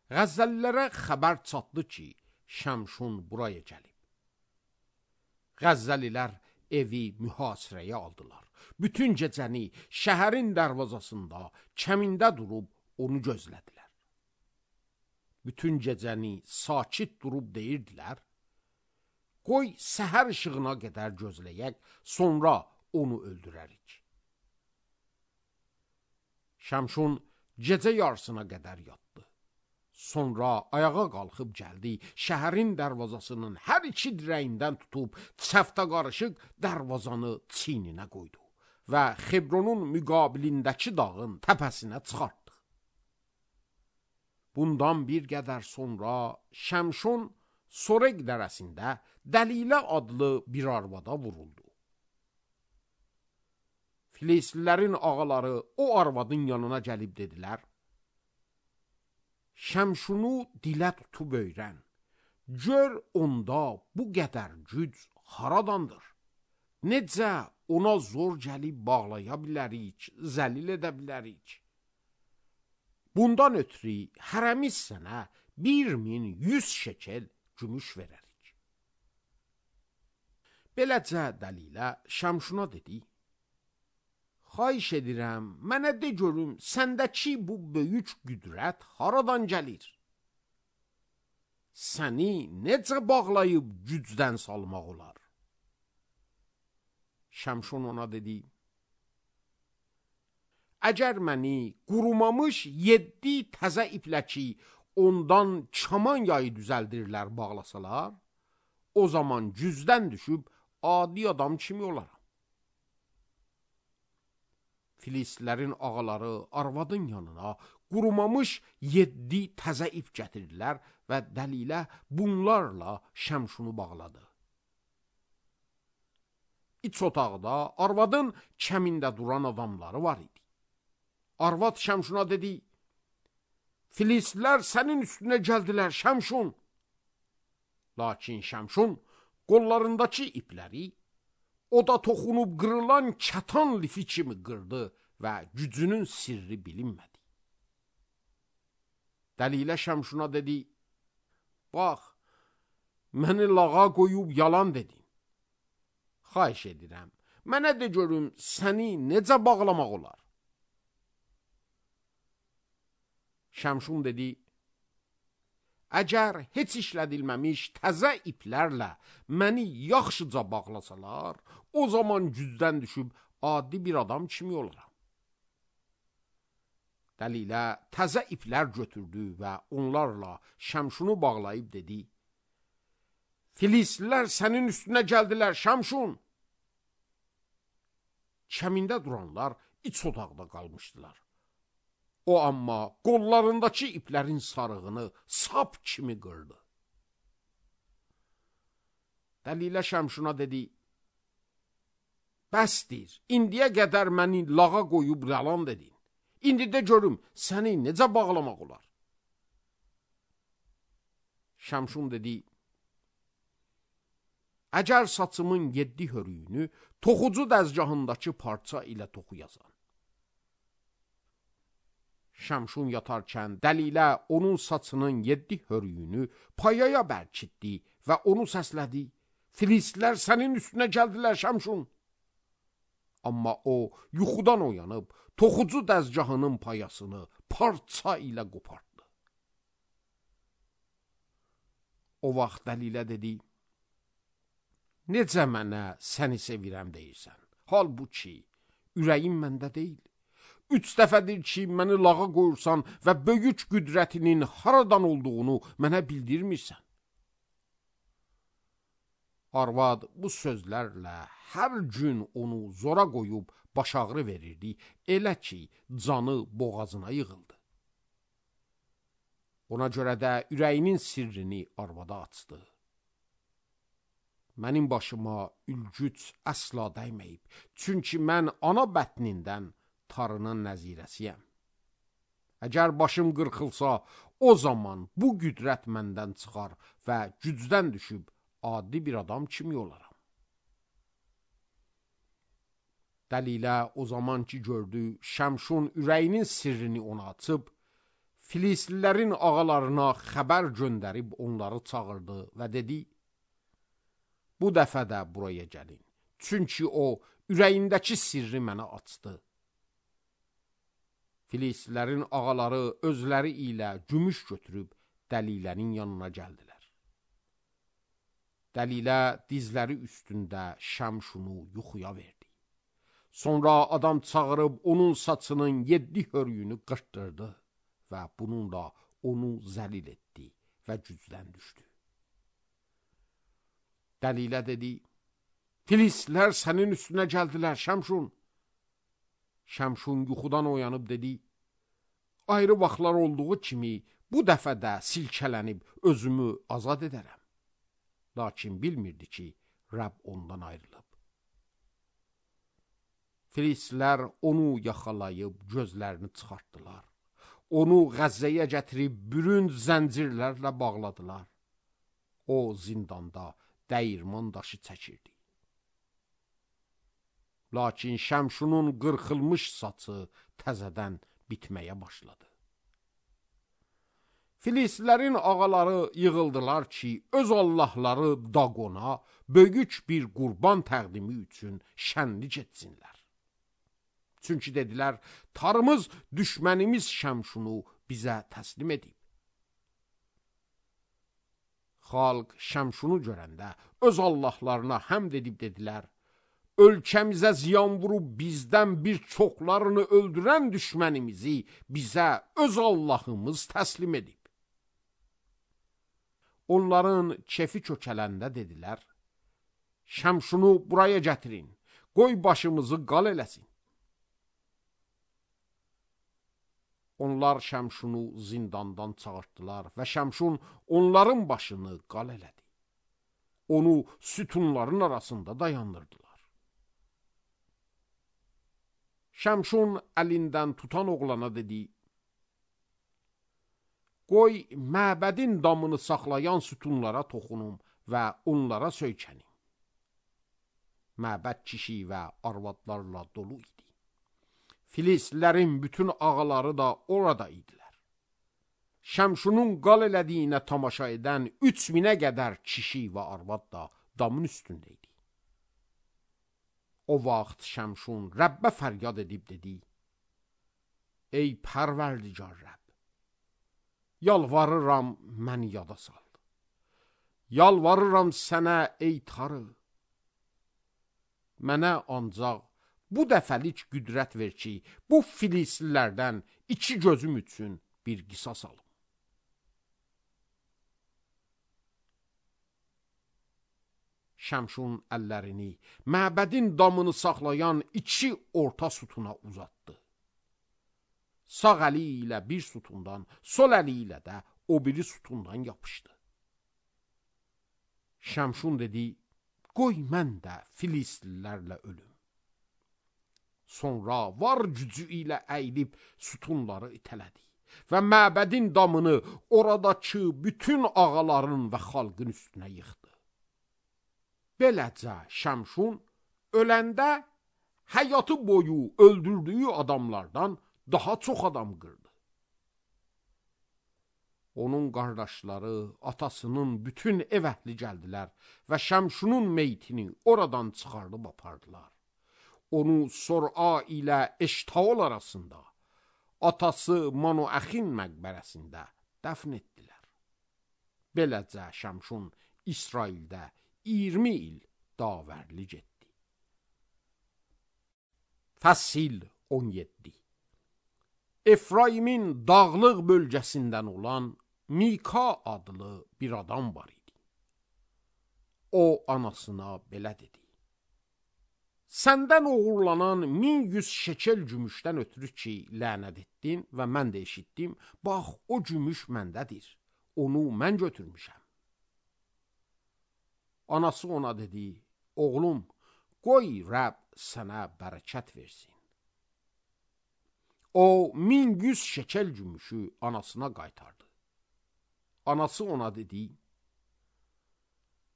Qəzzəlilərə xəbər çatdı ki, Şəmşun buraya gəlib. Qəzzəlilər evi mühasirəyə aldılar. Bütün gecəni şəhərin dərvazasında, kəmində durub onu gözlədilər. Bütün gecəni sakit durub deyirdilər, qoy səhər işığına qədər gözləyək, sonra onu öldürərik. Şəmşun gecə yarısına qədər yatdı. Sonra ayağa qalxıb gəldi, şəhərin dərvazasının hər 2 dirəyindən tutub çəftə qarışıq dərvazanı çiyninə qoydu və Xebronun müqabilindəki dağın təpəsinə çıxartdı. Bundan bir qədər sonra Şəmşun Sorek dərəsində Dəlilə adlı bir arvada vuruldu. Filistlilərin ağaları o arvadın yanına gəlib dedilər, Şəmşunu dilə tutub öyrən, gör onda bu qədər güc haradandır, necə ona zor gəlib bağlaya bilərik, zəlil edə bilərik. Bundan ötürü hərəmiz sənə 1100 şekel gümüş verərik. Beləcə Dəlilə Şəmşuna dedi, xahiş edirəm, mənə de görüm, səndəki bu böyük qüdrət haradan gəlir? Səni necə bağlayıb gücdən salmaq olar? Şəmşun ona dedi, əgər məni qurumamış 7 təzə iplə ki, ondan kaman yayı düzəldirlər bağlasalar, o zaman gücdən düşüb adi adam kimi olaram. Filistlilərin ağaları arvadın yanına qurumamış 7 təzə ip gətirdilər və Dəlilə bunlarla Şəmşunu bağladı. İç otaqda arvadın kəmində duran adamları var idi. Arvad Şəmşuna dedi, Filistlər sənin üstünə gəldilər, Şəmşun. Lakin Şəmşun qollarındakı ipləri oda toxunub qırılan kətan lifi kimi qırdı və gücünün sirri bilinmədi. Dəlilə Şəmşuna dedi, bax, məni lağa qoyub yalan dedin. Xahiş edirəm, mənə de görüm, səni necə bağlamaq olar? Şəmşun dedi, əgər heç işlədilməmiş təzə iplərlə məni yaxşıca bağlasalar, o zaman gücdən düşüb adi bir adam kimi olaram. Dəlilə təzə iplər götürdü və onlarla Şəmşunu bağlayıb dedi, Filistlər sənin üstünə gəldilər, Şəmşun. Kəmində duranlar iç otaqda qalmışdılar. O amma qollarındakı iplərin sarığını sap kimi qırdı. Dəlilə Şəmşuna dedi, bəsdir, indiyə qədər məni lağa qoyub yalan dedin. İndi də görüm, səni necə bağlamaq olar? Şəmşun dedi, əgər saçımın 7 hörüyünü toxucu dəzgahındakı parça ilə toxuyasan. Şəmşun yatarkən Dəlilə onun saçının 7 hörüyünü payaya bərkitdi və onu səslədi, Filistlər sənin üstünə gəldilər, Şəmşun. Amma o, yuxudan oyanıb, toxucu dəzgahının payasını parça ilə qopartdı. O vaxt Dəlilə dedi, necə mənə səni sevirəm deyirsən? Halbuki, ürəyim məndə deyil. 3 dəfədir ki, məni lağa qoyursan və böyük qüdrətinin haradan olduğunu mənə bildirmirsən. Arvad bu sözlərlə hər gün onu zora qoyub baş ağrı verirdi, elə ki, canı boğazına yığıldı. Ona görə də ürəyinin sirrini arvada açdı. Mənim başıma ülgüc əsla dəyməyib, çünki mən ana bətnindən tarının nəzirəsiyəm. Əgər başım qırxılsa, o zaman bu qüdrət məndən çıxar və gücdən düşüb adi bir adam kimi olaram. Dəlilə o zaman ki gördü, Şəmşun ürəyinin sirrini ona açıb, Filistlilərin ağalarına xəbər göndərib onları çağırdı və dedi, bu dəfə də buraya gəlin, çünki o ürəyindəki sirri mənə açdı. Filistlilərin ağaları özləri ilə gümüş götürüb Dəlilənin yanına gəldilər. Dəlilə dizləri üstündə Şəmşunu yuxuya verdi. Sonra adam çağırıb onun saçının 7 hörüyünü qırtdırdı və bununla onu zəlil etdi və gücdən düşdü. Dəlilə dedi, Filistlər sənin üstünə gəldilər, Şəmşun. Şəmşun yuxudan oyanıb dedi, ayrı vaxtlar olduğu kimi bu dəfə də silkələnib özümü azad edərəm. Lakin bilmirdi ki, Rəbb ondan ayrılıb. Filistlər onu yaxalayıb gözlərini çıxartdılar. Onu Qəzzəyə gətirib bürünc zəncirlərlə bağladılar. O zindanda dəyirman daşı çəkirdi. Lakin Şəmşunun qırxılmış saçı təzədən bitməyə başladı. Filistlərin ağaları yığıldılar ki, öz allahları Daqona böyük bir qurban təqdimi üçün şənlik etsinlər. Çünki dedilər, tarımız düşmənimiz Şəmşunu bizə təslim edib. Xalq Şəmşunu görəndə öz allahlarına həmd edib dedilər, ölkəmizə ziyan vurub bizdən bir çoxlarını öldürən düşmənimizi bizə öz Allahımız təslim edib. Onların kefi kökələndə dedilər, Şəmşunu buraya gətirin, qoy başımızı qal eləsin. Onlar Şəmşunu zindandan çağırtdılar və Şəmşun onların başını qal elədi. Onu sütunların arasında dayandırdılar. Şəmşun əlindən tutan oğlana dedi, qoy məbədin damını saxlayan sütunlara toxunum və onlara söykənim. Məbəd kişi və arvadlarla dolu idi. Filistlilərin bütün ağaları da orada idilər. Şəmşunun qal elədiyinə tamaşa edən 3000-ə qədər kişi və arvad da damın üstündə idi. O vaxt Şəmşun Rəbbə fəryad edib dedi: Ey Pərverdigar Rəbb, yalvarıram məni yada sal. Yalvarıram sənə ey Tanrı. Mənə ancaq bu dəfəlik qüdrət ver ki, bu filistlilərdən 2 gözüm üçün bir qisas alım. Şəmşun əllərini məbədin damını saxlayan 2 orta sütuna uzatdı. Sağ əli ilə bir sütundan, sol əli ilə də o biri sütundan yapışdı. Şəmşun dedi: Qoy mən də filistlilərlə ölüm. Sonra var gücü ilə əyilib sütunları itələdi və məbədin damını oradakı bütün ağaların və xalqın üstünə yıxdı. Beləcə Şəmşun öləndə həyatı boyu öldürdüyü adamlardan daha çox adam qırdı. Onun qardaşları, atasının bütün ev əhli gəldilər və Şəmşunun meytini oradan çıxardıb apardılar. Onu Sor'a ilə Eştaol arasında, atası Manoəxin məqbərəsində dəfn etdilər. Beləcə Şəmşun İsraildə 20 il davərlik etdi. Fəsil 17. Efraimin dağlıq bölgəsindən olan Mika adlı bir adam var idi. O anasına belə dedi: Səndən oğurlanan 1100 şekel gümüşdən ötürü ki, lənət etdin və mən də eşitdim, bax o gümüş məndədir, onu mən götürmüşəm. Anası ona dedi: Oğlum, qoy Rəbb sənə bərəkət versin. O 1100 şekel gümüşü anasına qaytardı. Anası ona dedi: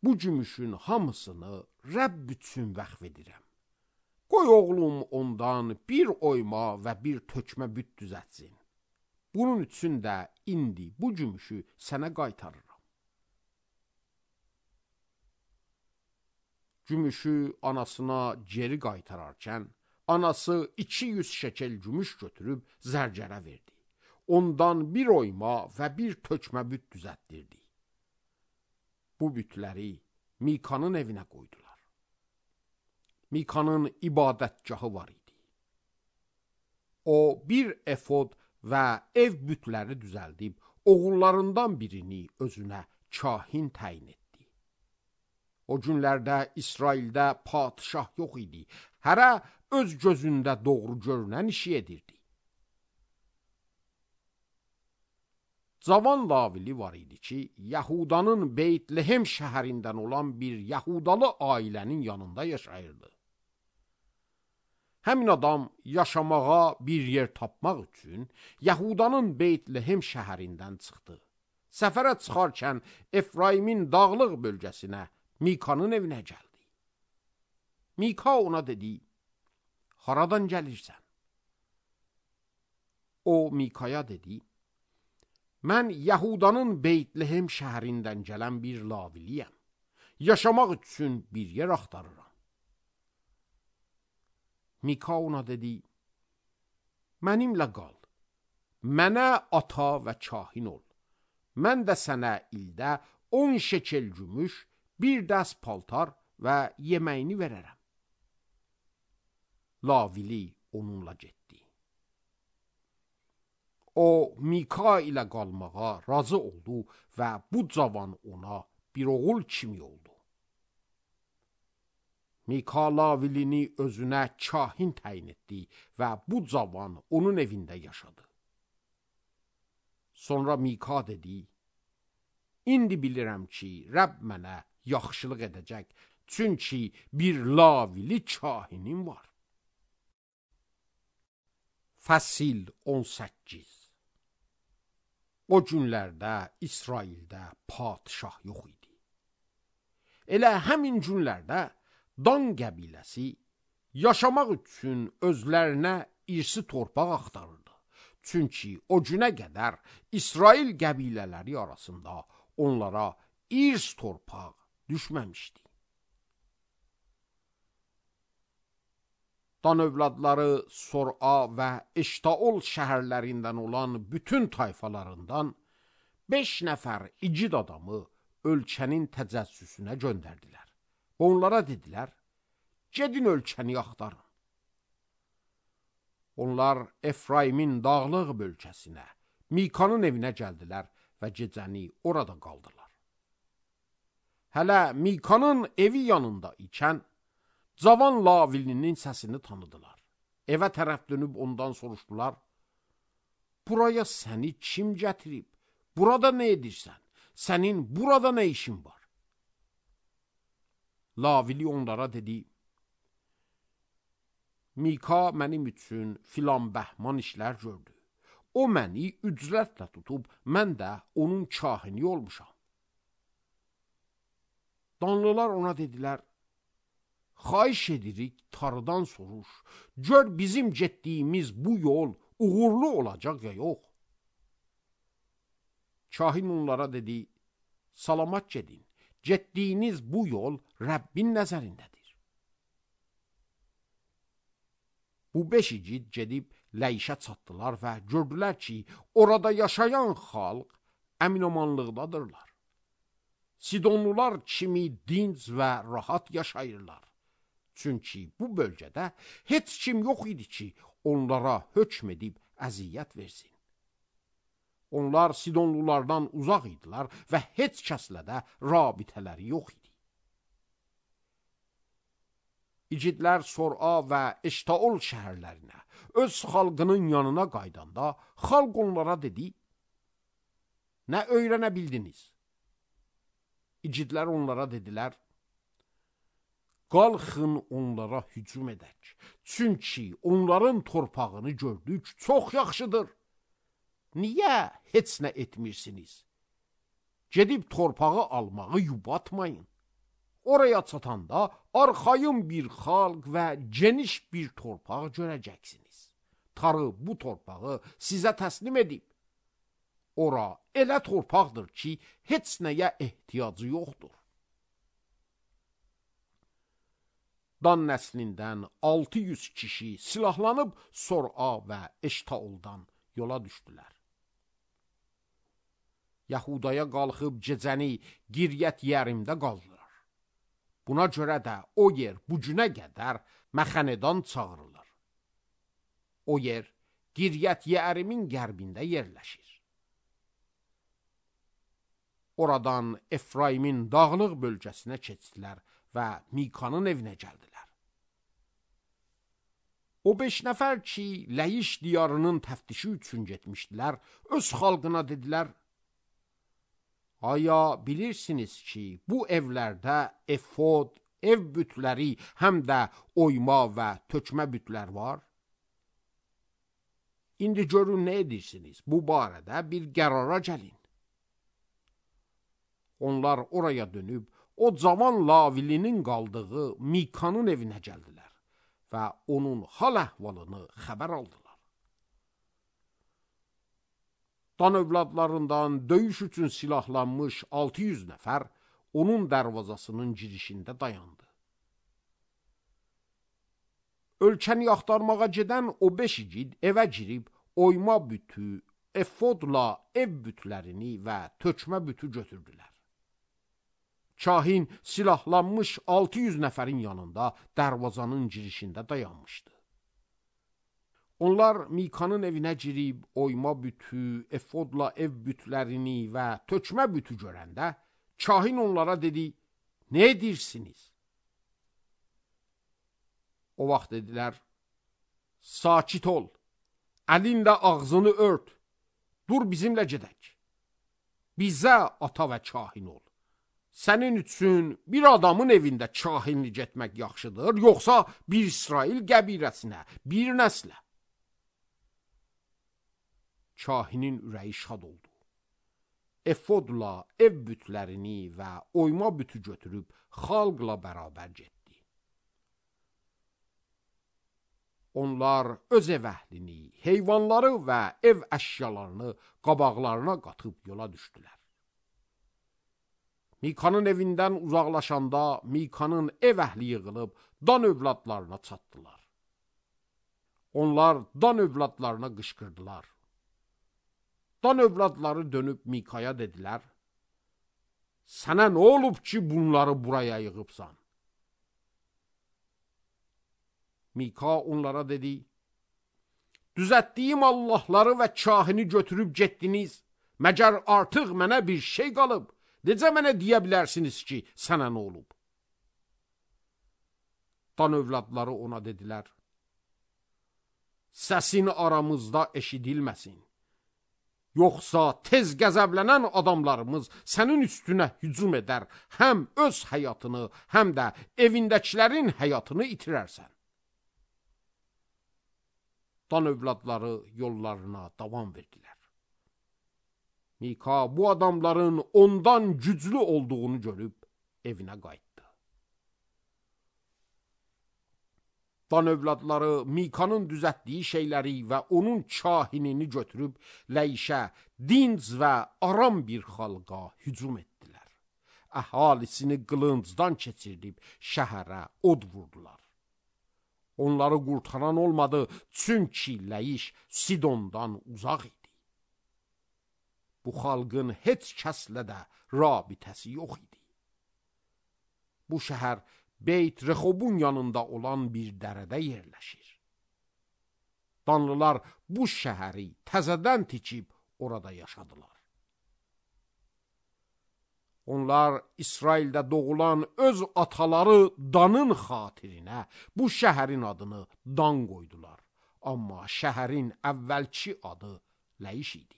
Bu gümüşün hamısını Rəbb üçün vəqf edirəm. Qoy oğlum ondan bir oyma və bir tökmə büt düzətsin. Bunun üçün də indi bu gümüşü sənə qaytarıram. Gümüşü anasına geri qaytararkən, anası 200 şekel gümüş götürüb zərgərə verdi. Ondan bir oyma və bir tökmə büt düzətdirdi. Bu bütləri Mikanın evinə qoydular. Mikanın ibadətgahı var idi. O bir efod və ev bütləri düzəldib, oğullarından birini özünə kahin təyin etdi. O günlərdə İsraildə padişah yox idi. Hərə öz gözündə doğru görünən işi edirdi. Cavan Lavili var idi ki, Yahudanın Beytlehem şəhərindən olan bir Yahudalı ailənin yanında yaşayırdı. Həmin adam yaşamağa bir yer tapmaq üçün Yahudanın Beytlehem şəhərindən çıxdı. Səfərə çıxarkən Efraimin dağlıq bölgəsinə, Mikanın evinə gəldi. Mika ona dedi: Haradan gəlirsən? O Mikaya dedi: Mən Yahudanın Beytlehem şəhərindən gələn bir Laviliyəm. Yaşamaq üçün bir yer axtarıram. Mika ona dedi: Mənimlə qal. Mənə ata və kahin ol. Mən də sənə ildə 10 şekel gümüş, bir dəst paltar və yeməyini verərəm. Lavili onunla getdi. O Mika ilə qalmağa razı oldu və bu cavan ona bir oğul kimi oldu. Mika Lavilini özünə kahin təyin etdi və bu cavan onun evində yaşadı. Sonra Mika dedi: İndi bilirəm ki, Rəbb mənə yaxşılıq edəcək, çünki bir Lavili kahinim var. Fəsil 18. O günlərdə İsraildə padişah yox idi. Elə həmin günlərdə Dan qəbiləsi yaşamaq üçün özlərinə irsi torpaq axtarırdı. Çünki o günə qədər İsrail qəbilələri arasında onlara irs torpaq düşməmişdi. Dan övladları Sor'a və Eştaol şəhərlərindən olan bütün tayfalarından 5 nəfər igid adamı ölkənin təcəssüsünə göndərdilər. Onlara dedilər, gedin ölkəni axtarın. Onlar Efraimin dağlıq bölgəsinə, Mikanın evinə gəldilər və gecəni orada qaldılar. Hələ Mikanın evi yanında ikən, cavan Lavilinin səsini tanıdılar. Evə tərəf dönüb ondan soruşdular, buraya səni kim gətirib? Burada nə edirsən? Sənin burada nə işin var? Lavili onlara dedi, Mika mənim üçün filan bəhman işlər gördü. O məni ücrətlə tutub, mən də onun kahini olmuşam. Danlılar ona dedilər, xahiş edirik, tarıdan soruş, gör bizim getdiyimiz bu yol uğurlu olacaq ya yox. Kahin onlara dedi, salamat gedin, getdiyiniz bu yol Rəbbin nəzərindədir. Bu 5 igid gedib Ləyişə çatdılar və gördülər ki, orada yaşayan xalq əminamanlıqdadırlar. Sidonlular kimi dinc və rahat yaşayırlar. Çünki bu bölgədə heç kim yox idi ki, onlara hökm edib əziyyət versin. Onlar Sidonlulardan uzaq idilər və heç kəslə də rabitələri yox idi. İgidlər Sor'a və Eştaol şəhərlərinə, öz xalqının yanına qaydanda, xalq onlara dedi, nə öyrənə bildiniz? İgidlər onlara dedilər, qalxın onlara hücum edək, çünki onların torpağını gördük, çox yaxşıdır. Niyə heç nə etmirsiniz? Gedib torpağı almağı yubatmayın. Oraya çatanda arxayın bir xalq və geniş bir torpaq görəcəksiniz. Tarı bu torpağı sizə təslim edib. Ora elə torpaqdır ki, heç nəyə ehtiyacı yoxdur. Dan nəslindən 600 kişi silahlanıb Sor'a və Eştaoldan yola düşdülər. Yahudaya qalxıb gecəni Qiryət Yerimdə qaldılar. Buna görə də o yer bu günə qədər Məxanedan çağırılır. O yer Qiryət Yerimin qərbində yerləşir. Oradan Efraimin dağlıq bölgəsinə keçdilər və Mikanın evinə gəldilər. O 5 nəfər ki, Ləyiş diyarının təftişi üçün getmişdilər, öz xalqına dedilər, aya bilirsiniz ki, bu evlərdə efod, ev bütləri, həm də oyma və tökmə bütlər var? İndi görün nə edirsiniz, bu barədə bir qərara gəlin. Onlar oraya dönüb, o cavan Lavilinin qaldığı Mikanın evinə gəldilər və onun hal əhvalını xəbər aldılar. Dan övladlarından döyüş üçün silahlanmış 600 nəfər onun dərvazasının girişində dayandı. Ölkəni axtarmağa gedən o 5 igid evə girib oyma bütü, efodla ev bütlərini və tökmə bütü götürdülər. Kahin silahlanmış 600 nəfərin yanında dərvazanın girişində dayanmışdı. Onlar Mikanın evinə girib oyma bütü, efodla ev bütlərini və tökmə bütü görəndə, kahin onlara dedi, nə edirsiniz? O vaxt dedilər, sakit ol, əlinlə ağzını ört, dur bizimlə gedək. Bizə ata və kahin ol. Sənin üçün bir adamın evində kahinlik etmək yaxşıdır, yoxsa bir İsrail qəbiləsinə, bir nəslə? Kahinin ürəyi şad oldu. efodla ev bütlərini və oyma bütü götürüb xalqla bərabər getdi. Onlar öz ev əhlini, heyvanları və ev əşyalarını qabaqlarına qatıb yola düşdülər. Mikanın evindən uzaqlaşanda Mikanın ev əhli yığılıb Dan övladlarına çatdılar. Onlar Dan övladlarına qışqırdılar. Dan övladları dönüb Mikaya dedilər, sənə nə olub ki, bunları buraya yığıbsan? Mika onlara dedi, düzəltdiyim Allahları və kahini götürüb getdiniz, məgər artıq mənə bir şey qalıb, necə mənə deyə bilərsiniz ki, sənə nə olub? Dan övladları ona dedilər, səsin aramızda eşidilməsin. Yoxsa tez qəzəblənən adamlarımız sənin üstünə hücum edər, həm öz həyatını, həm də evindəkilərin həyatını itirərsən. Dan övladları yollarına davam verdilər. Mika bu adamların ondan güclü olduğunu görüb evinə qayıtdı. Dan övladları Mikanın düzəltdiyi şeyləri və onun kahinini götürüb Ləyişə, dinc və aram bir xalqa hücum etdilər. Əhalisini qılıncdan keçirdib şəhərə od vurdular. Onları qurtaran olmadı, çünki Ləyiş Sidondan uzaq idi. Bu xalqın heç kəslə də rabitəsi yox idi. Bu şəhər Beyt Rexobun yanında olan bir dərədə yerləşir. Danlılar bu şəhəri təzədən tikib orada yaşadılar. Onlar İsraildə doğulan öz ataları Danın xatirinə bu şəhərin adını Dan qoydular. Amma şəhərin əvvəlki adı Ləyiş idi.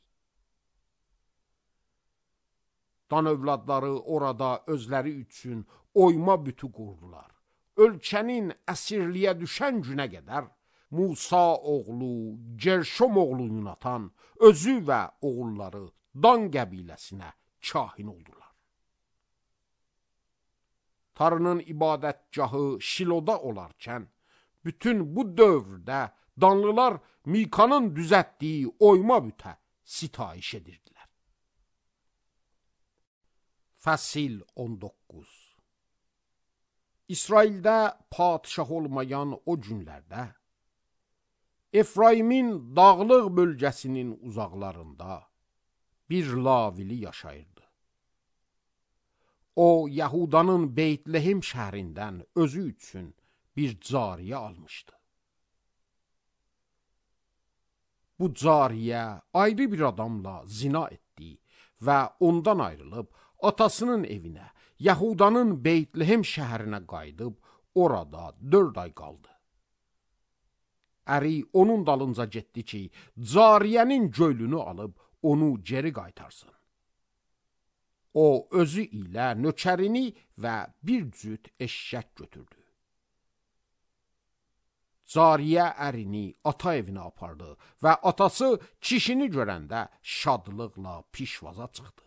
Dan övladları orada özləri üçün oyma bütü qurdular. Ölkənin əsirliyə düşən günə qədər Musa oğlu, Gerşom oğlu Yunatan özü və oğulları Dan qəbiləsinə kahin oldular. Tanrının ibadətgahı Şiloda olarkən, bütün bu dövrdə Danlılar Mikanın düzəltdiyi oyma bütə sitayiş edirdilər. Fəsil 19. İsraildə padişah olmayan o günlərdə Efraimin dağlıq bölgəsinin uzaqlarında bir Lavili yaşayırdı. O, Yahudanın Beytlehem şəhərindən özü üçün bir cariyə almışdı. Bu cariyə ayrı bir adamla zina etdi və ondan ayrılıb atasının evinə, Yahudanın Beytlehem şəhərinə qayıdıb, orada 4 ay qaldı. Əri onun dalınca getdi ki, cariyənin göylünü alıb onu geri qaytarsın. O, özü ilə nökərini və bir cüt eşşək götürdü. Cariyə ərini ata evinə apardı və atası kişini görəndə şadlıqla pişvaza çıxdı.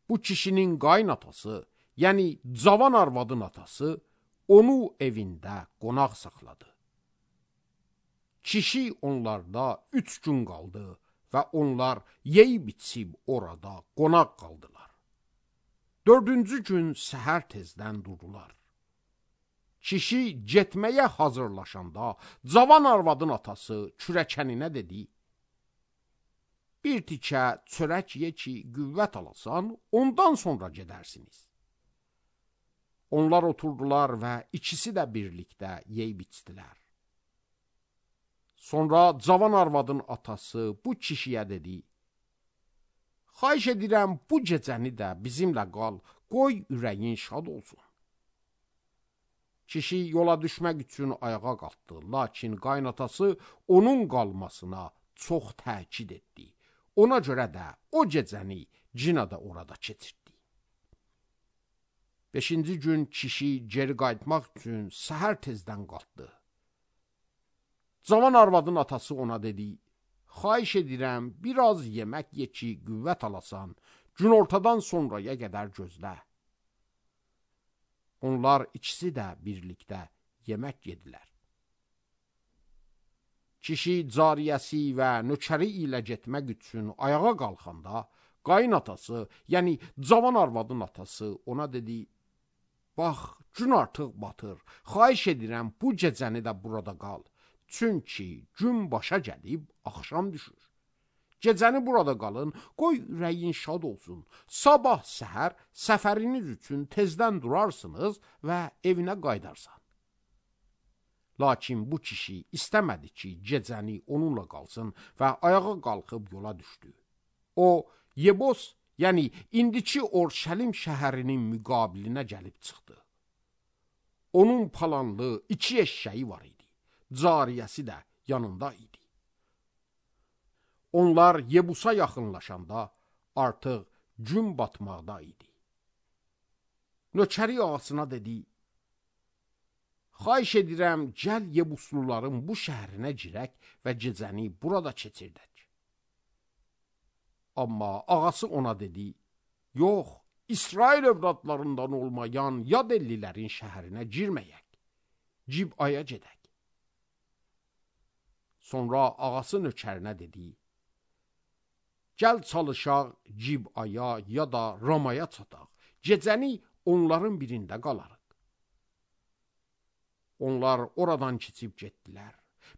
Bu kişinin qaynatası, yəni cavan arvadın atası, onu evində qonaq saxladı. Kişi onlarda 3 gün qaldı və onlar yeyib içib orada qonaq qaldılar. 4-cü gün səhər tezdən durdular. Kişi getməyə hazırlaşanda cavan arvadın atası kürəkəninə dedi, bir tikə çörək ye ki, qüvvət alasan, ondan sonra gedərsiniz. Onlar oturdular və ikisi də birlikdə yeyib içdilər. Sonra cavan arvadın atası bu kişiyə dedi, xahiş edirəm bu gecəni də bizimlə qal, qoy ürəyin şad olsun. Kişi yola düşmək üçün ayağa qalxdı, lakin qaynatası onun qalmasına çox təkid etdi. Ona görə də o gecəni cinada orada keçirdi. 5-ci gün kişi geri qayıtmaq üçün səhər tezdən qalxdı. Cavan arvadın atası ona dedi, xahiş edirəm, biraz yemək ye ki, qüvvət alasan, günortadan sonraya qədər gözlə. Onlar ikisi də birlikdə yemək yedilər. Kişi cariyəsi və nökəri ilə getmək üçün ayağa qalxanda, qayın atası, yəni cavan arvadın atası ona dedi, bax, gün artıq batır, xahiş edirəm bu gecəni də burada qal. Çünki gün başa gəlib, axşam düşür. Gecəni burada qalın, qoy ürəyin şad olsun. Sabah səhər səfəriniz üçün tezdən durarsınız və evinə qaydarsan. Lakin bu kişi istəmədi ki, gecəni onunla qalsın və ayağa qalxıb yola düşdü. O, Yebos, yəni indiki Orşəlim şəhərinin müqabilinə gəlib çıxdı. Onun palanlı 2 eşşəyi var idi. Cariyəsi də yanında idi. Onlar Yebusa yaxınlaşanda artıq gün batmaqda idi. Nökəri ağasına dedi, xahiş edirəm, gəl Yebusluların bu şəhərinə girək və gecəni burada keçirdək. Amma ağası ona dedi, yox, İsrail övladlarından olmayan yad ellilərin şəhərinə girməyək, Cibaya gedək. Sonra ağası nökərinə dedi, gəl çalışaq Cibaya ya da Ramaya çataq, gecəni onların birində qalarıq. Onlar oradan keçib getdilər.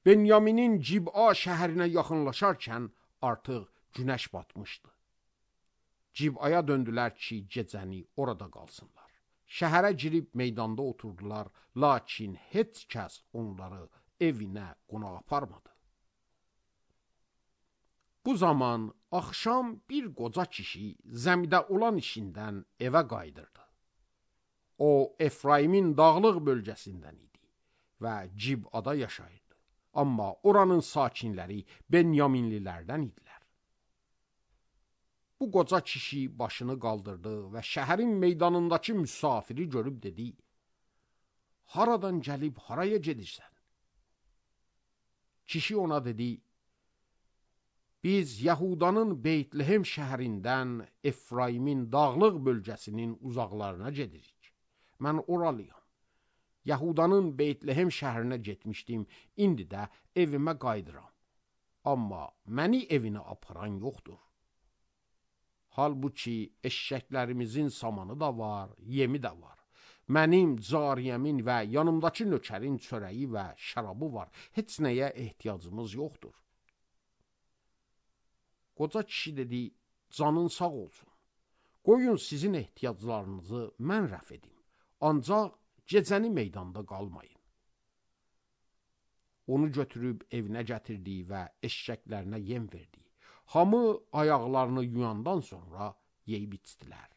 Benyaminin Ciba şəhərinə yaxınlaşarkən artıq günəş batmışdı. Cibaya döndülər ki, gecəni orada qalsınlar. Şəhərə girib meydanda oturdular, lakin heç kəs onları evinə qonaq aparmadı. Bu zaman axşam bir qoca kişi zəmidə olan işindən evə qayıdırdı. O, Efraimin dağlıq bölgəsindən idi və Cibada yaşayırdı. Amma oranın sakinləri Benyaminlilərdən idilər. Bu qoca kişi başını qaldırdı və şəhərin meydanındakı müsafiri görüb dedi, haradan gəlib haraya gedirsən? Kişi ona dedi, biz Yahudanın Beytlehem şəhərindən Efraimin dağlıq bölgəsinin uzaqlarına gedirik. Mən oralıyam. Yahudanın Beytlehem şəhərinə getmişdim, indi də evimə qayıdıram. Amma məni evinə aparan yoxdur. Halbuki eşşəklərimizin samanı da var, yemi də var. Mənim cariyəmin və yanımdakı nökərin çörəyi və şərabı var. Heç nəyə ehtiyacımız yoxdur. Qoca kişi dedi, canın sağ olsun. Qoyun sizin ehtiyaclarınızı mən rəf edim. Ancaq gecəni meydanda qalmayın. Onu götürüb evinə gətirdi və eşşəklərinə yem verdi. Hamı ayaqlarını yuyandan sonra yeyib içdilər.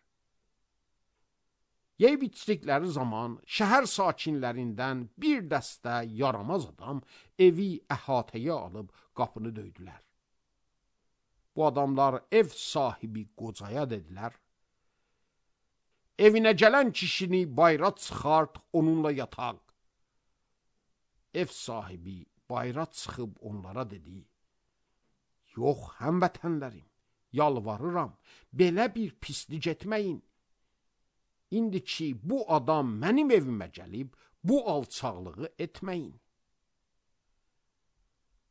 Yeyib içdikləri zaman şəhər sakinlərindən bir dəstə yaramaz adam evi əhatəyə alıb qapını döydülər. Bu adamlar ev sahibi qocaya dedilər, evinə gələn kişini bayra çıxart, onunla yataq. Ev sahibi bayra çıxıb onlara dedi, yox, həmvətənlərim, yalvarıram, belə bir pislik etməyin. İndi ki, bu adam mənim evimə gəlib, bu alçaqlığı etməyin.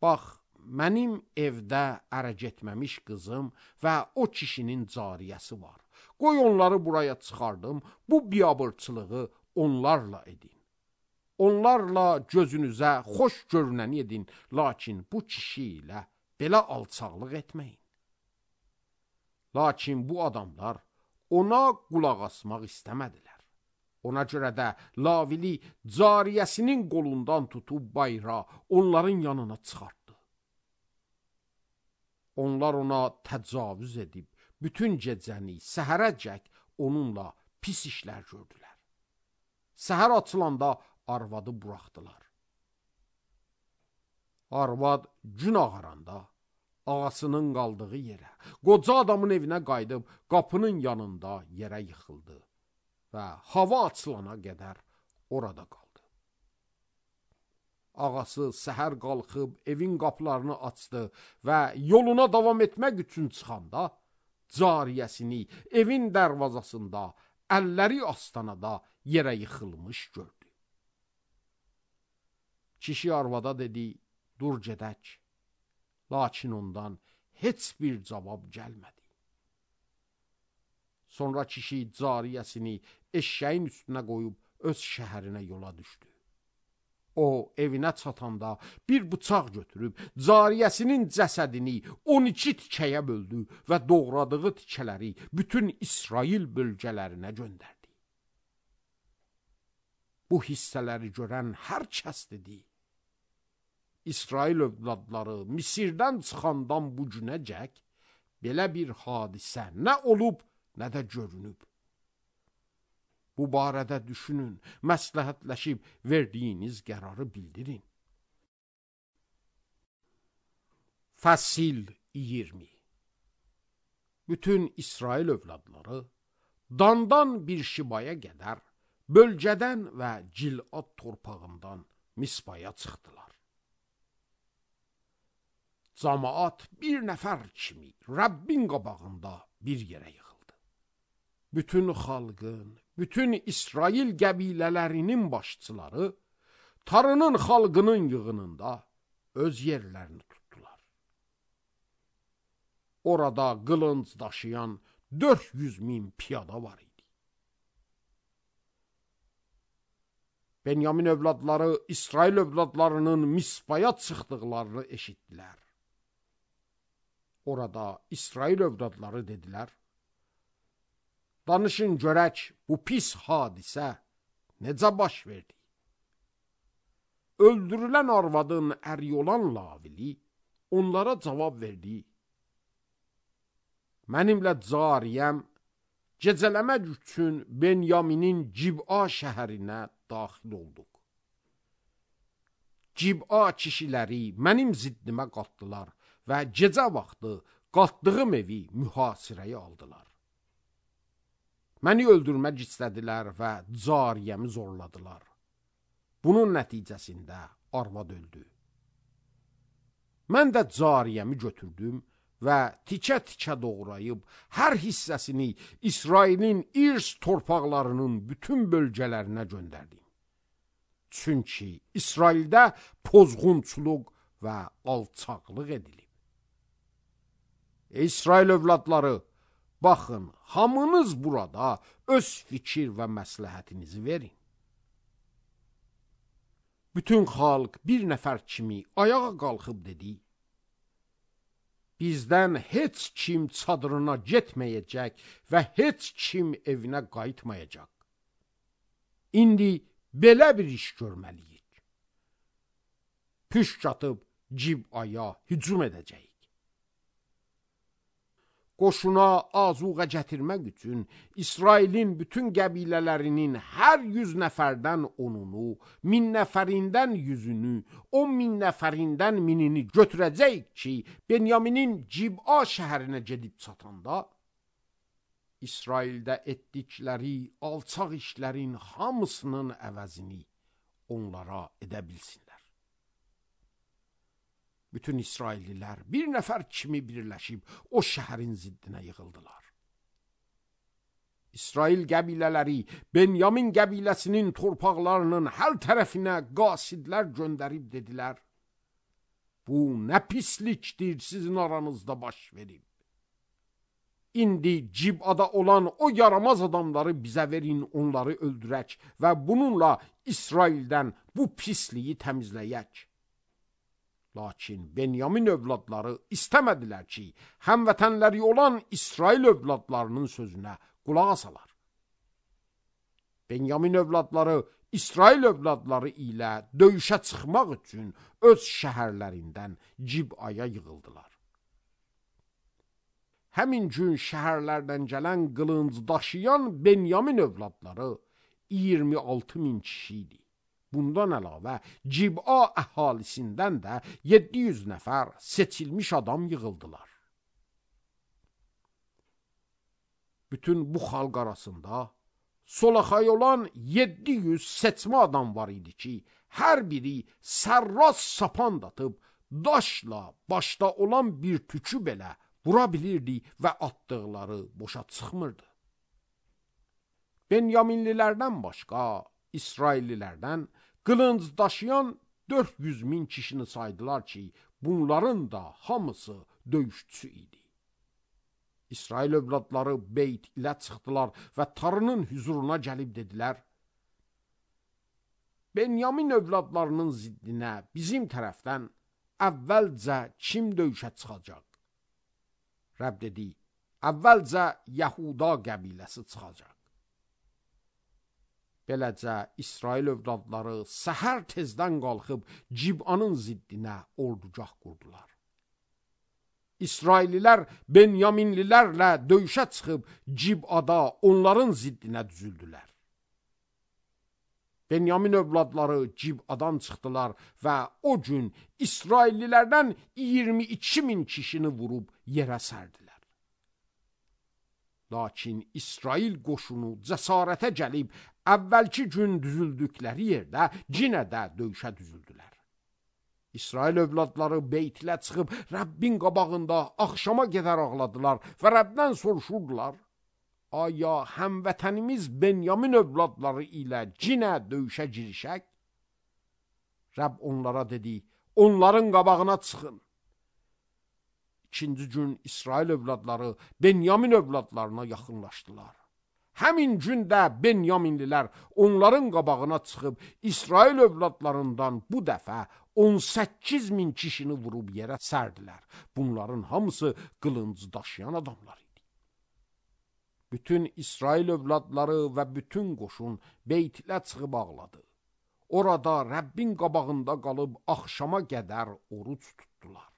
Bax, mənim evdə ərə getməmiş qızım və o kişinin cariyəsi var. Qoy onları buraya çıxardım, bu biabırçılığı onlarla edin. Onlarla gözünüzə xoş görünəni edin, lakin bu kişi ilə belə alçaqlıq etməyin. Lakin bu adamlar ona qulaq asmaq istəmədilər. Ona görə də Lavili cariyəsinin qolundan tutub bayra onların yanına çıxartdı. Onlar ona təcavüz edib, bütün gecəni səhərəcək onunla pis işlər gördülər. Səhər açılanda arvadı buraxdılar. Arvad gün ağaranda ağasının qaldığı yerə, qoca adamın evinə qayıdıb qapının yanında yerə yıxıldı və hava açılana qədər orada qaldı. Ağası səhər qalxıb evin qapılarını açdı və yoluna davam etmək üçün çıxanda, cariyəsini evin dərvazasında, əlləri astanada yerə yıxılmış gördü. Kişi arvada dedi, dur gedək. Lakin ondan heç bir cavab gəlmədi. Sonra kişi cariyəsini eşşəyin üstünə qoyub öz şəhərinə yola düşdü. O, evinə çatanda bir bıçaq götürüb, cariyəsinin cəsədini 12 tikəyə böldü və doğradığı tikələri bütün İsrail bölgələrinə göndərdi. Bu hissələri görən hər kəs dedi, İsrail övladları Misirdən çıxandan bu günəcək belə bir hadisə nə olub, nə də görünüb. Bu barədə düşünün, məsləhətləşib verdiyiniz qərarı bildirin. Fəsil 20. Bütün İsrail övladları Dandan bir Şibaya qədər bölgədən və Cilad torpağından Mispaya çıxdılar. Camaat bir nəfər kimi Rəbbin qabağında bir yerə yığıldı. Bütün xalqın, bütün İsrail qəbilələrinin başçıları tarının xalqının yığınında öz yerlərini tutdular. Orada qılınc daşıyan 400.000 piyada var idi. Benyamin övladları İsrail övladlarının Mispaya çıxdıqlarını eşitdilər. Orada İsrail övladları dedilər, danışın görək bu pis hadisə necə baş verdi? Öldürülən arvadın əri olan Lavili onlara cavab verdi. Mənimlə cariyəm gecələmək üçün Benyaminin Cib'a şəhərinə daxil olduq. Cib'a kişiləri mənim ziddimə qalxdılar və gecə vaxtı qalxdığım evi mühasirəyə aldılar. Məni öldürmək istədilər və cariyəmi zorladılar. Bunun nəticəsində arvad öldü. Mən də cariyəmi götürdüm və tikə-tikə doğrayıb hər hissəsini İsrailin irs torpaqlarının bütün bölgələrinə göndərdim. Çünki İsraildə pozğunçuluq və alçaqlıq edilib. İsrail övladları, baxın, hamınız burada öz fikir və məsləhətinizi verin. Bütün xalq bir nəfər kimi ayağa qalxıb dedi, bizdən heç kim çadırına getməyəcək və heç kim evinə qayıtmayacaq. İndi belə bir iş görməliyik. Püşk atıb Cib'aya hücum edəcəyik. Qoşuna azuqa gətirmək üçün İsrailin bütün qəbilələrinin hər 100 nəfərdən 10'unu, 1000 nəfərindən 100'ünü, 10.000 nəfərindən 1000'ini götürəcəyik ki, Benyaminin Cib'a şəhərinə gedib çatanda, İsraildə etdikləri alçaq işlərin hamısının əvəzini onlara edə bilsinlər. Bütün İsraillilər bir nəfər kimi birləşib o şəhərin ziddinə yığıldılar. İsrail qəbilələri Benyamin qəbiləsinin torpaqlarının hər tərəfinə qasidlər göndərib dedilər, bu nə pislikdir sizin aranızda baş verib. İndi Cib'ada olan o yaramaz adamları bizə verin, onları öldürək və bununla İsraildən bu pisliyi təmizləyək. Lakin Benyamin övladları istəmədilər ki, həmvətənləri olan İsrail övladlarının sözünə qulaq asalar. Benyamin övladları İsrail övladları ilə döyüşə çıxmaq üçün öz şəhərlərindən Cib'aya yığıldılar. Həmin gün şəhərlərdən gələn qılınc daşıyan Benyamin övladları 26.000 kişi idi. Bundan əlavə Cib'a əhalisindən də 700 nəfər seçilmiş adam yığıldılar. Bütün bu xalq arasında solaxay olan 700 seçmə adam var idi ki, hər biri sərras sapan datıb, daşla başda olan bir tükü belə vura bilirdi və atdıqları boşa çıxmırdı. Benyaminlilərdən başqa, İsraillilərdən qılınc daşıyan 400 min kişini saydılar ki, bunların da hamısı döyüşçü idi. İsrail övladları Beyt ilə çıxdılar və Tarının hüzuruna gəlib dedilər, Benyamin övladlarının ziddinə bizim tərəfdən əvvəlcə kim döyüşə çıxacaq? Rəbb dedi, əvvəlcə Yahuda qəbiləsi çıxacaq. Beləcə İsrail övladları səhər tezdən qalxıb Cib'anın ziddinə ordugah qurdular. İsraillilər Benyaminlilərlə döyüşə çıxıb Cib'ada onların ziddinə düzüldülər. Benyamin övladları Cib'adan çıxdılar və o gün İsraillilərdən 22 min kişini vurub yerə sərdilər. Lakin İsrail qoşunu cəsarətə gəlib əvvəlki gün düzüldükləri yerdə yenə də döyüşə düzüldülər. İsrail övladları Beytilə çıxıb Rəbbin qabağında axşama qədər ağladılar və Rəbdən soruşurdular, aya həmvətənimiz Benyamin övladları ilə yenə döyüşə girişək? Rəbb onlara dedi, onların qabağına çıxın. İkinci gün İsrail övladları Benyamin övladlarına yaxınlaşdılar. Həmin gündə Benyaminlilər onların qabağına çıxıb İsrail övladlarından bu dəfə 18 min kişini vurub yerə sərdilər. Bunların hamısı qılınc daşıyan adamlar idi. Bütün İsrail övladları və bütün qoşun Beytilə çıxıb ağladı. Orada Rəbbin qabağında qalıb axşama qədər oruc tutdular.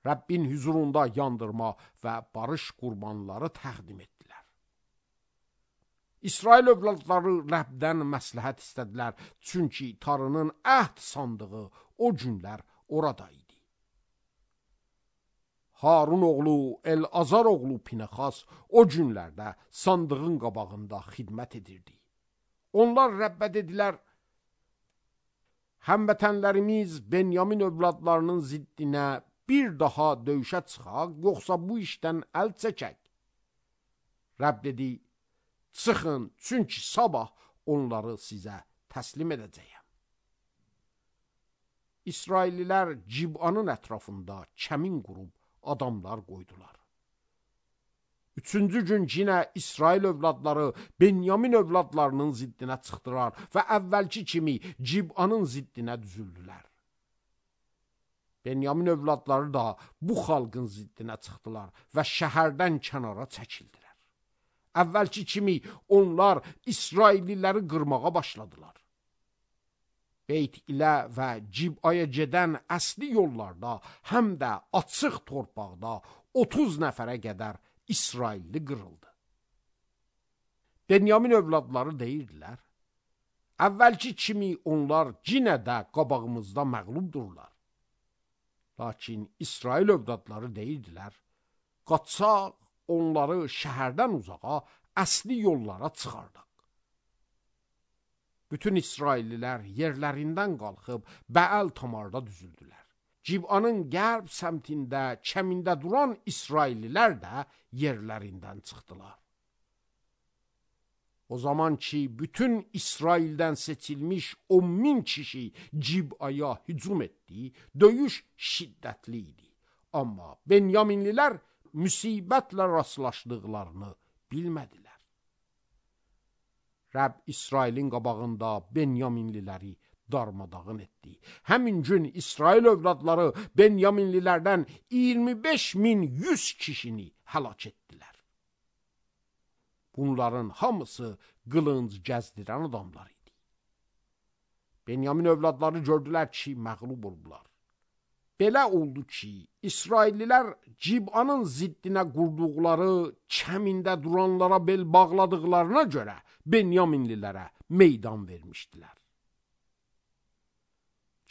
Rəbbin hüzurunda yandırma və barış qurbanları təqdim etdilər. İsrail övladları Rəbdən məsləhət istədilər, çünki Tarının əhd sandığı o günlər orada idi. Harun oğlu El-Azar oğlu Pinəxas o günlərdə sandığın qabağında xidmət edirdi. Onlar Rəbbə dedilər, həmvətənlərimiz Benyamin övladlarının ziddinə bir daha döyüşə çıxaq, yoxsa bu işdən əl çəkək? Rəbb dedi, çıxın, çünki sabah onları sizə təslim edəcəyəm. İsraillilər Cib'anın ətrafında kəmin qurub adamlar qoydular. Üçüncü gün yenə İsrail övladları Benyamin övladlarının ziddinə çıxdılar və əvvəlki kimi Cib'anın ziddinə düzüldülər. Benyamin övladları da bu xalqın ziddinə çıxdılar və şəhərdən kənara çəkildilər. Əvvəlki kimi onlar İsrailliləri qırmağa başladılar. Beyt ilə və Cib'aya gedən əsli yollarda, həm də açıq torpaqda 30 nəfərə qədər İsrailli qırıldı. Benyamin övladları deyirdilər, əvvəlki kimi onlar yenə də qabağımızda məğlubdurlar. Lakin İsrail övladları deyirdilər, qaçaq, onları şəhərdən uzağa, əsli yollara çıxardaq. Bütün İsraillilər yerlərindən qalxıb Bəəl Tamarda düzüldülər. Cib'anın qərb səmtində, kəmində duran İsraillilər də yerlərindən çıxdılar. O zaman ki, bütün İsraildən seçilmiş 10.000 kişi Cib'aya hücum etdi, döyüş şiddətli idi. Amma Benyaminlilər müsibətlə rastlaşdıqlarını bilmədilər. Rəbb İsrailin qabağında Benyaminliləri darmadağın etdi. Həmin gün İsrail övladları Benyaminlilərdən 25.100 kişini həlak etdilər. Bunların hamısı qılınc gəzdirən adamlar idi. Benyamin övladları gördülər ki, məğlub oldular. Belə oldu ki, İsraillilər Cib'anın ziddinə qurduqları, kəmində duranlara bel bağladıqlarına görə Benyaminlilərə meydan vermişdilər.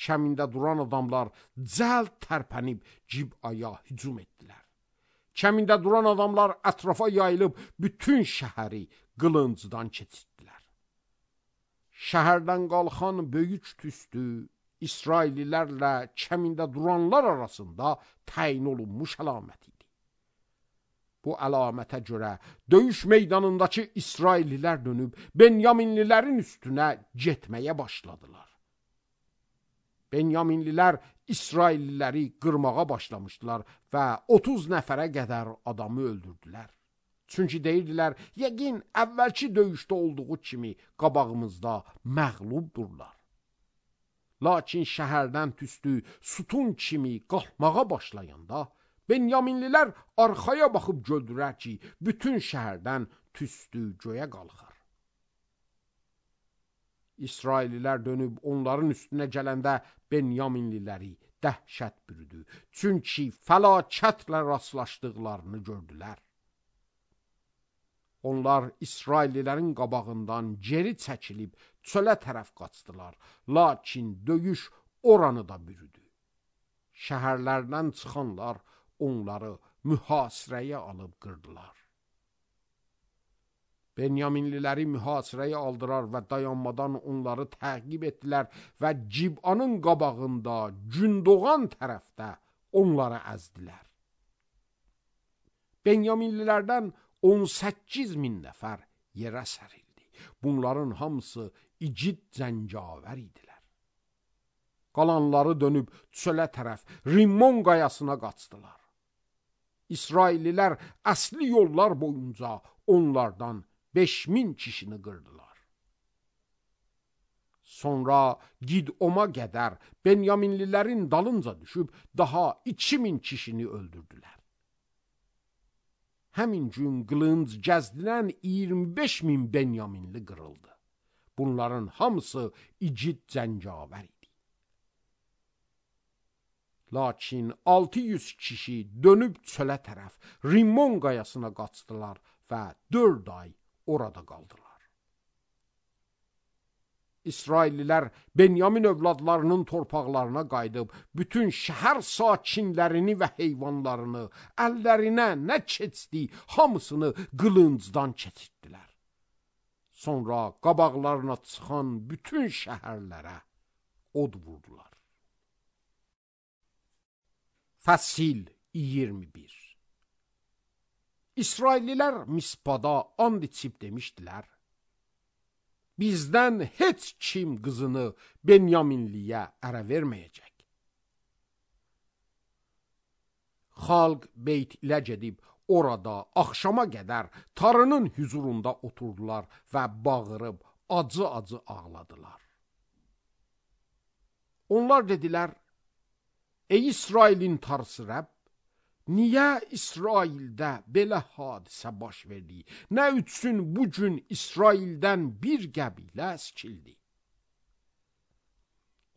Kəmində duran adamlar cəld tərpənib Cib'aya hücum etdilər. Kəmində duran adamlar ətrafa yayılıb bütün şəhəri qılıncdan keçirtdilər. Şəhərdən qalxan böyük tüstü İsraillilərlə kəmində duranlar arasında təyin olunmuş əlamət idi. Bu əlamətə görə döyüş meydanındakı İsraillilər dönüb Benyaminlilərin üstünə getməyə başladılar. Benyaminlilər İsrailliləri qırmağa başlamışdılar və 30 nəfərə qədər adamı öldürdülər. Çünki deyirdilər, yəqin əvvəlki döyüşdə olduğu kimi qabağımızda məğlubdurlar. Lakin şəhərdən tüstü sütun kimi qalxmağa başlayanda Benyaminlilər arxaya baxıb gördülər ki, bütün şəhərdən tüstü göyə qalxar. İsraillilər dönüb onların üstünə gələndə Benyaminliləri dəhşət bürüdü. Çünki fəlakətlə rastlaşdıqlarını gördülər. Onlar İsraillilərin qabağından geri çəkilib çölə tərəf qaçdılar. Lakin döyüş oranı da bürüdü. Şəhərlərdən çıxanlar onları mühasirəyə alıb qırdılar. Benyaminliləri mühasirəyə aldılar və dayanmadan onları təqib etdilər və Cib'anın qabağında gün doğan tərəfdə onları əzdilər. Benyaminlilərdən 18.000 nəfər yerə sərildi. Bunların hamısı igid zəncavər idilər. Qalanları dönüb çölə tərəf Rimmon qayasına qaçdılar. İsraillilər əsli yollar boyunca onlardan 5.000 kişini qırdılar. Sonra Gidoma qədər Benyaminlilərin dalınca düşüb daha 2.000 kişini öldürdülər. Həmin gün qılınc gəzdilən 25.000 Benyaminli qırıldı. Bunların hamısı igid zəncavər idi. Lakin 600 kişi dönüb çölə tərəf Rimmon qayasına qaçdılar və 4 ay orada qaldılar. İsraillilər Benyamin övladlarının torpaqlarına qayıdıb bütün şəhər sakinlərini və heyvanlarını əllərinə nə keçdi, hamısını qılıncdan keçirtdilər. Sonra qabaqlarına çıxan bütün şəhərlərə od vurdular. Fəsil 21. İsraillilər Mispada and içib demişdilər, bizdən heç kim qızını Benyaminliyə ərə verməyəcək. Xalq Beyt ilə gedib orada axşama qədər tarının hüzurunda oturdular və bağırıb acı-acı ağladılar. Onlar dedilər, ey İsrailin tarısı Rəbb, niyə İsraildə belə hadisə baş verdi? Nə üçün bugün İsraildən bir qəbilə əskildi?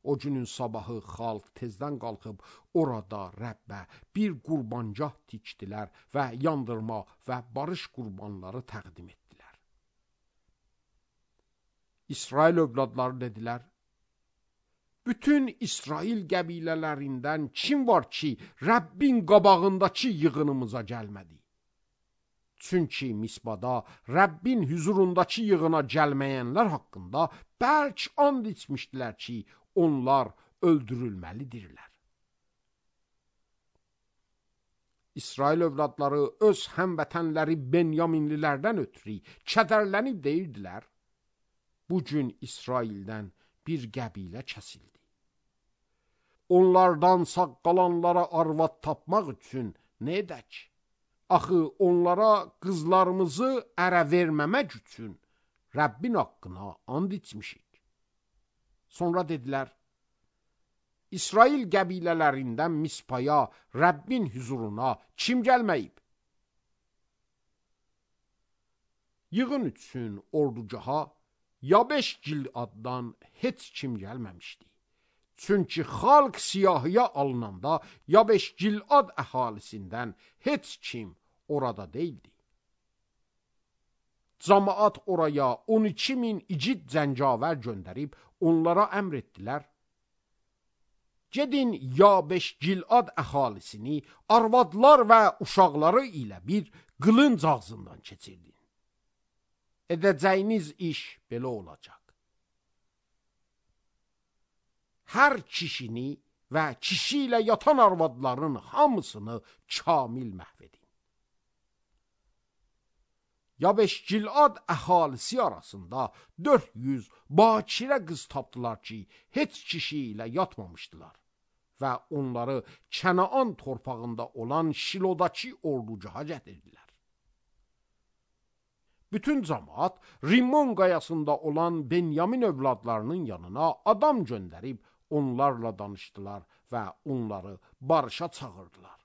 O günün sabahı xalq tezdən qalxıb orada Rəbbə bir qurbancah tikdilər və yandırma və barış qurbanları təqdim etdilər. İsrail övladları dedilər, bütün İsrail qəbilələrindən kim var ki, Rəbbin qabağındakı yığınımıza gəlmədi? Çünki Misbada Rəbbin hüzurundakı yığına gəlməyənlər haqqında bərk and içmişdilər ki, onlar öldürülməlidirlər. İsrail övladları öz həmvətənləri Benyaminlilərdən ötürü kədərlənib deyirdilər, bugün İsraildən bir qəbilə kəsildi. Onlardan sağ qalanlara arvad tapmaq üçün nə edək? Axı onlara qızlarımızı ərə verməmək üçün Rəbbin haqqına and içmişik. Sonra dedilər, İsrail qəbilələrindən Mispaya, Rəbbin hüzuruna kim gəlməyib? Yığın üçün ordugaha Yabeş Giladdan heç kim gəlməmişdi. Çünki xalq siyahıya alınanda Yabeş Gilad əhalisindən heç kim orada deyildi. Camaat oraya 12.000 igid zəncavər göndərib onlara əmr etdilər, Gedin Yabeş Gilad əhalisini arvadlar və uşaqları ilə bir qılınc ağzından keçirdin. Edəcəyiniz iş belə olacaq. Hər kişini və kişi ilə yatan arvadların hamısını kamil məhv edin. Yabeş Gilad əhalisi arasında 400 bakirə qız tapdılar ki, heç kişi ilə yatmamışdılar və onları Kənaan torpağında olan Şilodakı orducağa gətirdilər. Bütün cəmaat Rimmon qayasında olan Benyamin övladlarının yanına adam göndərib onlarla danışdılar və onları barışa çağırdılar.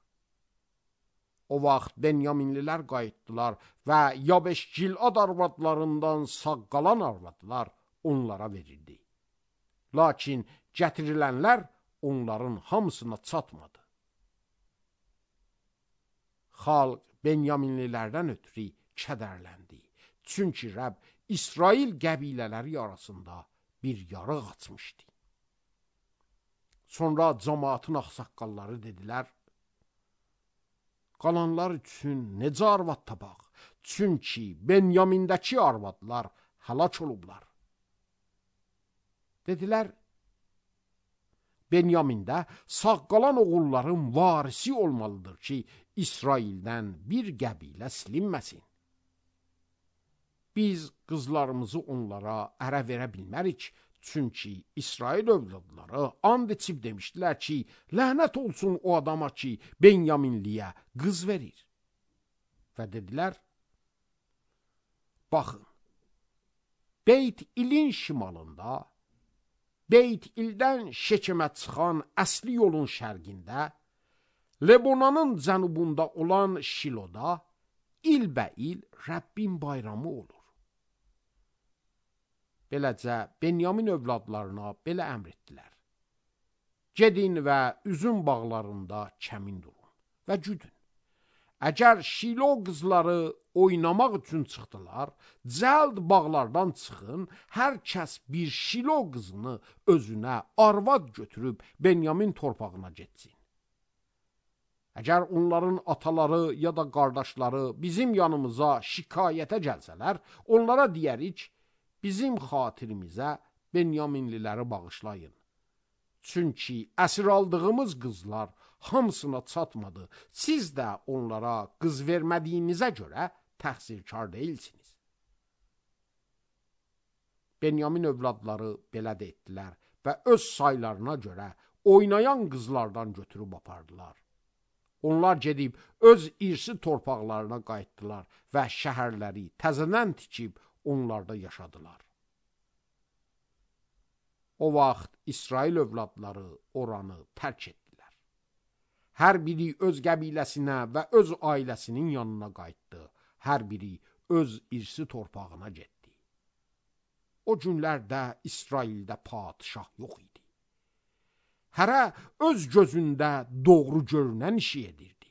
O vaxt Benyaminlilər qayıtdılar və Yabeş Gilad arvadlarından sağ qalan arvadlar onlara verildi. Lakin gətirilənlər onların hamısına çatmadı. Xalq Benyaminlilərdən ötürü kədərləndi. Çünki Rəbb İsrail qəbilələri arasında bir yarıq açmışdı. Sonra cəmaatın ağsaqqalları dedilər, qalanlar üçün necə arvad tapaq? Çünki Benyamindəki arvadlar həlak olublar. Dedilər, Benyamində sağ qalan oğulların varisi olmalıdır ki, İsraildən bir qəbilə silinməsin. Biz qızlarımızı onlara ərə verə bilmərik, çünki İsrail övladları and içib demişdilər ki, lənət olsun o adama ki, Benyaminliyə qız verir. Və dedilər, baxın, Beyt İlin şimalında, Beyt İldən Şekemə çıxan əsli yolun şərqində, Lebonanın cənubunda olan Şiloda ilbəil Rəbbin bayramı olur. Beləcə, Benyamin övladlarına belə əmr etdilər. Gedin və üzüm bağlarında kəmin durun və güdün. Əgər Şilo qızları oynamaq üçün çıxdılar, cəld bağlardan çıxın, hər kəs bir Şilo qızını özünə arvad götürüb Benyamin torpağına getsin. Əgər onların ataları ya da qardaşları bizim yanımıza şikayətə gəlsələr, onlara deyərik, bizim xatirimizə Benyaminliləri bağışlayın. Çünki əsir aldığımız qızlar hamısına çatmadı. Siz də onlara qız vermədiyinizə görə təqsirkar deyilsiniz. Benyamin övladları belə də etdilər və öz saylarına görə oynayan qızlardan götürüb apardılar. Onlar gedib öz irsi torpaqlarına qayıtdılar və şəhərləri təzədən tikib onlarda yaşadılar. O vaxt İsrail övladları oranı tərk etdilər. Hər biri öz qəbiləsinə və öz ailəsinin yanına qayıtdı. Hər biri öz irsi torpağına getdi. O günlərdə İsraildə padişah yox idi. Hərə öz gözündə doğru görünən işi edirdi.